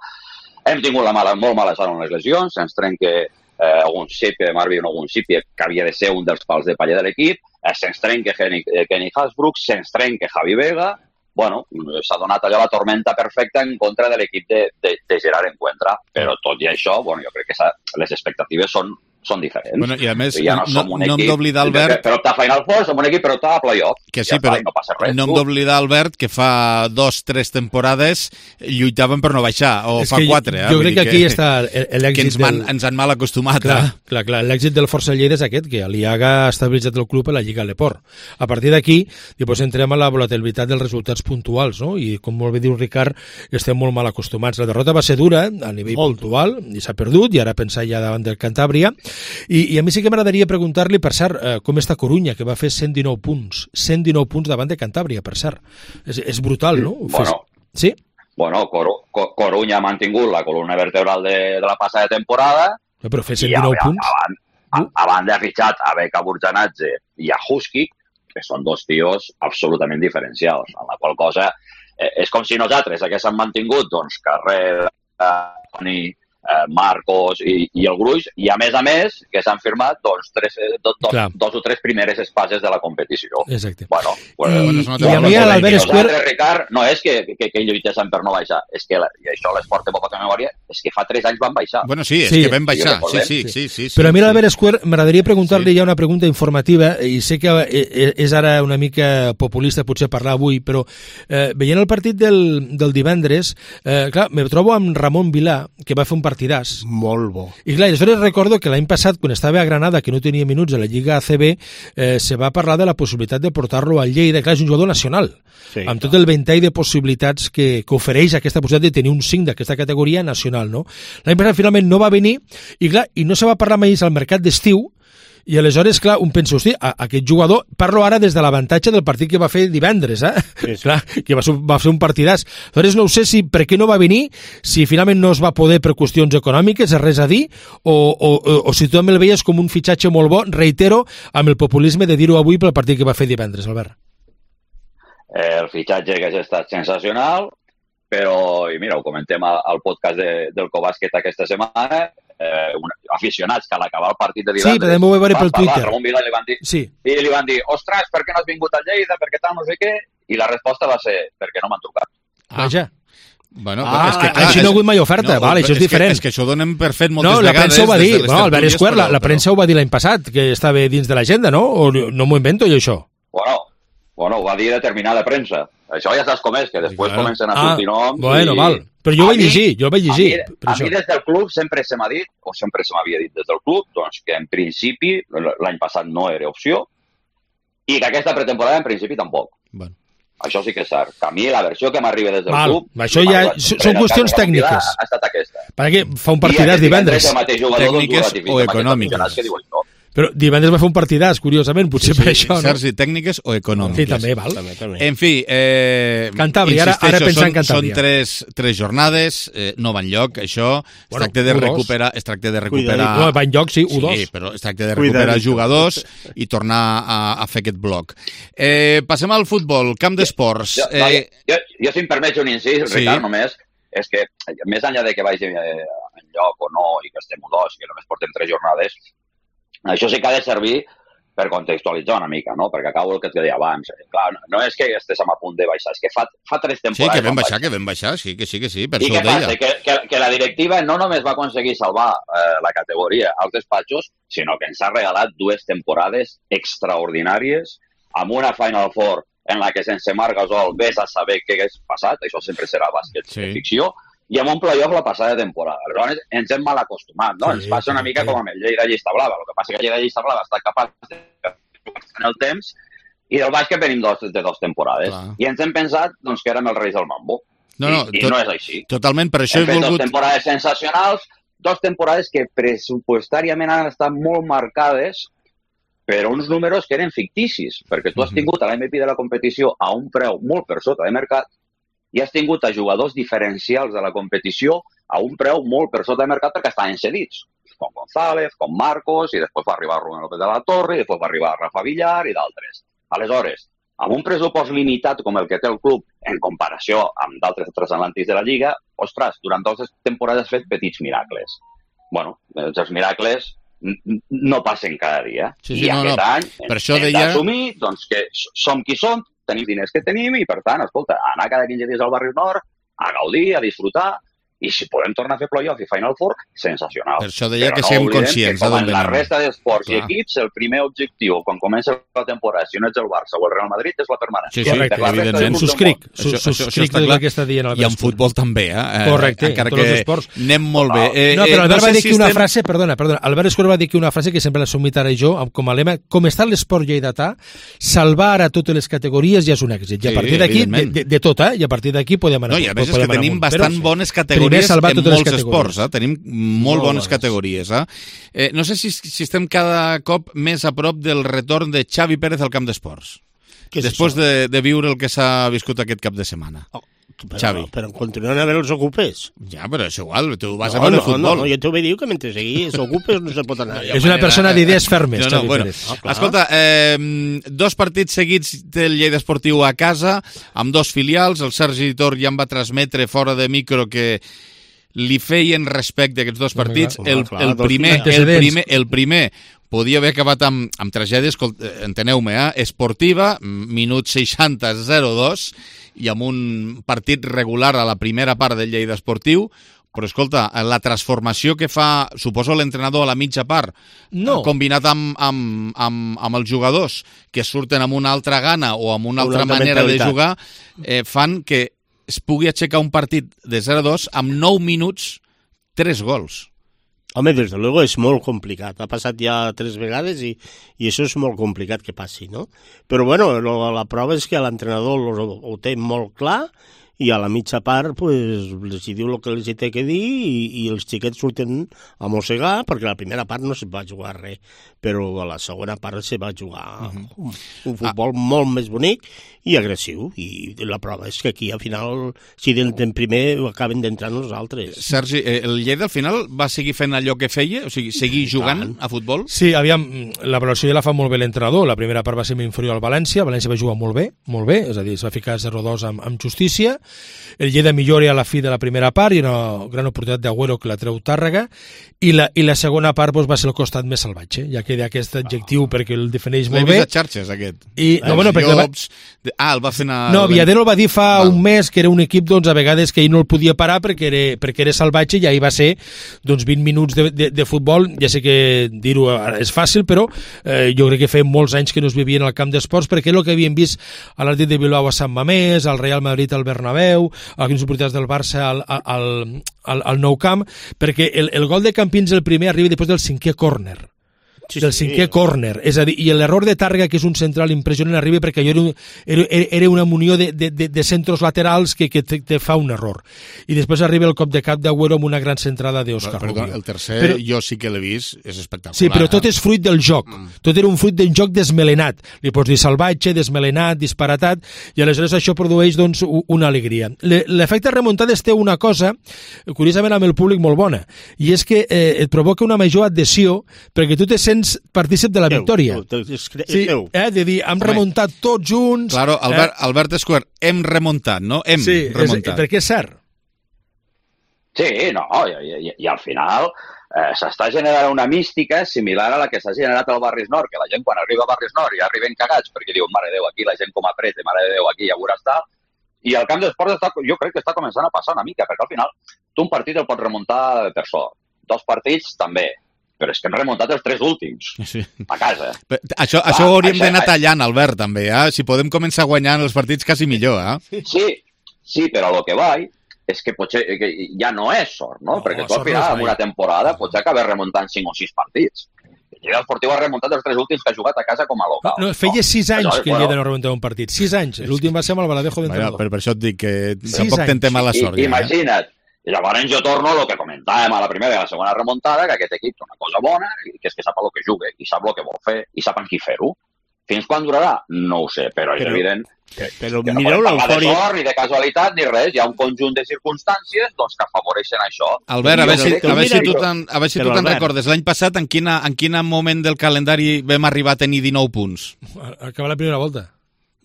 Hem tingut la mala, molt mala sort en les lesions, se'ns trenca eh, algun Sipie de Marvin o algun Sipie, que havia de ser un dels pals de paller de l'equip, eh, se'ns trenca Kenny, eh, Kenny Hasbrook, se'ns trenca Javi Vega. Bueno, s'ha donat allò la tormenta perfecta en contra de l'equip de, de, de Gerard Encuentra, però tot i això, bueno, jo crec que s'ha- les expectatives són, són diferents. Bueno, i a més, ja no, no- som un no hem equip d'oblidar, Albert- per optar a Final Four, som un equip per optar a playoff. Que sí, ja però està, i no passa res. no hem tu. d'oblidar, Albert, que fa dos, tres temporades lluitaven per no baixar, o És fa que jo- quatre. Eh? jo Vull crec dir que aquí està el- l'èxit Que ens, van, del- ens han mal acostumat. Clar, eh? clar, clar. L'èxit del Força Lleida és aquest, que l'Iaga ha estabilitzat el club a la Lliga Leport. A partir d'aquí, després entrem a la volatilitat dels resultats puntuals, no? I com molt bé diu Ricard, estem molt mal acostumats. La derrota va ser dura a nivell puntual, i s'ha perdut, i ara pensar ja davant del Cantàbria. I, i a mi sí que m'agradaria preguntar-li, per cert, eh, com està Corunya, que va fer cent dinou punts. cent dinou punts davant de Cantàbria, per cert. És, és brutal, no? Bueno. Sí? Bueno, Coru, Co- Corunya ha mantingut la columna vertebral de, de la passada temporada, No, però fer i cent dinou a, punts... a, a, a banda ha fitxat a Beka Burjanadze i a Husky, que són dos tios absolutament diferencials, amb la qual cosa eh, és com si nosaltres haguéssim mantingut doncs, Carrera, Toni, eh, Marcos i, i el Gruix, i a més a més que s'han firmat doncs, tres, eh, do, do, Clar. dos o tres primeres espases de la competició. Exacte. Bueno, pues, I- bueno, i a mi a nosaltres, l'Albert Escuer- Ricard, no és que, que, que lluitessin per no baixar, és que, la, i això les porta poca memòria, és que fa tres anys van baixar. Bueno, sí, és Sí. que vam baixar. Sí, Sí, sí, sí. sí, sí Però a mi sí. l'Albert Escuer m'agradaria preguntar-li ja una pregunta informativa, i sé que eh, és ara una mica populista potser parlar avui, però eh, veient el partit del, del divendres, eh, clar, me trobo amb Ramon Vilà, que va fer un partidàs. Molt bo. I clar, aleshores recordo que l'any passat, quan estava a Granada, que no tenia minuts a la Lliga A C B, eh, se va parlar de la possibilitat de portar-lo al Lleida. Clar, és un jugador nacional, Sí, amb tot el ventall de possibilitats que, que ofereix aquesta possibilitat de tenir un cinc d'aquesta categoria nacional, no? L'any passat finalment no va venir, i clar, i no se va parlar mai al mercat d'estiu, i aleshores, clar, un pensa, hosti, a, aquest jugador, parlo ara des de l'avantatge del partit que va fer divendres, eh? Sí, sí. Clar, que va ser, va ser un partidàs. Aleshores, no ho sé si per què no va venir, si finalment no es va poder per qüestions econòmiques, és res a dir, o, o, o, o si tu també el veies com un fitxatge molt bo, reitero, amb el populisme de dir-ho avui pel partit que va fer divendres, Albert. Eh, el fitxatge que ha estat sensacional, però, i mira, ho comentem al, al podcast de, del Cobàsquet aquesta setmana, eh, un, aficionats que a l'acabar el partit de divendres... Sí, però també ho vaig veure pel van parlar, Twitter. Ramon Vilà li van dir, Sí. i li van dir, ostres, per què no has vingut a Lleida, per què tal, no sé què? I la resposta va ser, perquè no m'han trucat. Vaja. Bueno, Ah, és que, clar, així no ha hagut mai oferta, vale, això és diferent. Que, és que això ho donem per fet moltes No, la vegades. premsa ho va des dir, de les no, Albert tertúlies, Escuer, la, però- la premsa ho va dir l'any passat, que estava dins de l'agenda, no? O no m'ho invento jo, això? Bueno, bueno, ho va dir determinada premsa. Això ja saps com és, que després Claro. comencen a Ah, sortir noms... bueno, i... val. Però jo ho A vaig mi- llegir, jo ho vaig llegir, A mi, per a això. mi des del club sempre se m'ha dit, o sempre se m'havia dit des del club, doncs que en principi l'any passat no era opció i que aquesta pretemporada en principi tampoc. Bueno. Això sí que és cert. Que a mi la versió que m'arriba des del Val, club... això m'ha ja arribat són sempre, en el qüestions cas de Ramon Vilà, tècniques. Ha estat aquesta. Perquè fa un I partidàs aquest divendres. el mateix jugador, doncs, ho Tècniques ratifica, o amb aquests econòmiques. aficionats que diuen, no. Però divendres va fer un partidàs, curiosament, potser per això, no? Sergi, tècniques o econòmiques. Sí, també, val. També, també. En fi, eh, Cantàbria, ara- ara insisteixo, pensant en són, Cantàbria. són tres, tres jornades, eh, no van lloc, això. Es Bueno, tracta de u dos. recuperar... Es tracta de recuperar... Cuidadito. No, va en lloc, sí, u dos. Sí, però es tracta de recuperar Cuidadito. jugadors i tornar a, a fer aquest bloc. Eh, passem al futbol, camp d'esports. Jo, no, Eh, jo, jo, si em permets un incís, Sí. Ricard, només, és que més enllà de que vagi eh, en lloc o no, i que estem u dos, i que només portem tres jornades, això sí que ha de servir per contextualitzar una mica, no? Perquè acabo el que et deia abans. Clar, no és que estiguem a punt de baixar, és que fa, fa tres temporades... Sí, que vam baixar, que vam baixar, sí, que sí, que sí, per I això què ho deia. passa? Que, que, que la directiva no només va aconseguir salvar eh, la categoria als despatxos, sinó que ens ha regalat dues temporades extraordinàries amb una Final Four en la que sense Marc Gasol vés a saber què hagués passat, això sempre serà bàsquet sí. de ficció, i amb un playoff la passada temporada. Llavors ens hem mal acostumat, no? Sí, ens passa una mica sí. com amb el Lleida Llista Blava. El que passa és que el Lleida Llista Blava està capaç de en el temps i del bàsquet venim dos, de dues temporades. Clar. I ens hem pensat doncs, que érem els reis del mambo. No, no, I, i tot, no és així. Totalment, per això hem he volgut... volgut... Dos temporades sensacionals, dos temporades que pressupostàriament han estat molt marcades per uns números que eren ficticis, perquè tu has tingut a l'M V P de la competició a un preu molt per sota de mercat i has tingut a jugadors diferencials de la competició a un preu molt per sota de mercat perquè estaven cedits, com González, com Marcos, i després va arribar Rubén López de la Torre, i després va arribar Rafa Villar i d'altres. Aleshores, amb un pressupost limitat com el que té el club en comparació amb d'altres transatlàntics de la Lliga, ostres, durant dues temporades has fet petits miracles. Bueno, els miracles no passen cada dia. Sí, sí, I no, aquest no. any per això hem deia... d'assumir doncs, que som qui som, tenim diners que tenim i, per tant, escolta, anar cada quinze dies al barri nord, a gaudir, a disfrutar, i si podem tornar a fer playoff i Final Four, sensacional. Per això deia Però que no siguem oblidem conscients que com d'on en la venim. resta d'esports Clar. i equips, el primer objectiu, quan comença la temporada, si no ets el Barça o el Real Madrid, és la permanència. Sí, sí, Correcte, evidentment. Subscric, Això, això, això subscric està tot clar. el que està dient Albert. I en futbol també, eh? Correcte, encara en tots que els esports. anem molt bé. Eh, no, però eh, Albert no va sé dir si que una estem... frase, perdona, perdona, Albert Escura va dir que una frase que sempre l'he assumit ara jo, com a lema, com està l'esport lleidatà, salvar a totes les categories ja és un èxit. I a Sí, partir d'aquí, de, evidentment. de, de tot, eh? I a partir d'aquí podem anar. No, i a més és podem que anar tenim amunt. bastant Però, bones primer categories salvar en totes les molts categories. esports, eh? Tenim molt, Molt bones bones. categories, eh? eh? No sé si, si estem cada cop més a prop del retorn de Xavi Pérez al camp d'esports. Després de, de viure el que s'ha viscut aquest cap de setmana. Oh, però, Xavi. Però continuen a veure els ocupes. Ja, però és igual, tu vas no, a veure no, el futbol. No, no, jo t'ho dic que mentre seguir els ocupes no se pot anar. És una persona d'idees fermes, no, no, Xavi bueno, Pérez. ah, escolta, eh, dos partits seguits del Lleida Esportiu a casa, amb dos filials. El Sergi Tor ja em va transmetre fora de micro que li feien respecte a aquests dos partits. Home, El, clar, el, dos primer, el, antecedents. primer, el primer podia haver acabat amb, amb tragèdia, enteneu-me, eh? Esportiva, minut seixanta zero dos, i amb un partit regular a la primera part del Lleida Esportiu. Però, escolta, la transformació que fa, suposo, l'entrenador a la mitja part, no. combinat amb, amb, amb, amb els jugadors que surten amb una altra gana o amb una altra Una altra manera de mentalitat. jugar, eh, fan que es pugui aixecar un partit de zero a dos amb nou minuts, tres gols. Home, des de luego és molt complicat. Ha passat ja tres vegades i, i això és molt complicat que passi, no? Però, bueno, lo, la prova és que l'entrenador ho, ho té molt clar i a la mitja part pues, els hi diu el que els hi té que dir i, i els xiquets surten a mossegar perquè la primera part no se va jugar res, però a la segona part se va jugar uh-huh. un, un futbol ah. molt més bonic i agressiu, i la prova és que aquí al final, si d'entren primer acaben d'entrar nosaltres. Sergi, el Lleida al final va seguir fent allò que feia? O sigui, seguir jugant a futbol? Sí, aviam, la valoració ja la fa molt bé l'entrenador. La primera part va ser inferior al València, el València va jugar molt bé, molt bé, és a dir, es va ficar zero a dos amb, amb justícia. El Lleida millora a la fi de la primera part i una gran oportunitat d'Agüero que la treu Tàrrega, i la, i la segona part doncs, va ser el costat més salvatge, ja que aquest adjectiu perquè el defineix molt bé. L'he vist a xarxes, aquest. I, no, bueno, perquè llops... Va... Ah, el va fer anar... No, Villadero el va dir fa Val. un mes que era un equip, doncs, a vegades que ell no el podia parar perquè era, perquè era salvatge, i ahir va ser doncs, vint minuts de, de, de futbol. Ja sé que dir-ho és fàcil, però eh, jo crec que feia molts anys que no es vivien al camp d'esports, perquè és el que havíem vist a l'Atlètic de Bilbao a Sant Mamés, al Real Madrid al Bernabéu, a algunes oportunitats del Barça al, al, al, al Nou Camp, perquè el, el gol de Campins, el primer, arriba després del cinquè córner. Sí, del cinquè sí. córner, és a dir, i l'error de Tàrrega, que és un central impressionant, arriba perquè allò era, era, era una munió de, de, de, de centros laterals que, que te, te fa un error. I després arriba el cop de cap d'Agüero amb una gran centrada d'Òscar Rubio. El tercer, però, jo sí que l'he vist, és espectacular. Sí, però tot eh? és fruit del joc. Mm. Tot era un fruit del joc desmelenat. Li pots dir salvatge, desmelenat, disparatat, i aleshores això produeix doncs, una alegria. L'efecte remuntades té una cosa, curiosament amb el públic, molt bona, i és que eh, et provoca una major adhesió perquè tu te sents partícip de la victòria. Sí, eh, de dir, hem remuntat tots junts... Claro, Albert, eh? Albert Escuer, hem remuntat, no? Hem sí, remuntat. És, perquè és cert. Sí, no, i, i, i al final eh, s'està generant una mística similar a la que s'ha generat al Barris Nord, que la gent quan arriba a Barris Nord ja arriben cagats perquè diuen, mare de Déu, aquí la gent com apreta, mare de Déu, aquí ja veuràs tal, i al camp d'esports està, jo crec que està començant a passar una mica, perquè al final tu un partit el pots remuntar per sort, dos partits també, però és que hem remuntat els tres últims, sí. a casa. Però, això Va, això ho hauríem això, d'anar tallant, Albert, també, eh? Si podem començar guanyant els partits, quasi millor, eh? Sí, sí, però el que vaig és que potser que ja no és sort, no? no Perquè tu al final, en una temporada, pots acabar remuntant cinc o sis partits. El Lleida Esportiu ha remuntat els tres últims que ha jugat a casa com a local. No, no feia sis anys no, que el Lleida no remuntava un partit. Sis anys. L'últim va ser amb el Baladejo d'entrenador. Per, per això et dic que sis tampoc anys. Tentem mala sort. I, ja, imagina't. I llavors jo torno a lo que comentàvem a la primera i a la segona remuntada, que aquest equip té una cosa bona, que és que sap el que juga, i sap el que vol fer, i sap amb qui fer-ho. Fins quan durarà? No ho sé, però és però, evident que, però que no mireu podem parlar l'eufòria... de sort, ni de casualitat, ni res. Hi ha un conjunt de circumstàncies doncs, que afavoreixen això. Albert, a veure si, a veure si tu te'n si Albert. recordes. L'any passat, en, quina, en quin moment del calendari vam arribar a tenir dinou punts? Acaba la primera volta.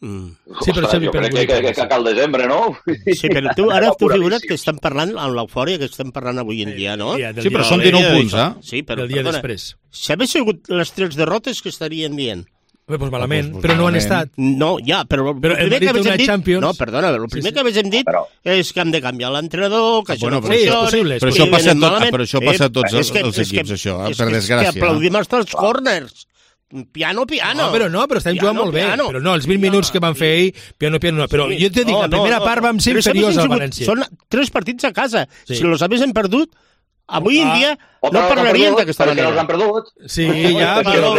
Mm. Sí, però Ostres, jo crec que, que, que cal desembre, no? Sí, però tu ara tu figura't que estem parlant amb l'eufòria que estem parlant avui en dia, no? Sí, però són dinou punts, eh? Sí, però, del dia perdona, després. Si hagués sigut les tres derrotes que estarien dient. Bé, doncs malament, però no han estat. No, ja, però, però el primer que haguéssim dit... Champions... No, perdona, el primer sí, sí. que haguéssim dit però... és que hem de canviar l'entrenador, que això bueno, no funciona... Sí, però, però això passa, tot, però això passa a tots els, els equips, això, eh, per desgràcia. És que aplaudim els dels corners. Piano, piano. No, però no, però estem piano, jugant molt bé. Piano. Però no, els vint minuts que van fer ell, piano, piano, no. Però sí, jo t'he dit, no, la primera no, part vam ser inferiors al València. Són tres partits a casa. Sí. Si los haguéssim perdut, avui ah. en dia no parlarien d'aquesta manera. Els han perdut. Sí, ja, però...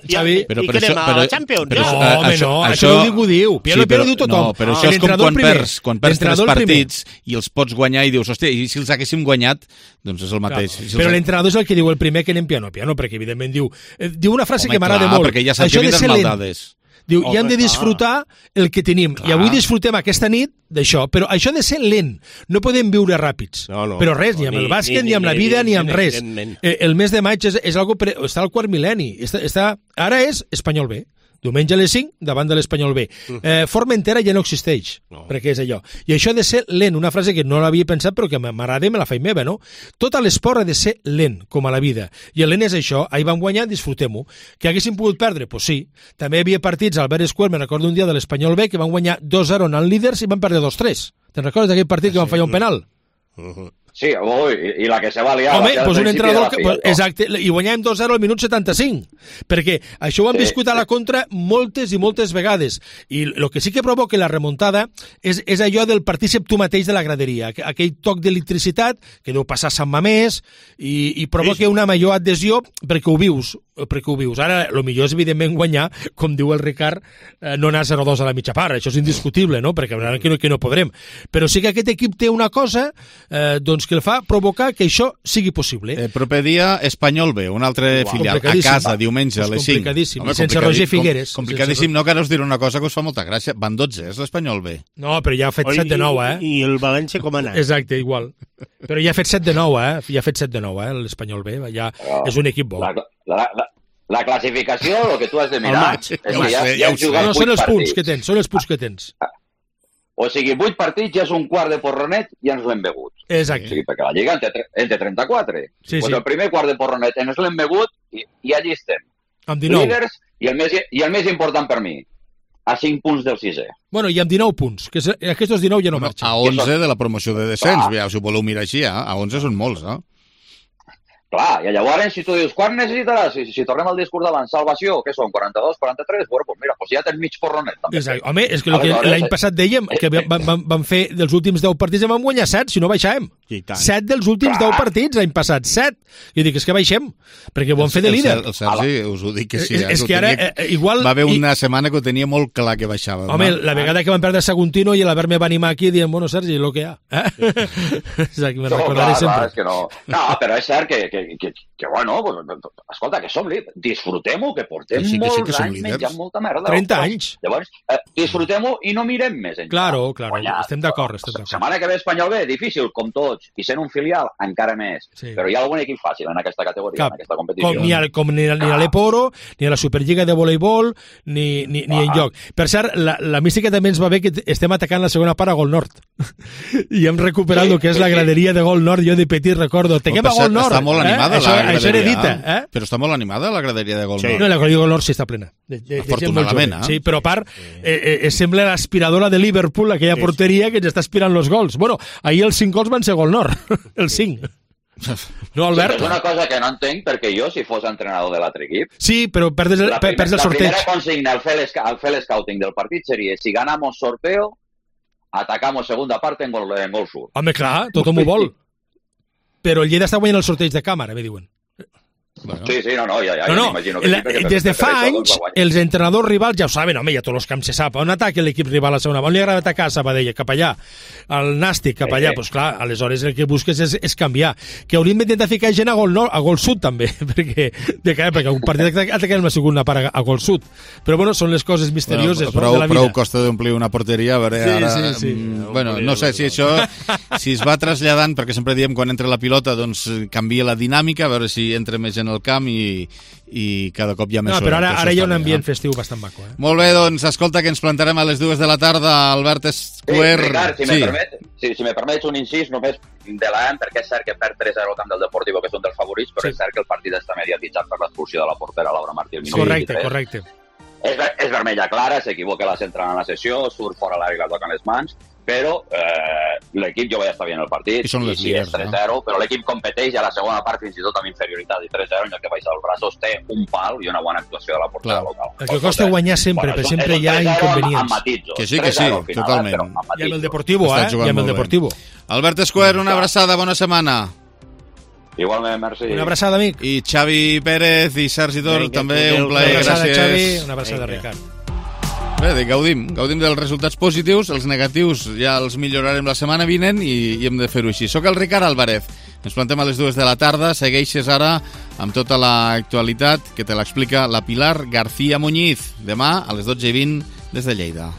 Xavi... I que anem a la Champions. No, home, no, això ningú diu. Piano, piano diu tothom. No, però això és com quan perds, quan perds tres partits i els pots guanyar i dius, hòstia, i si els haguéssim guanyat, doncs és el mateix. Però l'entrenador és el que diu el primer que anem piano, piano, perquè evidentment diu... Diu una frase que m'agrada molt. Perquè ja saps que vindran maldades. Diu, i hem de disfrutar el que tenim. Clar. I avui disfrutem aquesta nit d'això. Però això ha de ser lent. No podem viure ràpids. No, no, però res, ni amb el bàsquet, ni, ni amb la vida, ni amb res. Eh, el mes de maig és, és algo pre... està al quart mil·lenni. Està, està... Ara és Espanyol B. Diumenge a les cinc, davant de l'Espanyol B. Eh, Formentera ja no existeix, no. perquè és allò. I això ha de ser lent, una frase que no l'havia pensat però que m'agrada i me la faig meva, no? Tot l'esport ha de ser lent, com a la vida. I el lent és això, ahir vam guanyar, disfrutem-ho. Que haguéssim pogut perdre? Doncs pues sí. També hi havia partits al Albert Square, me'n recordo un dia de l'Espanyol B, que van guanyar dos zero en líders i van perdre dos tres. Te'n recordes d'aquell partit que van fallar un penal? Uh-huh. Sí, ui, i la que se va liar... Home, doncs un entrenador... Que, pues, exacte, i guanyàvem dos zero al minut setanta-cinc, perquè això ho han sí, viscut a la contra moltes i moltes vegades, i el que sí que provoca la remuntada és, és allò del partícip tu mateix de la graderia, aquell toc d'electricitat que deu passar a Sant Mamés i, i provoca sí. una major adhesió perquè ho vius, perquè ho vius. Ara, el millor és evidentment guanyar, com diu el Ricard, eh, no anar zero dos a la mitja part, això és indiscutible, no? Perquè que no, que no podrem. Però sí que aquest equip té una cosa, eh, doncs que el fa provocar que això sigui possible. El proper dia, Espanyol B, un altre wow. filial, a casa, diumenge, a les cinc. Complicadíssim, Home, sense Roger Figueres. Com, complicadíssim, sense... no, que ara us diré una cosa que us fa molta gràcia. Van dotze, és l'Espanyol B. No, però ja ha fet set de nou, eh? I el València com ha anat? Exacte, igual. Però ja ha fet set de nou, eh? Ja ha fet set de nou, eh? L'Espanyol B, ja oh, és un equip bo. La, la, la, la classificació, el que tu has de mirar... És que ja, ja, ja ja no, són els punts que tens, són els punts que tens. O sigui, vuit partits ja és un quart de porronet i ens l'hem begut. Exacte. O sigui, perquè la Lliga en té, en té trenta-quatre. Sí, pues sí. El primer quart de porronet ens l'hem begut i, i allí estem. Amb dinou. Líders i el, més, i el més important per mi, a cinc punts del sisè. Bueno, i amb dinou punts, que aquests dinou ja no marxen. A onze de la promoció de descens, ah. si ho voleu mirar així, eh? A onze són molts, eh? Clar, i llavors, si tu dius, quan necessitaràs? Si, si tornem al discurs d'abans, salvació, què són, quaranta-dos, quaranta-tres? Bueno, doncs mira, pues ja tens mig porronet, també. Exacte. Home, és que, que l'any passat dèiem que vam, vam, vam fer dels últims deu partits i vam guanyar set, si no baixàvem. set dels últims deu partits l'any passat, set. Jo dic, és que baixem, perquè ho vam fer de líder. El, el Sergi, us ho dic que sí. És, és que ara, eh, igual... Va haver una i... setmana que ho tenia molt clar que baixava. Home, no? La vegada que vam perdre Saguntino i l'Albert me va animar aquí dient, bueno, Sergi, lo que hi ha. Eh? Exacte, me no, recordaré clar, sempre. Clar, és que no. no, però és cert que, que, que, que bueno, pues, escolta, que som líders, disfrutem-ho, que portem sí, que sí, que molts anys menjant molta merda. trenta anys. Llavors, eh, disfrutem-ho i no mirem més enllà. Claro, claro, Guanyar. estem d'acord, estem d'acord. Setmana que ve Espanyol B, difícil, com tots, i sent un filial, encara més. Sí. Però hi ha algun equip fàcil en aquesta categoria, Cap. en aquesta competició. Com ni a, com ni a, ni a l'Eporo, ni a la Superliga de voleibol, ni, ni, ni ah. enlloc. Per cert, la, la mística també ens va bé que estem atacant la segona part a Gol Nord. i hem recuperat el que és la graderia de Gol Nord. Jo de petit recordo, tenim a Gol Nord. Està molt animada eh? la graderia. Això heredita, eh? Però està molt animada la graderia de Gol Sí. Nord. No, la graderia de Gol Nord sí està plena. De, de, Afortunadament, eh? Sí, però a part, eh, eh, sembla l'aspiradora de Liverpool, aquella porteria que ens està aspirant els gols. Bueno, ahir els cinc gols van ser Gol Nord, els cinc. No, Albert? Sí, és una cosa que no entenc, perquè jo, si fos entrenador de l'altre equip... Sí, però perds el, la per, perds el sorteig. La primera consigna al fer, al fer l'escouting del partit seria: si ganamos sorteo, atacamos segunda parte en gol, en gol sur. Home, clar, tothom ho vol. Però el Lleida està guanyant el sorteig de càmera, me diuen. Bueno. Sí, sí, no, no, ja, ja, no, no. m'imagino que La, sí, perquè des de per fa això, anys, doncs, els entrenadors rivals ja ho saben, home, ja tots els camps se sap. On ataca l'equip rival a segona? On li agrada atacar a Sabadell? Cap allà. Al Nàstic, cap allà. Doncs pues, clar, aleshores el que busques és, és canviar. Que hauríem d'intentar ficar gent a gol nord, a gol sud també, perquè, de, perquè un partit atacarem la segona part a, a gol sud. Però bueno, són les coses misterioses bueno, prou, no, de la vida. Prou costa d'omplir una porteria, a veure, sí, ara... Sí, sí. Mm, bueno, no sé si això si es va traslladant, perquè sempre diem quan entra la pilota doncs canvia la dinàmica, a veure si entra més en el camp i, i cada cop hi ha més... No, però ara, ara hi ha un bé, ambient eh? festiu bastant maco. Eh? Molt bé, doncs, escolta, que ens plantarem a les dues de la tarda, Albert Escuer... Sí, Ricard, si, sí. me permet, si, si me permets un incís només de l'A M, perquè és cert que perd tres a zero al camp del Deportivo, que és un dels favorits, però sí. És cert que el partit està mediatitzat per l'expulsió de la portera Laura Martí. Sí. Correcte, correcte. És, és vermella clara, s'equivoca la central en la sessió, surt fora l'àrea i la toca en les mans, però eh, l'equip jo vaig estar bien el partit, i són les i sí, líders, és tres zero, no? Però l'equip competeix i a la segona part fins i tot amb inferioritat i tres zero, en el que baixa els braços té un pal i una bona actuació de la portera Clar. local. El que costa guanyar sempre, bueno, però sempre hi ha inconvenients. Amb, amb matitsos, que sí, que sí, final, totalment. Eh, I amb el Deportivo, eh? I amb el Deportivo. Albert Escuer, una abraçada, bona setmana. Igualment, merci. Una abraçada, amic. I Xavi Pérez i Sergi Tor, també un plaer, gràcies. Una abraçada, gràcies. Xavi, una abraçada, Ricard. Bé, gaudim, gaudim dels resultats positius, els negatius ja els millorarem la setmana vinent i, i hem de fer-ho així. Soc el Ricard Álvarez, ens plantem a les dues de la tarda, segueixes ara amb tota l'actualitat que te l'explica la Pilar García Muñiz, demà a les dotze i vint des de Lleida.